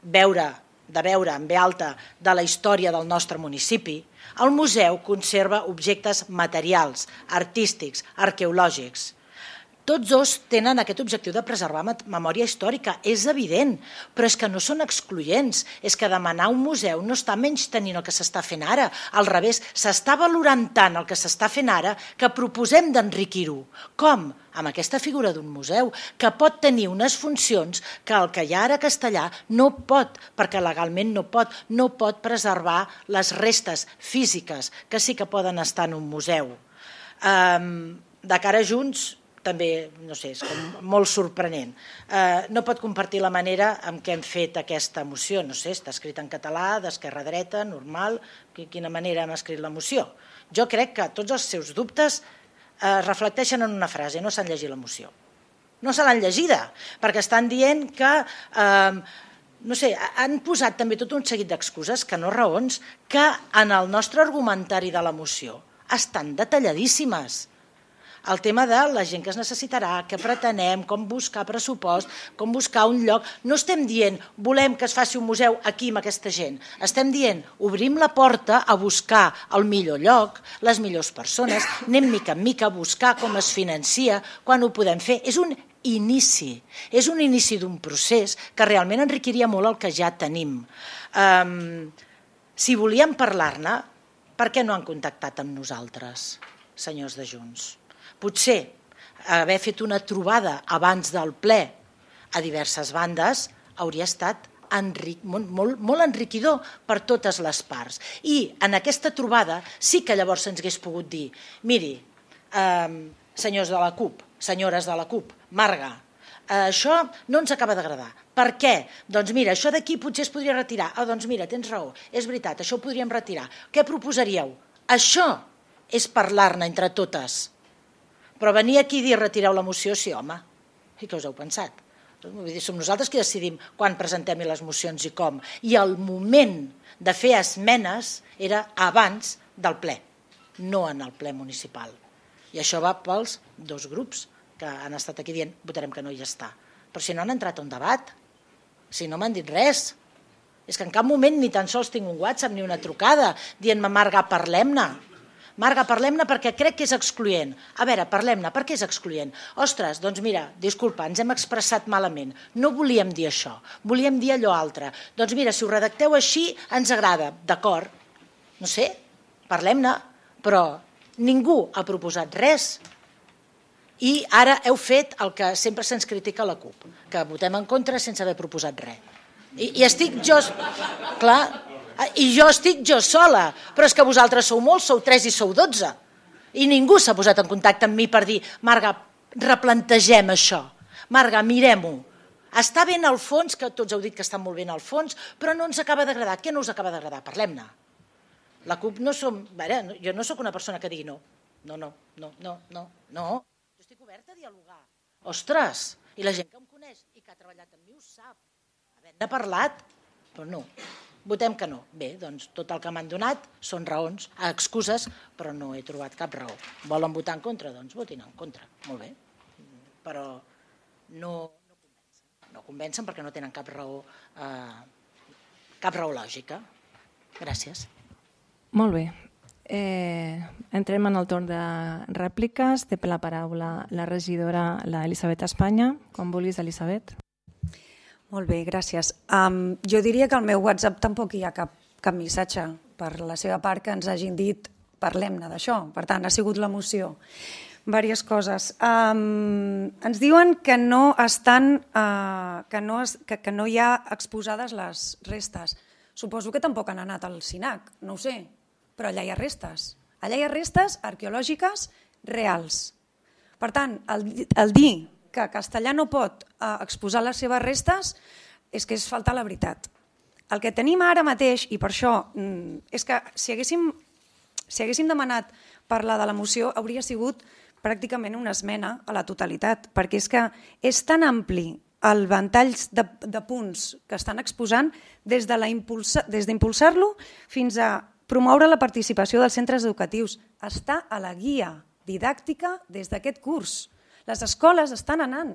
en ve alta de la història del nostre municipi. El museu conserva objectes materials, artístics, arqueològics. Tots dos tenen aquest objectiu de preservar memòria històrica, és evident, però és que no són excloents, és que demanar un museu no està menystenint el que s'està fent ara, al revés, s'està valorant tant el que s'està fent ara que proposem d'enriquir-ho. Com? Amb aquesta figura d'un museu, que pot tenir unes funcions que el que hi ha ara a Castellà no pot, perquè legalment no pot preservar les restes físiques, que sí que poden estar en un museu. De cara a Junts, també, no sé, és com molt sorprenent. No pot compartir la manera en què hem fet aquesta moció, no sé, està escrita en català, d'esquerra a dreta, normal, quina manera hem escrit la moció. Jo crec que tots els seus dubtes es reflecteixen en una frase, no s'han llegit la moció. No se l'han llegida, perquè estan dient que, no sé, han posat també tot un seguit d'excuses, que no raons, que en el nostre argumentari de la moció estan detalladíssimes. El tema de la gent que es necessitarà, què pretenem, com buscar pressupost, com buscar un lloc. No estem dient volem que es faci un museu aquí amb aquesta gent. Estem dient obrim la porta a buscar el millor lloc, les millors persones, anem mica en mica a buscar com es financia, quan ho podem fer. És un inici d'un procés que realment enriquiria molt el que ja tenim. Si volíem parlar-ne, per què no han contactat amb nosaltres, senyors de Junts? Potser haver fet una trobada abans del ple a diverses bandes hauria estat molt enriquidor per totes les parts. I en aquesta trobada sí que llavors se'ns hagués pogut dir miri, senyors de la CUP, senyores de la CUP, Marga, això no ens acaba d'agradar. Per què? Doncs mira, això d'aquí potser es podria retirar. Doncs mira, tens raó, és veritat, això ho podríem retirar. Què proposaríeu? Això és parlar-ne entre totes. Però venir aquí i dir retireu la moció, sí, home, i què us heu pensat? Som nosaltres qui decidim quan presentem les mocions i com. I el moment de fer esmenes era abans del ple, no en el ple municipal. I això va pels dos grups que han estat aquí dient votarem que no i ja està. Però si no han entrat a un debat, si no m'han dit res, és que en cap moment ni tan sols tinc un WhatsApp ni una trucada dient-me Marga, parlem-ne. Marga, parlem-ne perquè crec que és excloent. A veure, parlem-ne, per què és excloent? Ostres, doncs mira, disculpa, ens hem expressat malament. No volíem dir això, volíem dir allò altre. Doncs mira, si ho redacteu així, ens agrada. D'acord, no sé, parlem-ne, però ningú ha proposat res. I ara heu fet el que sempre se'ns critica a la CUP, que votem en contra sense haver proposat res. I estic jo... Clar... I jo estic jo sola, però és que vosaltres sou molts, sou 3 i sou 12. I ningú s'ha posat en contacte amb mi per dir Marga, replantegem això. Marga, mirem-ho. Està ben al fons, que tots heu dit que està molt ben al fons, però no ens acaba d'agradar. Què no us acaba d'agradar? Parlem-ne. La CUP no som... Jo no sóc una persona que digui no. No. estic oberta a dialogar. Ostres, i la gent que em coneix i que ha treballat amb mi ho sap. Havent-ne parlat, però no. Votem que no. Bé, doncs tot el que m'han donat són raons, excuses, però no he trobat cap raó. Volen votar en contra? Doncs votin en contra. Molt bé. Però no convencen. No convencen perquè no tenen cap raó lògica. Gràcies. Molt bé. Entrem en el torn de rèpliques. Té la paraula la regidora, l'Elisabet Espanya. Quan vulguis, Elisabet. Molt bé, gràcies. Jo diria que al meu WhatsApp tampoc hi ha cap missatge per la seva part que ens hagin dit parlem-ne d'això. Per tant, ha sigut la moció. Diverses coses. Ens diuen que no hi ha exposades les restes. Suposo que tampoc han anat al SINAC, no ho sé, però allà hi ha restes. Allà hi ha restes arqueològiques reals. Per tant, el dir que Castellar no pot exposar les seves restes és que és faltar la veritat. El que tenim ara mateix, i per això és que si haguéssim demanat parlar de la moció hauria sigut pràcticament una esmena a la totalitat, perquè és que és tan ampli el ventall de punts que estan exposant des d'impulsar-lo fins a promoure la participació dels centres educatius. Està a la guia didàctica des d'aquest curs. Les escoles estan anant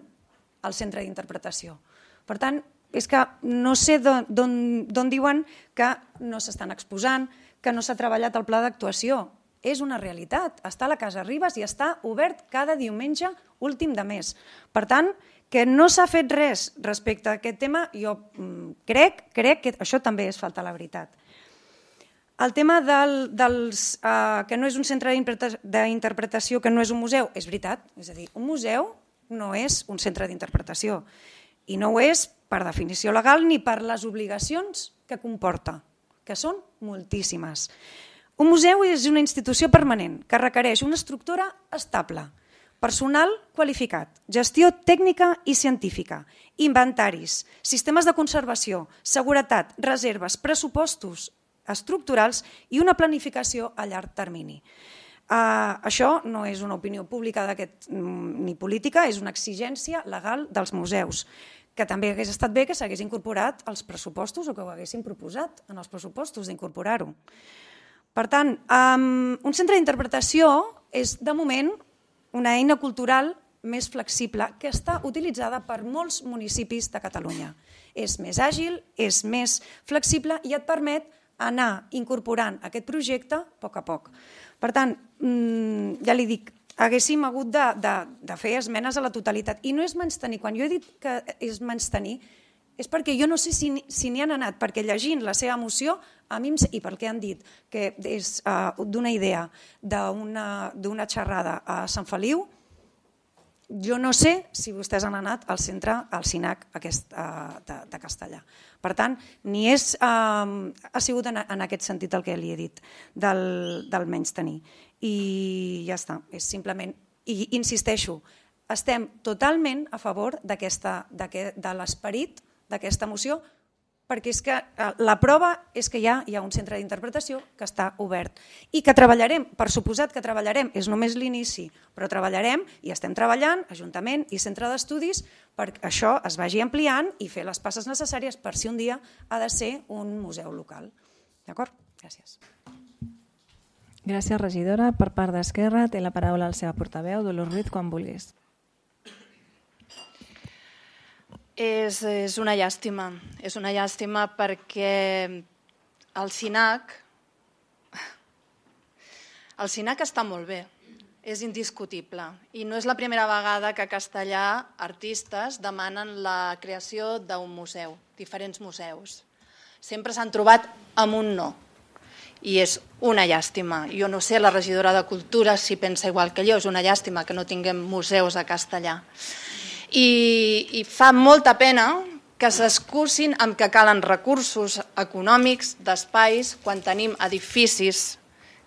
al centre d'interpretació. Per tant, és que no sé d'on diuen que no s'estan exposant, que no s'ha treballat el pla d'actuació. És una realitat. Està a la Casa Ribes i està obert cada diumenge últim de mes. Per tant, que no s'ha fet res respecte a aquest tema, jo crec que això també és faltar la veritat. El tema que no és un centre d'interpretació, que no és un museu, és veritat. És a dir, un museu no és un centre d'interpretació i no ho és per definició legal ni per les obligacions que comporta, que són moltíssimes. Un museu és una institució permanent que requereix una estructura estable, personal qualificat, gestió tècnica i científica, inventaris, sistemes de conservació, seguretat, reserves, pressupostos estructurals i una planificació a llarg termini. Això no és una opinió pública ni política, és una exigència legal dels museus, que també hagués estat bé que s'hagués incorporat als pressupostos o que ho haguessin proposat en els pressupostos d'incorporar-ho. Per tant, un centre d'interpretació és, de moment, una eina cultural més flexible que està utilitzada per molts municipis de Catalunya. És més àgil, és més flexible i et permet anar incorporant aquest projecte a poc a poc. Per tant, ja li dic, haguéssim hagut de fer esmenes a la totalitat. I no és menystenir. Quan jo he dit que és menystenir, és perquè jo no sé si n'hi han anat, perquè llegint la seva moció, a mi i pel que han dit, que és d'una idea, d'una xerrada a Sant Feliu, jo no sé si vostès han anat al centre, al SINAC de Castellar. Per tant, ha sigut en aquest sentit el que li he dit, del menystenir. I ja està, és simplement, i insisteixo, estem totalment a favor de l'esperit d'aquesta moció, perquè és que la prova és que ja hi ha un centre d'interpretació que està obert i que treballarem, per suposat que treballarem, és només l'inici, però treballarem i estem treballant, Ajuntament i Centre d'Estudis, perquè això es vagi ampliant i fer les passes necessàries per si un dia ha de ser un museu local. D'acord? Gràcies. Gràcies, regidora. Per part d'Esquerra té la paraula la seva portaveu, Dolors Ruiz, quan vulguis. És una llàstima perquè el SINAC està molt bé, és indiscutible i no és la primera vegada que a Castellar artistes demanen la creació d'un museu, diferents museus. Sempre s'han trobat amb un no i és una llàstima. Jo no sé, la regidora de Cultura si pensa igual que jo, és una llàstima que no tinguem museus a Castellar. I fa molta pena que s'excusin amb que calen recursos econòmics d'espais quan tenim edificis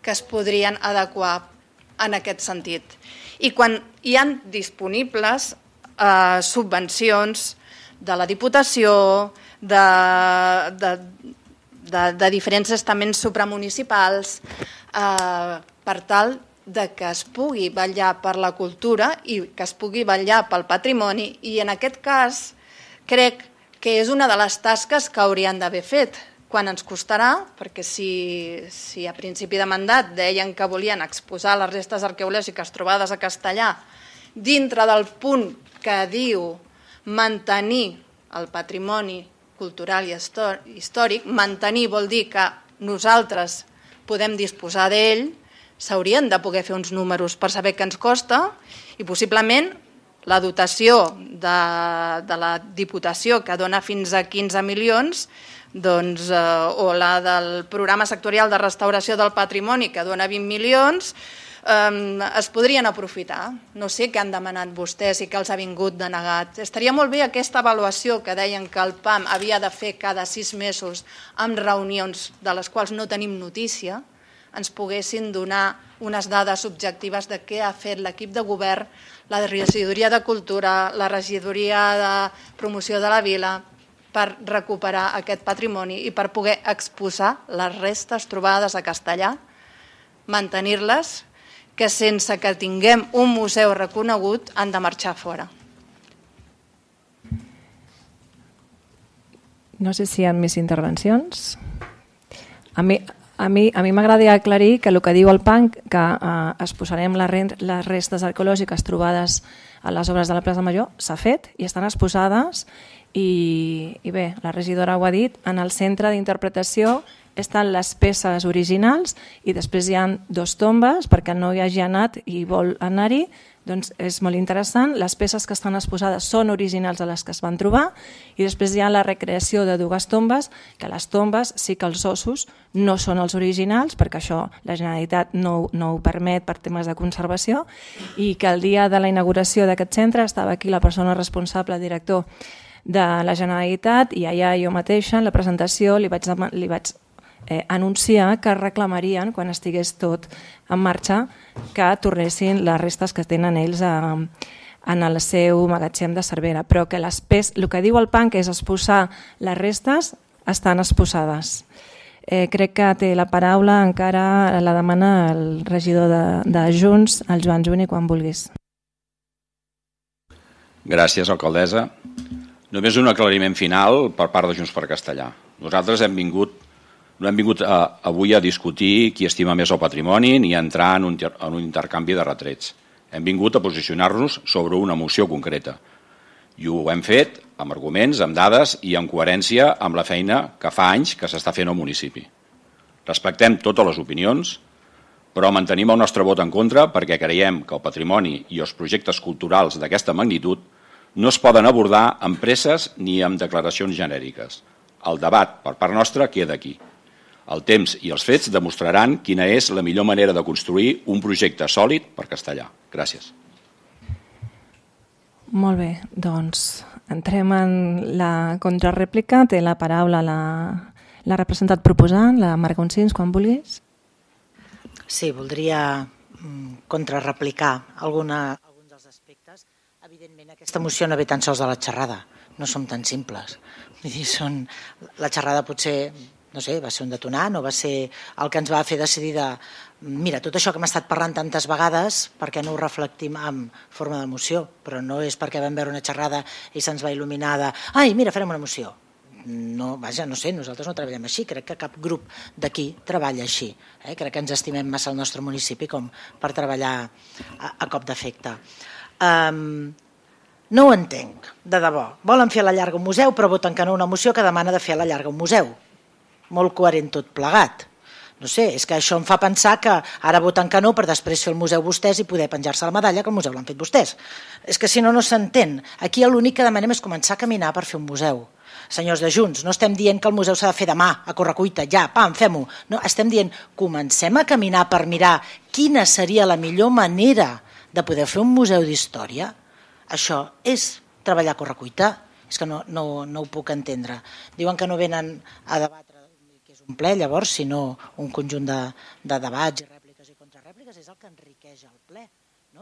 que es podrien adequar en aquest sentit. I quan hi ha disponibles subvencions de la Diputació, de diferents estaments supramunicipals, per tal de que es pugui vetllar per la cultura i que es pugui vetllar pel patrimoni, i en aquest cas crec que és una de les tasques que haurien d'haver fet. Quan ens costarà, perquè si a principi de mandat deien que volien exposar les restes arqueològiques trobades a Castellar dintre del punt que diu mantenir el patrimoni cultural i històric, mantenir vol dir que nosaltres podem disposar d'ell, s'haurien de poder fer uns números per saber què ens costa, i possiblement la dotació de la Diputació, que dona fins a 15 milions, o la del programa sectorial de restauració del patrimoni, que dona 20 milions, es podrien aprofitar. No sé què han demanat vostès i què els ha vingut denegat. Estaria molt bé aquesta avaluació que deien que el PAM havia de fer cada 6 mesos amb reunions de les quals no tenim notícia, ens poguessin donar unes dades objectives de què ha fet l'equip de govern, la regidoria de Cultura, la regidoria de Promoció de la Vila, per recuperar aquest patrimoni i per poder exposar les restes trobades a Castellar, mantenir-les, que sense que tinguem un museu reconegut han de marxar fora. No sé si hi ha més intervencions. A mi m'agradaria aclarir que el que diu el PAN, que exposarem les restes arqueològiques trobades a les obres de la plaça Major, s'ha fet i estan exposades, i bé, la regidora ho ha dit, en el centre d'interpretació estan les peces originals i després hi ha 2 tombes, perquè no hi hagi anat i vol anar-hi, doncs és molt interessant. Les peces que estan exposades són originals a les que es van trobar, i després hi ha la recreació de 2 tombes, que les tombes sí que els ossos no són els originals, perquè això la Generalitat no ho permet per temes de conservació, i que el dia de la inauguració d'aquest centre estava aquí la persona responsable, el director de la Generalitat, i allà jo mateixa en la presentació li vaig anunciar que reclamarien, quan estigués tot en marxa, que tornessin les restes que tenen ells en el seu magatzem de Cervera, però que el que diu el PAN, que és exposar les restes, estan exposades. Crec que té la paraula, encara la demana el regidor de Junts, el Joan Juni, quan vulguis. Gràcies, alcaldessa. Només un aclariment final per part de Junts per Castellar. Nosaltres no hem vingut avui a discutir qui estima més el patrimoni ni a entrar en un intercanvi de retrets. Hem vingut a posicionar-nos sobre una moció concreta. I ho hem fet amb arguments, amb dades i en coherència amb la feina que fa anys que s'està fent al municipi. Respectem totes les opinions, però mantenim el nostre vot en contra perquè creiem que el patrimoni i els projectes culturals d'aquesta magnitud no es poden abordar amb presses ni amb declaracions genèriques. El debat, per part nostra, queda aquí. El temps i els fets demostraran quina és la millor manera de construir un projecte sòlid per Castellar. Gràcies. Molt bé, doncs entrem en la contrarèplica. Té la paraula la representant proposant, la Marc Onsins, quan vulguis. Sí, voldria contrarreplicar alguns dels aspectes. Evidentment, aquesta moció no ve tan sols de la xerrada, no som tan simples. La xerrada potser, no sé, va ser un detonant o va ser el que ens va fer decidir de mira, tot això que hem estat parlant tantes vegades, per què no ho reflectim en forma de moció? Però no és perquè vam veure una xerrada i se'ns va il·luminar de ai, mira, farem una moció. No, vaja, no sé, nosaltres no treballem així, crec que cap grup d'aquí treballa així. Crec que ens estimem massa el nostre municipi com per treballar a cop d'efecte. No ho entenc, de debò. Volen fer a la llarga un museu, però voten que no una moció que demana de fer a la llarga un museu. Molt coherent tot plegat. No sé, és que això em fa pensar que ara voten que no per després fer el museu vostès i poder penjar-se la medalla que el museu l'han fet vostès. És que si no, no s'entén. Aquí l'únic que demanem és començar a caminar per fer un museu. Senyors de Junts, no estem dient que el museu s'ha de fer demà, a correcuita, ja, pam, fem-ho. No, estem dient, comencem a caminar per mirar quina seria la millor manera de poder fer un museu d'història. Això és treballar a correcuita? És que no ho puc entendre. Diuen que no venen a debatre un ple, llavors, sinó un conjunt de debats i rèpliques i contrarèpliques, és el que enriqueix el ple.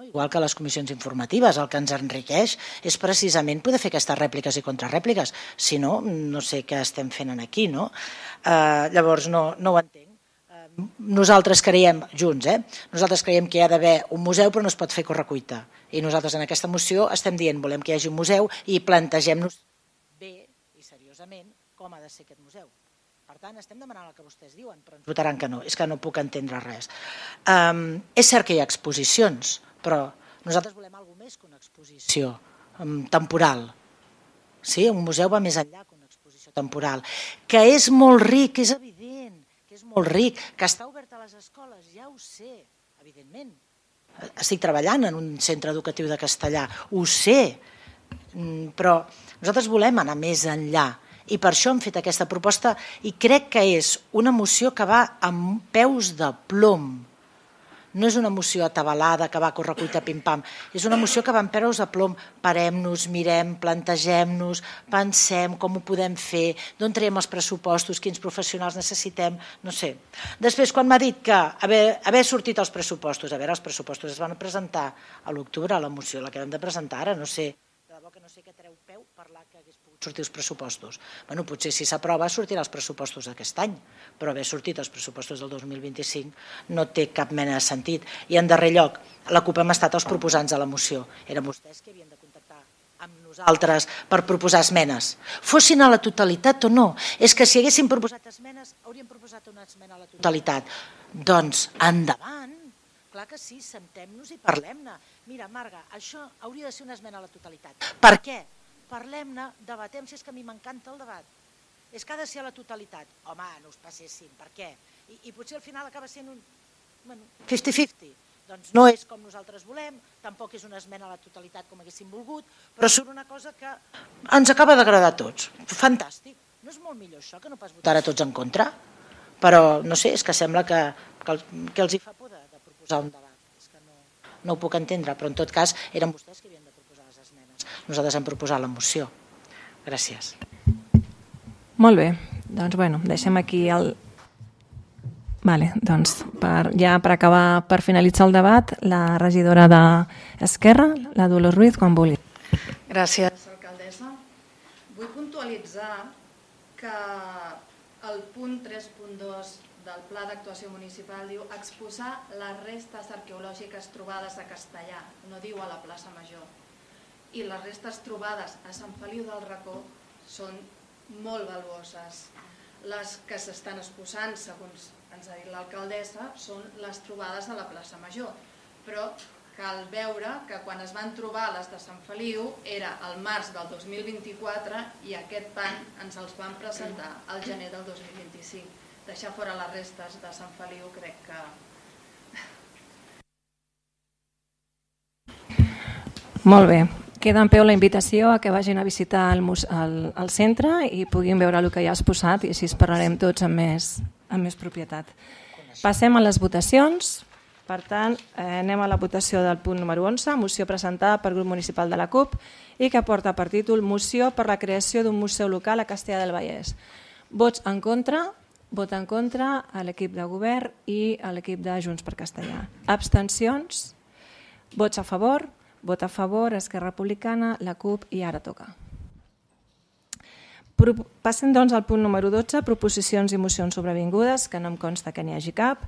Igual que les comissions informatives, el que ens enriqueix és precisament poder fer aquestes rèpliques i contrarèpliques. Si no, no sé què estem fent aquí. Llavors, no ho entenc. Nosaltres creiem, junts, nosaltres creiem que hi ha d'haver un museu però no es pot fer correcuita. I nosaltres en aquesta moció estem dient volem que hi hagi un museu i plantegem-nos bé i seriosament com ha de ser aquest museu. Per tant, estem demanant el que vostès diuen, però ens votaran que no. És que no puc entendre res. És cert que hi ha exposicions, però nosaltres volem alguna més que una exposició temporal. Sí, un museu va més enllà que una exposició temporal. Que és molt ric, és evident, que és molt ric, que està obert a les escoles, ja ho sé, evidentment. Estic treballant en un centre educatiu de castellà, ho sé, però nosaltres volem anar més enllà i per això hem fet aquesta proposta i crec que és una moció que va amb peus de plom. No és una moció atabalada que va a correcuita pim-pam, és una moció que va amb peus de plom. Parem-nos, mirem, plantegem-nos, pensem com ho podem fer, d'on traiem els pressupostos, quins professionals necessitem, no sé. Després, quan m'ha dit que haver sortit els pressupostos, els pressupostos es van presentar a l'octubre, a la moció, la que vam de presentar ara, no sé, de debò que no sé què treu peu parlar que hagués pogut sortir els pressupostos. Bueno, potser si s'aprova sortirà els pressupostos d'aquest any, però haver sortit els pressupostos del 2025 no té cap mena de sentit. I en darrer lloc, la CUP hem estat els proposants de la moció. Eren vostès que havien de contactar amb nosaltres per proposar esmenes. Fossin a la totalitat o no. És que si haguéssim proposat esmenes, hauríem proposat una esmena a la totalitat. Doncs endavant. Clar que sí, sentem-nos i parlem-ne. Mira, Marga, això hauria de ser una esmena a la totalitat. Per què? Parlem-ne, debatem, si és que a mi m'encanta el debat. És que ha de ser a la totalitat. Home, no us passessin, per què? I potser al final acaba sent un 50-50. Doncs no és com nosaltres volem, tampoc és una esmena a la totalitat com haguéssim volgut, però surt una cosa que ens acaba d'agradar a tots. Fantàstic. No és molt millor això que no pas votar a tots en contra? Però, no sé, és que sembla que els hi fa por de proposar un debat. És que no ho puc entendre, però en tot cas eren vostès que havien de proposar les esmenes. Nosaltres hem proposat la moció. Gràcies. Molt bé, doncs deixem aquí el... Doncs ja per acabar, per finalitzar el debat, la regidora d'Esquerra, la Dolors Ruiz, quan vulgui. Gràcies. Alcaldessa, vull puntualitzar que el punt 3.2 del Pla d'Actuació Municipal diu exposar les restes arqueològiques trobades a Castellà, no diu a la plaça Major. I les restes trobades a Sant Feliu del Racó són molt valuoses. Les que s'estan exposant, segons ens ha dit l'alcaldessa, són les trobades a la plaça Major. Però cal veure que quan es van trobar les de Sant Feliu era al març del 2024 i aquest any ens els van presentar al gener del 2025. Deixar fora les restes de Sant Feliu crec que... Molt bé. Queda en peu la invitació a que vagin a visitar el centre i puguin veure el que hi ha exposat i així parlarem tots amb més propietat. Passem a les votacions. Per tant, anem a la votació del punt número 11, moció presentada pel grup municipal de la CUP i que porta per títol Moció per la creació d'un museu local a Castellar del Vallès. Vots en contra, vot en contra a l'equip de govern i a l'equip de Junts per Castellar. Abstencions, vots a favor, vot a favor, Esquerra Republicana, la CUP i ara toca. Passem doncs al punt número 12, proposicions i mocions sobrevingudes, que no em consta que n'hi hagi cap,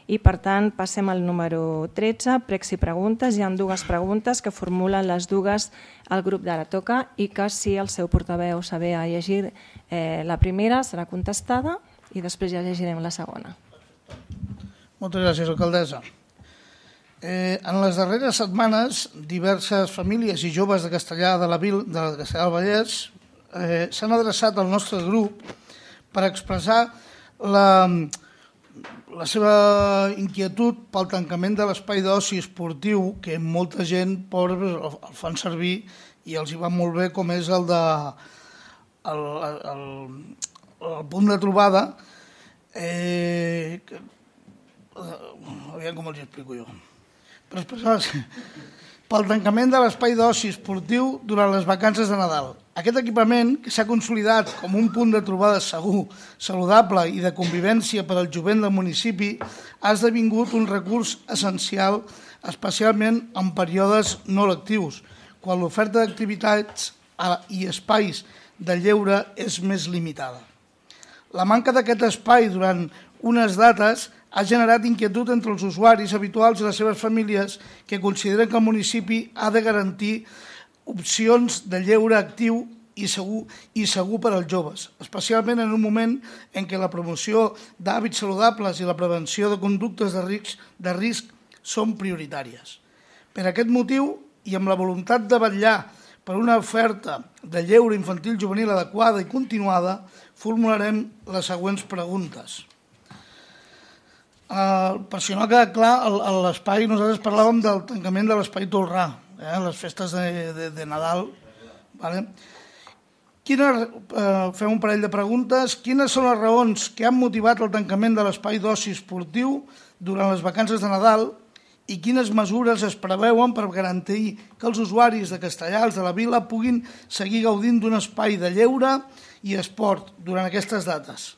i per tant passem al número 13, pregs i preguntes. Hi ha dues preguntes que formulen les dues al grup d'Ara Toca i que si el seu portaveu saber a llegir la primera serà contestada i després ja llegirem la segona. Moltes gràcies, alcaldessa. En les darreres setmanes, diverses famílies i joves de Castellar de Castellar del Vallès s'han adreçat al nostre grup per expressar la seva inquietud pel tancament de l'espai d'oci esportiu que molta gent pobra el fan servir i els hi va molt bé, com és el punt de trobada. Aviam com els explico jo. Per expressar-se pel tancament de l'espai d'oci esportiu durant les vacances de Nadal. Aquest equipament, que s'ha consolidat com un punt de trobada segur, saludable i de convivència per al jovent del municipi, ha esdevingut un recurs essencial, especialment en períodes no lectius, quan l'oferta d'activitats i espais de lleure és més limitada. La manca d'aquest espai durant unes dates ha generat inquietud entre els usuaris habituals i les seves famílies que consideren que el municipi ha de garantir opcions de lleure actiu i segur per als joves, especialment en un moment en què la promoció d'hàbits saludables i la prevenció de conductes de risc són prioritàries. Per aquest motiu, i amb la voluntat de vetllar per una oferta de lleure infantil juvenil adequada i continuada, formularem les següents preguntes. Per si no ha quedat clar, a l'espai nosaltres parlàvem del tancament de l'espai Tolrà, les festes de Nadal. Fem un parell de preguntes. Quines són les raons que han motivat el tancament de l'espai d'oci esportiu durant les vacances de Nadal i quines mesures es preveuen per garantir que els usuaris de Castellars de la Vila puguin seguir gaudint d'un espai de lleure i esport durant aquestes dates,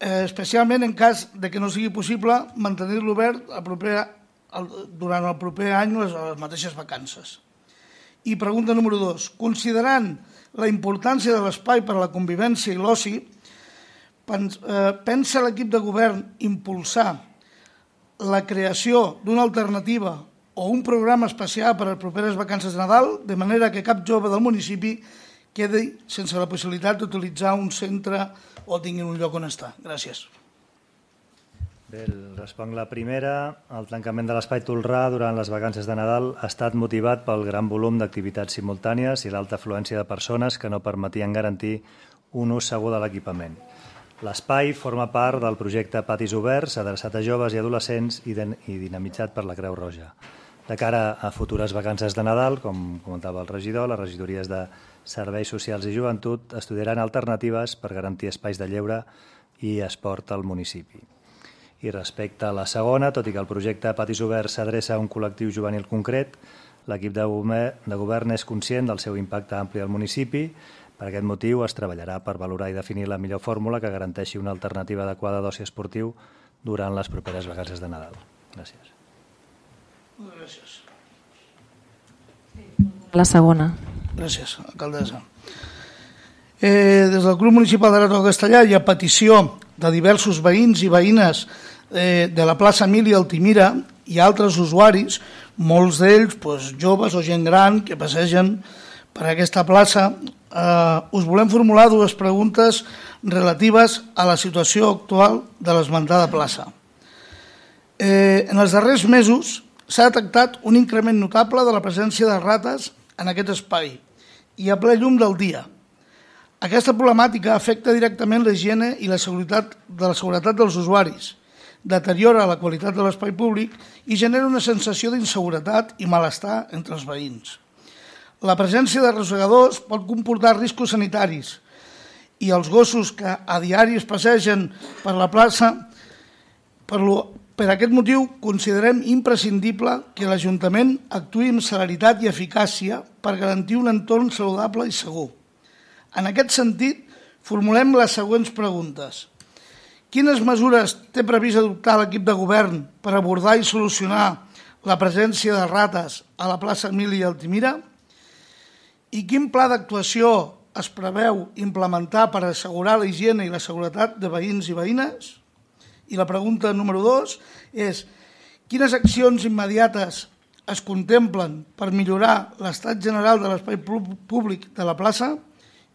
especialment en cas de que no sigui possible mantenir-lo obert durant el proper any les mateixes vacances. I pregunta número 2. Considerant la importància de l'espai per a la convivència i l'oci, pensa l'equip de govern impulsar la creació d'una alternativa o un programa especial per a les properes vacances de Nadal, de manera que cap jove del municipi quedi sense la possibilitat d'utilitzar un centre o tingui un lloc on estar. Gràcies. Bé, responc la primera. El tancament de l'espai Tolrà durant les vacances de Nadal ha estat motivat pel gran volum d'activitats simultànies i l'alta afluència de persones que no permetien garantir un ús segur de l'equipament. L'espai forma part del projecte Patis Oberts, adreçat a joves i adolescents i dinamitzat per la Creu Roja. De cara a futures vacances de Nadal, com comentava el regidor, les regidories de Serveis Socials i Joventut estudiaran alternatives per garantir espais de lleure i esport al municipi. I respecte a la segona, tot i que el projecte Patis Oberts s'adreça a un col·lectiu juvenil concret, l'equip de govern és conscient del seu impacte ampli al municipi. Per aquest motiu es treballarà per valorar i definir la millor fórmula que garanteixi una alternativa adequada d'oci esportiu durant les properes vacances de Nadal. Gràcies. Gràcies. La segona. Gràcies, alcaldessa. Des del grup municipal de Ràdio Castellà i a petició de diversos veïns i veïnes de la plaça Emília Altimira i altres usuaris, molts d'ells joves o gent gran que passegen per aquesta plaça, us volem formular dues preguntes relatives a la situació actual de l'esmentada plaça. En els darrers mesos s'ha detectat un increment notable de la presència de rates en aquest espai i a ple llum del dia. Aquesta problemàtica afecta directament la higiene i la seguretat dels usuaris, deteriora la qualitat de l'espai públic i genera una sensació d'inseguretat i malestar entre els veïns. La presència de rosegadors pot comportar riscos sanitaris i els gossos que a diari es passegen per la plaça. Per aquest motiu, considerem imprescindible que l'Ajuntament actuï amb celeritat i eficàcia per garantir un entorn saludable i segur. En aquest sentit, formulem les següents preguntes. Quines mesures té previst adoptar l'equip de govern per abordar i solucionar la presència de rates a la plaça Emília Altimira? I quin pla d'actuació es preveu implementar per assegurar la higiene i la seguretat de veïns i veïnes? I la pregunta número 2 és: quines accions immediates es contemplen per millorar l'estat general de l'espai públic de la plaça,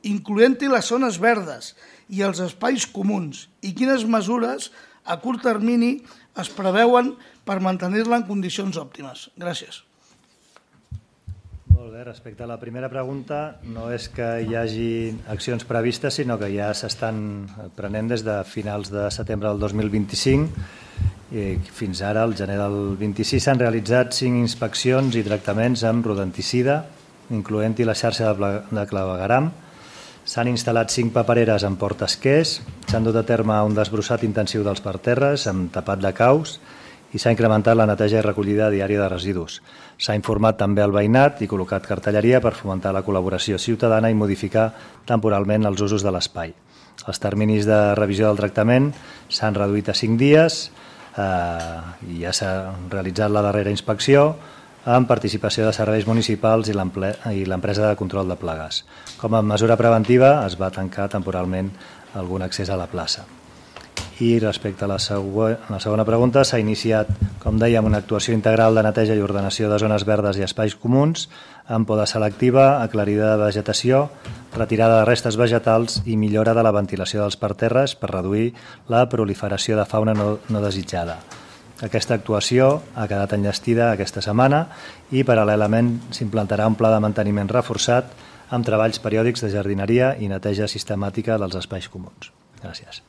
incloent-hi les zones verdes i els espais comuns, i quines mesures a curt termini es preveuen per mantenir-la en condicions òptimes? Gràcies. Molt bé, respecte a la primera pregunta, no és que hi hagi accions previstes, sinó que ja s'estan prenent des de finals de setembre del 2025 i fins ara, al gener del 26, s'han realitzat 5 inspeccions i tractaments amb rodenticida, incloent-hi la xarxa de clavegueram. S'han instal·lat 5 papereres en portaesquers, s'han dut a terme un desbrossat intensiu dels parterres amb tapat de caus i s'ha incrementat la neteja i recollida diària de residus. S'ha informat també al veïnat i col·locat cartelleria per fomentar la col·laboració ciutadana i modificar temporalment els usos de l'espai. Els terminis de revisió del tractament s'han reduït a 5 dies i ja s'ha realitzat la darrera inspecció amb participació de serveis municipals i l'empresa de control de plagues. Com a mesura preventiva es va tancar temporalment algun accés a la plaça. I respecte a la segona pregunta, s'ha iniciat, com dèiem, una actuació integral de neteja i ordenació de zones verdes i espais comuns, amb poda selectiva, aclarida de vegetació, retirada de restes vegetals i millora de la ventilació dels parterres per reduir la proliferació de fauna no desitjada. Aquesta actuació ha quedat enllestida aquesta setmana i paral·lelament s'implantarà un pla de manteniment reforçat amb treballs periòdics de jardineria i neteja sistemàtica dels espais comuns. Gràcies.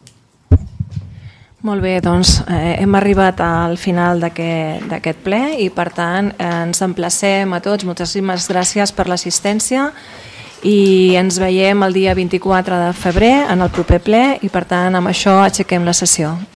Molt bé, doncs hem arribat al final d'aquest ple i per tant ens emplacem a tots. Moltíssimes gràcies per l'assistència i ens veiem el dia 24 de febrer en el proper ple i per tant amb això aixequem la sessió.